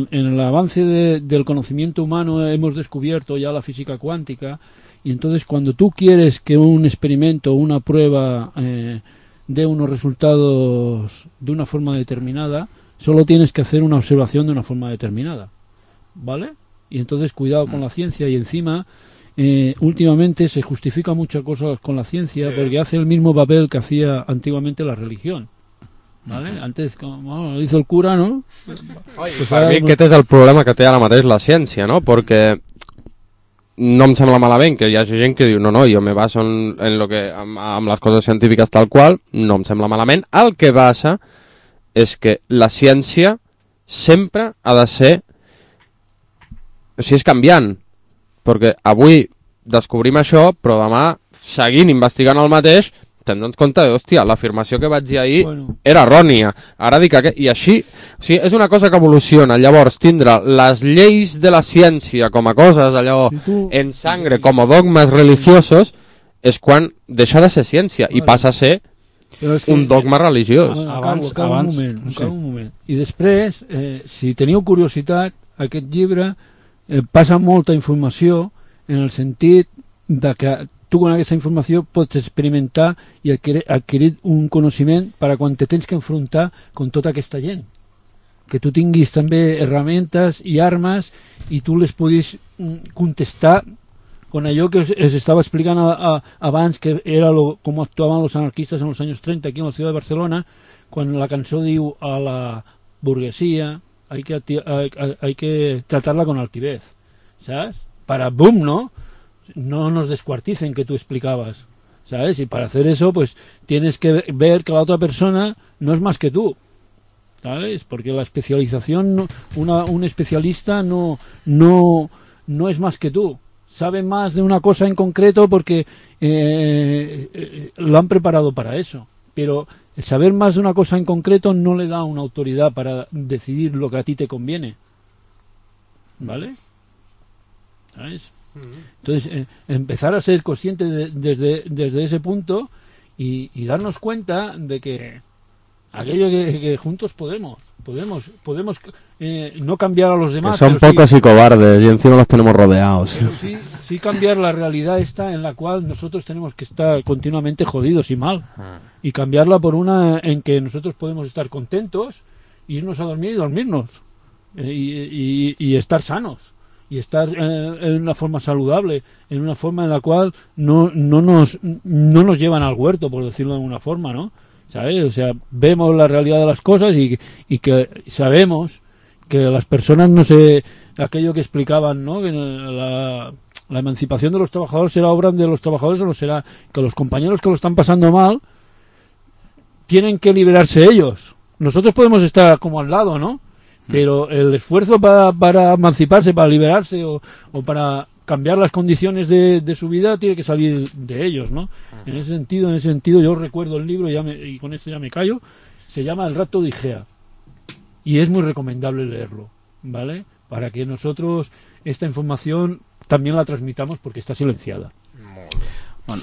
el avance del conocimiento humano hemos descubierto ya la física cuántica, y entonces cuando tú quieres que un experimento, una prueba dé unos resultados de una forma determinada, solo tienes que hacer una observación de una forma determinada, ¿vale? Y entonces cuidado con la ciencia, y encima últimamente se justifica muchas cosas con la ciencia, porque hace el mismo papel que hacía antiguamente la religión, ¿vale? Antes, como lo hizo el cura, ¿no? Pues Per ara mi no- aquest és el problema que té ara mateix la ciència, no? Perquè no em sembla malament que hi hagi gent que diu no, jo me baso en lo que, amb les coses científiques tal qual, no em sembla malament. El que passa és que la ciència sempre ha de ser, o sigui, és canviant, perquè avui descobrim això, però demà, seguint investigant el mateix, te'n dones compte de, hòstia, l'afirmació que vaig dir ahir era errònia, ara dic que... I així, o sigui, és una cosa que evoluciona. Llavors, tindre les lleis de la ciència com a coses, allò, en sangre, com a dogmes religiosos, és quan deixa de ser ciència i passa a ser Però és que- un dogma religiós. Acabo un moment. I després, si teniu curiositat, aquest llibre passa molta informació en el sentit de que tu con aquesta informació pots experimentar i adquirir un coneixement per a quan te tens que enfrontar con tota aquesta gent. Que tu tinguis també herramientas i armes i tu les puguis contestar con allò que os estaba explicando abans, que era cómo actuaban los anarquistas en los años 30 aquí en la ciudad de Barcelona, cuando la canción diu a la burguesía hay que tratarla con altivez, ¿sabes? Para boom, ¿no? No nos descuarticen, que tú explicabas, ¿sabes? Y para hacer eso, pues tienes que ver que la otra persona no es más que tú, ¿sabes? Porque la especialización, un especialista no es más que tú. Sabe más de una cosa en concreto porque lo han preparado para eso. Pero el saber más de una cosa en concreto no le da una autoridad para decidir lo que a ti te conviene. ¿Vale? ¿Sabes? Entonces, empezar a ser consciente desde ese punto y darnos cuenta de que aquello que juntos podemos no cambiar a los demás. Que son pero pocos y cobardes y encima los tenemos rodeados. pero sí cambiar la realidad esta en la cual nosotros tenemos que estar continuamente jodidos y mal, y cambiarla por una en que nosotros podemos estar contentos, irnos a dormir y dormirnos, y estar sanos, y estar en una forma saludable, en una forma en la cual no nos llevan al huerto, por decirlo de alguna forma, ¿no? ¿Sabes? O sea, vemos la realidad de las cosas y que sabemos que las personas, no sé, aquello que explicaban, ¿no? Que La emancipación de los trabajadores será obra de los trabajadores o no será que los compañeros que lo están pasando mal tienen que liberarse ellos. Nosotros podemos estar como al lado, ¿no? Pero el esfuerzo para emanciparse, para liberarse o para cambiar las condiciones de su vida tiene que salir de ellos, ¿no? En ese sentido yo recuerdo el libro y con esto ya me callo. Se llama El rapto de Igea y es muy recomendable leerlo, ¿vale? Para que nosotros esta información también la transmitamos porque està silenciada. Bueno,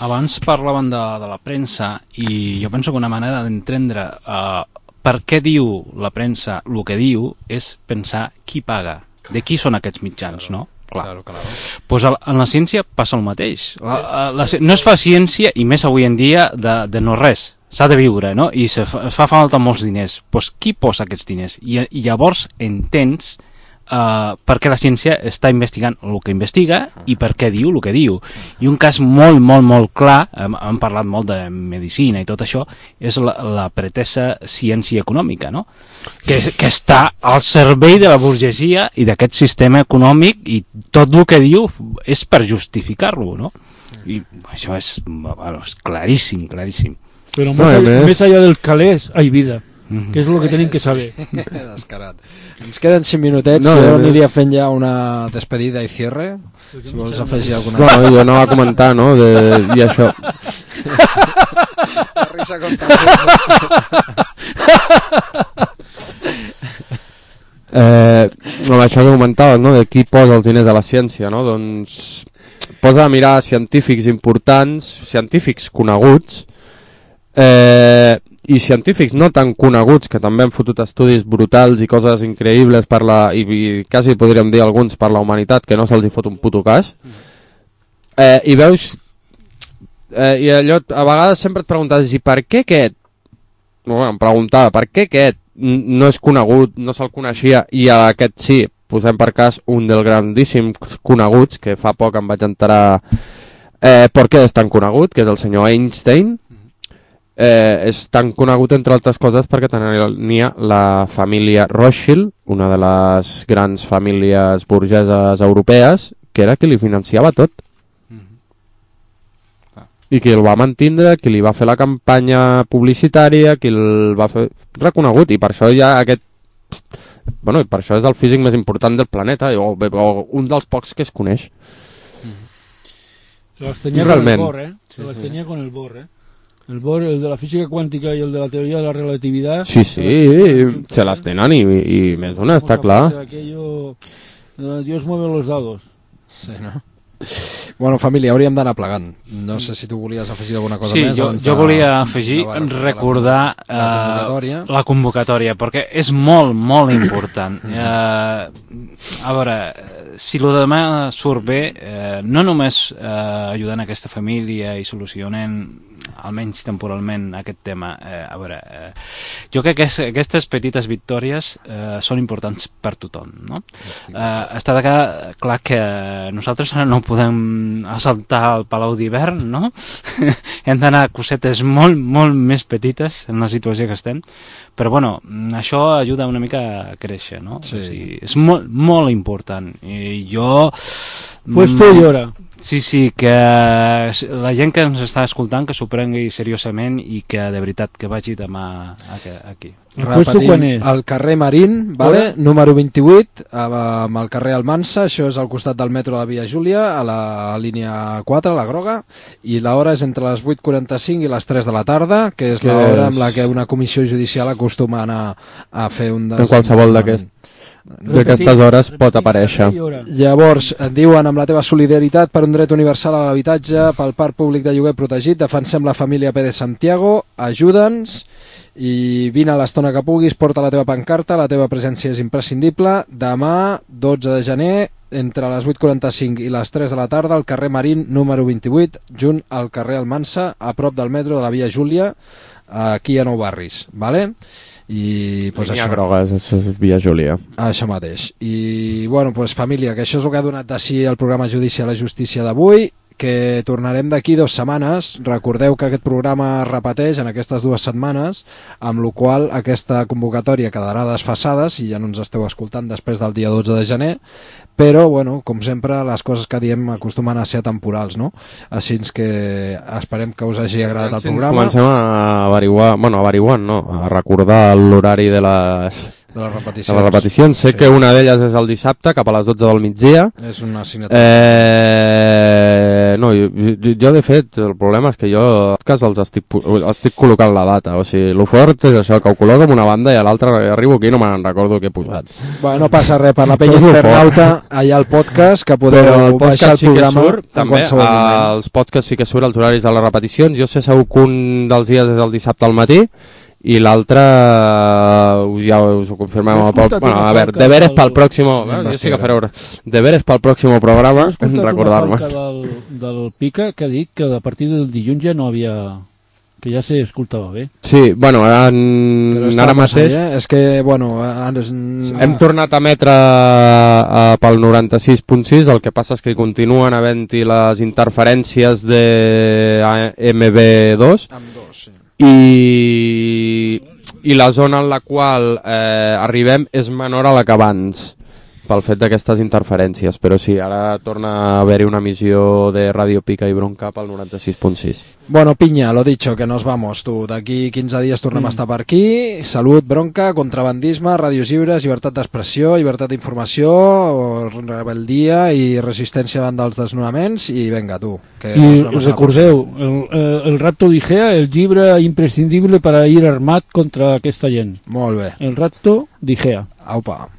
abans parlaven de la premsa i jo penso que una manera d'entendre per què diu la premsa el que diu és pensar qui paga, de qui són aquests mitjans, no? Clar. Pues en la ciència passa el mateix. No es fa ciència, i més avui en dia, de no res. S'ha de viure, no? I es fa falta molts diners. Pues qui posa aquests diners? I llavors entens per què la ciència està investigant el que investiga i per què diu el que diu. I un cas molt, molt, molt clar, hem parlat molt de medicina i tot això, és la pretesa ciència econòmica, no? Que està al servei de la burgesia i d'aquest sistema econòmic, i tot el que diu és per justificar-lo, no? I això és claríssim, claríssim. Però més allà del calés hay vida, que és el que tenim que saber. Descarat. Ens queden 5 minutets, jo aniria fent ja una despedida i cierre, si vols afegir alguna cosa. Bueno, jo anava a comentar, no?, i això. La risa contra risa. Això que comentaves, no?, de qui posa els diners de la ciència, no?, doncs posa a mirar científics importants, científics coneguts, i científics no tan coneguts, que també han fotut estudis brutals i coses increïbles per i quasi podríem dir alguns per la humanitat, que no se'ls hi fot un puto cas, i veus i allò, a vegades sempre et preguntes, i per què aquest? Bueno, em preguntava, per què aquest no és conegut, no se'l coneixia, i a aquest sí? Posem per cas un dels grandíssims coneguts, que fa poc em vaig enterar per què és tan conegut, que és el senyor Einstein. És tan conegut, entre altres coses, perquè tenia la família Rothschild, una de les grans famílies burgeses europees, que era qui li financiava tot. I qui el va mantindre, qui li va fer la campanya publicitària, qui el va fer reconegut, i per això hi ha aquest... Bueno, i per això és el físic més important del planeta, o un dels pocs que es coneix. Se les tenia con el Bohr, Se les tenia con el Bohr, El Bohr, el de la física cuántica y el de la teoría de la relatividad. Sí, se las tenen i més d'una, està clar. Aquello, Dios mueve los dados. Sí, no? Bueno, família, hauríem d'anar plegant. No sé si tu volies afegir alguna cosa més. Sí, jo volia afegir, recordar la convocatòria, perquè és molt, molt important. A veure, si el demà surt bé, no només ajudant aquesta família i solucionant almenys temporalment aquest tema, a veure, jo crec que aquestes petites victòries són importants per tothom, no? Està clar que nosaltres no podem assaltar el Palau d'Hivern, no? Hem d'anar a cosetes molt, molt més petites en la situació que estem, però bueno, això ajuda una mica a créixer, no? Sí. O sigui, és molt, molt important, i jo... Puesto i hora. Sí, que la gent que ens està escoltant que s'ho prengui seriosament i que de veritat que vagi demà aquí. Repetim, al carrer Marín, vale? Número 28, amb el carrer Almansa, això és al costat del metro de la Via Júlia, a la línia 4, la groga, i l'hora és entre les 8:45 i les 3 de la tarda, que és l'hora amb la que una comissió judicial acostuma a anar a fer un... En qualsevol d'aquestes hores pot aparèixer. Llavors, et diuen, amb la teva solidaritat per un dret universal a l'habitatge, pel parc públic de lloguer protegit, defensem la família Pérez Santiago, ajuda'ns i vine a l'estona que puguis, porta la teva pancarta, la teva presència és imprescindible. Demà, 12 de gener, entre les 8:45 i les 3 de la tarda, al carrer Marín, número 28, junt al carrer Almansa, a prop del metro de la Via Júlia, aquí a Nou Barris, vale? I pues això groga, és Via Júlia, això mateix. I bueno, pues família, que això és el que ha donat de si el programa Judici a la Justícia d'avui, que tornarem d'aquí 2 setmanes. Recordeu que aquest programa es repeteix en aquestes 2 setmanes, amb la qual aquesta convocatòria quedarà desfasada si ja no ens esteu escoltant després del dia 12 de gener, però, bueno, com sempre, les coses que diem acostumen a ser temporals, no? Així que esperem que us hagi agradat el programa. Comencem a averiguar, a recordar l'horari de les repeticions. Sé que una d'elles és el dissabte, cap a les 12 del migdia. És una assignatura. No, jo de fet, el problema és que jo els estic col·locant la data. O sigui, el fort és això, que ho col·loco en una banda i a l'altra arribo aquí i no me'n recordo què he posat. Bueno, no passa res, per la penya internauta allà al podcast, que podeu baixar el programa en qualsevol moment. Els podcasts sí que surt els horaris de les repeticions. Jo sé segur que un dels dies és el dissabte al matí i l'altre ja us ho confirmem. Bueno, a veure, deberes pel pròxim... Jo sí que faré deberes pel pròxim programa, recordar-me. Del Pica que ha dit que a partir del dilluns ja no havia... que ja s'escoltava bé. Sí, bueno, ara mateix... És que, bueno... Hem tornat a emetre pel 96.6, el que passa és que continuen havent-hi les interferències de MB2. Amb 2, sí. I la zona en la qual arribem és menor a la que abans, pel fet d'aquestes interferències, però sí, ara torna a haver-hi una emissió de Radio Pica i Bronca pel 96.6. Bueno, pinya, lo dicho, que nos vamos, tu. D'aquí 15 dies tornem a estar per aquí. Salut, bronca, contrabandisme, ràdios lliures, llibertat d'expressió, llibertat d'informació, rebeldia i resistència davant dels desnonaments, i venga, tu. I recordeu, el Rapto d'Igea, el llibre imprescindible per a ir armat contra aquesta gent. Molt bé. El Rapto d'Igea. Aupa.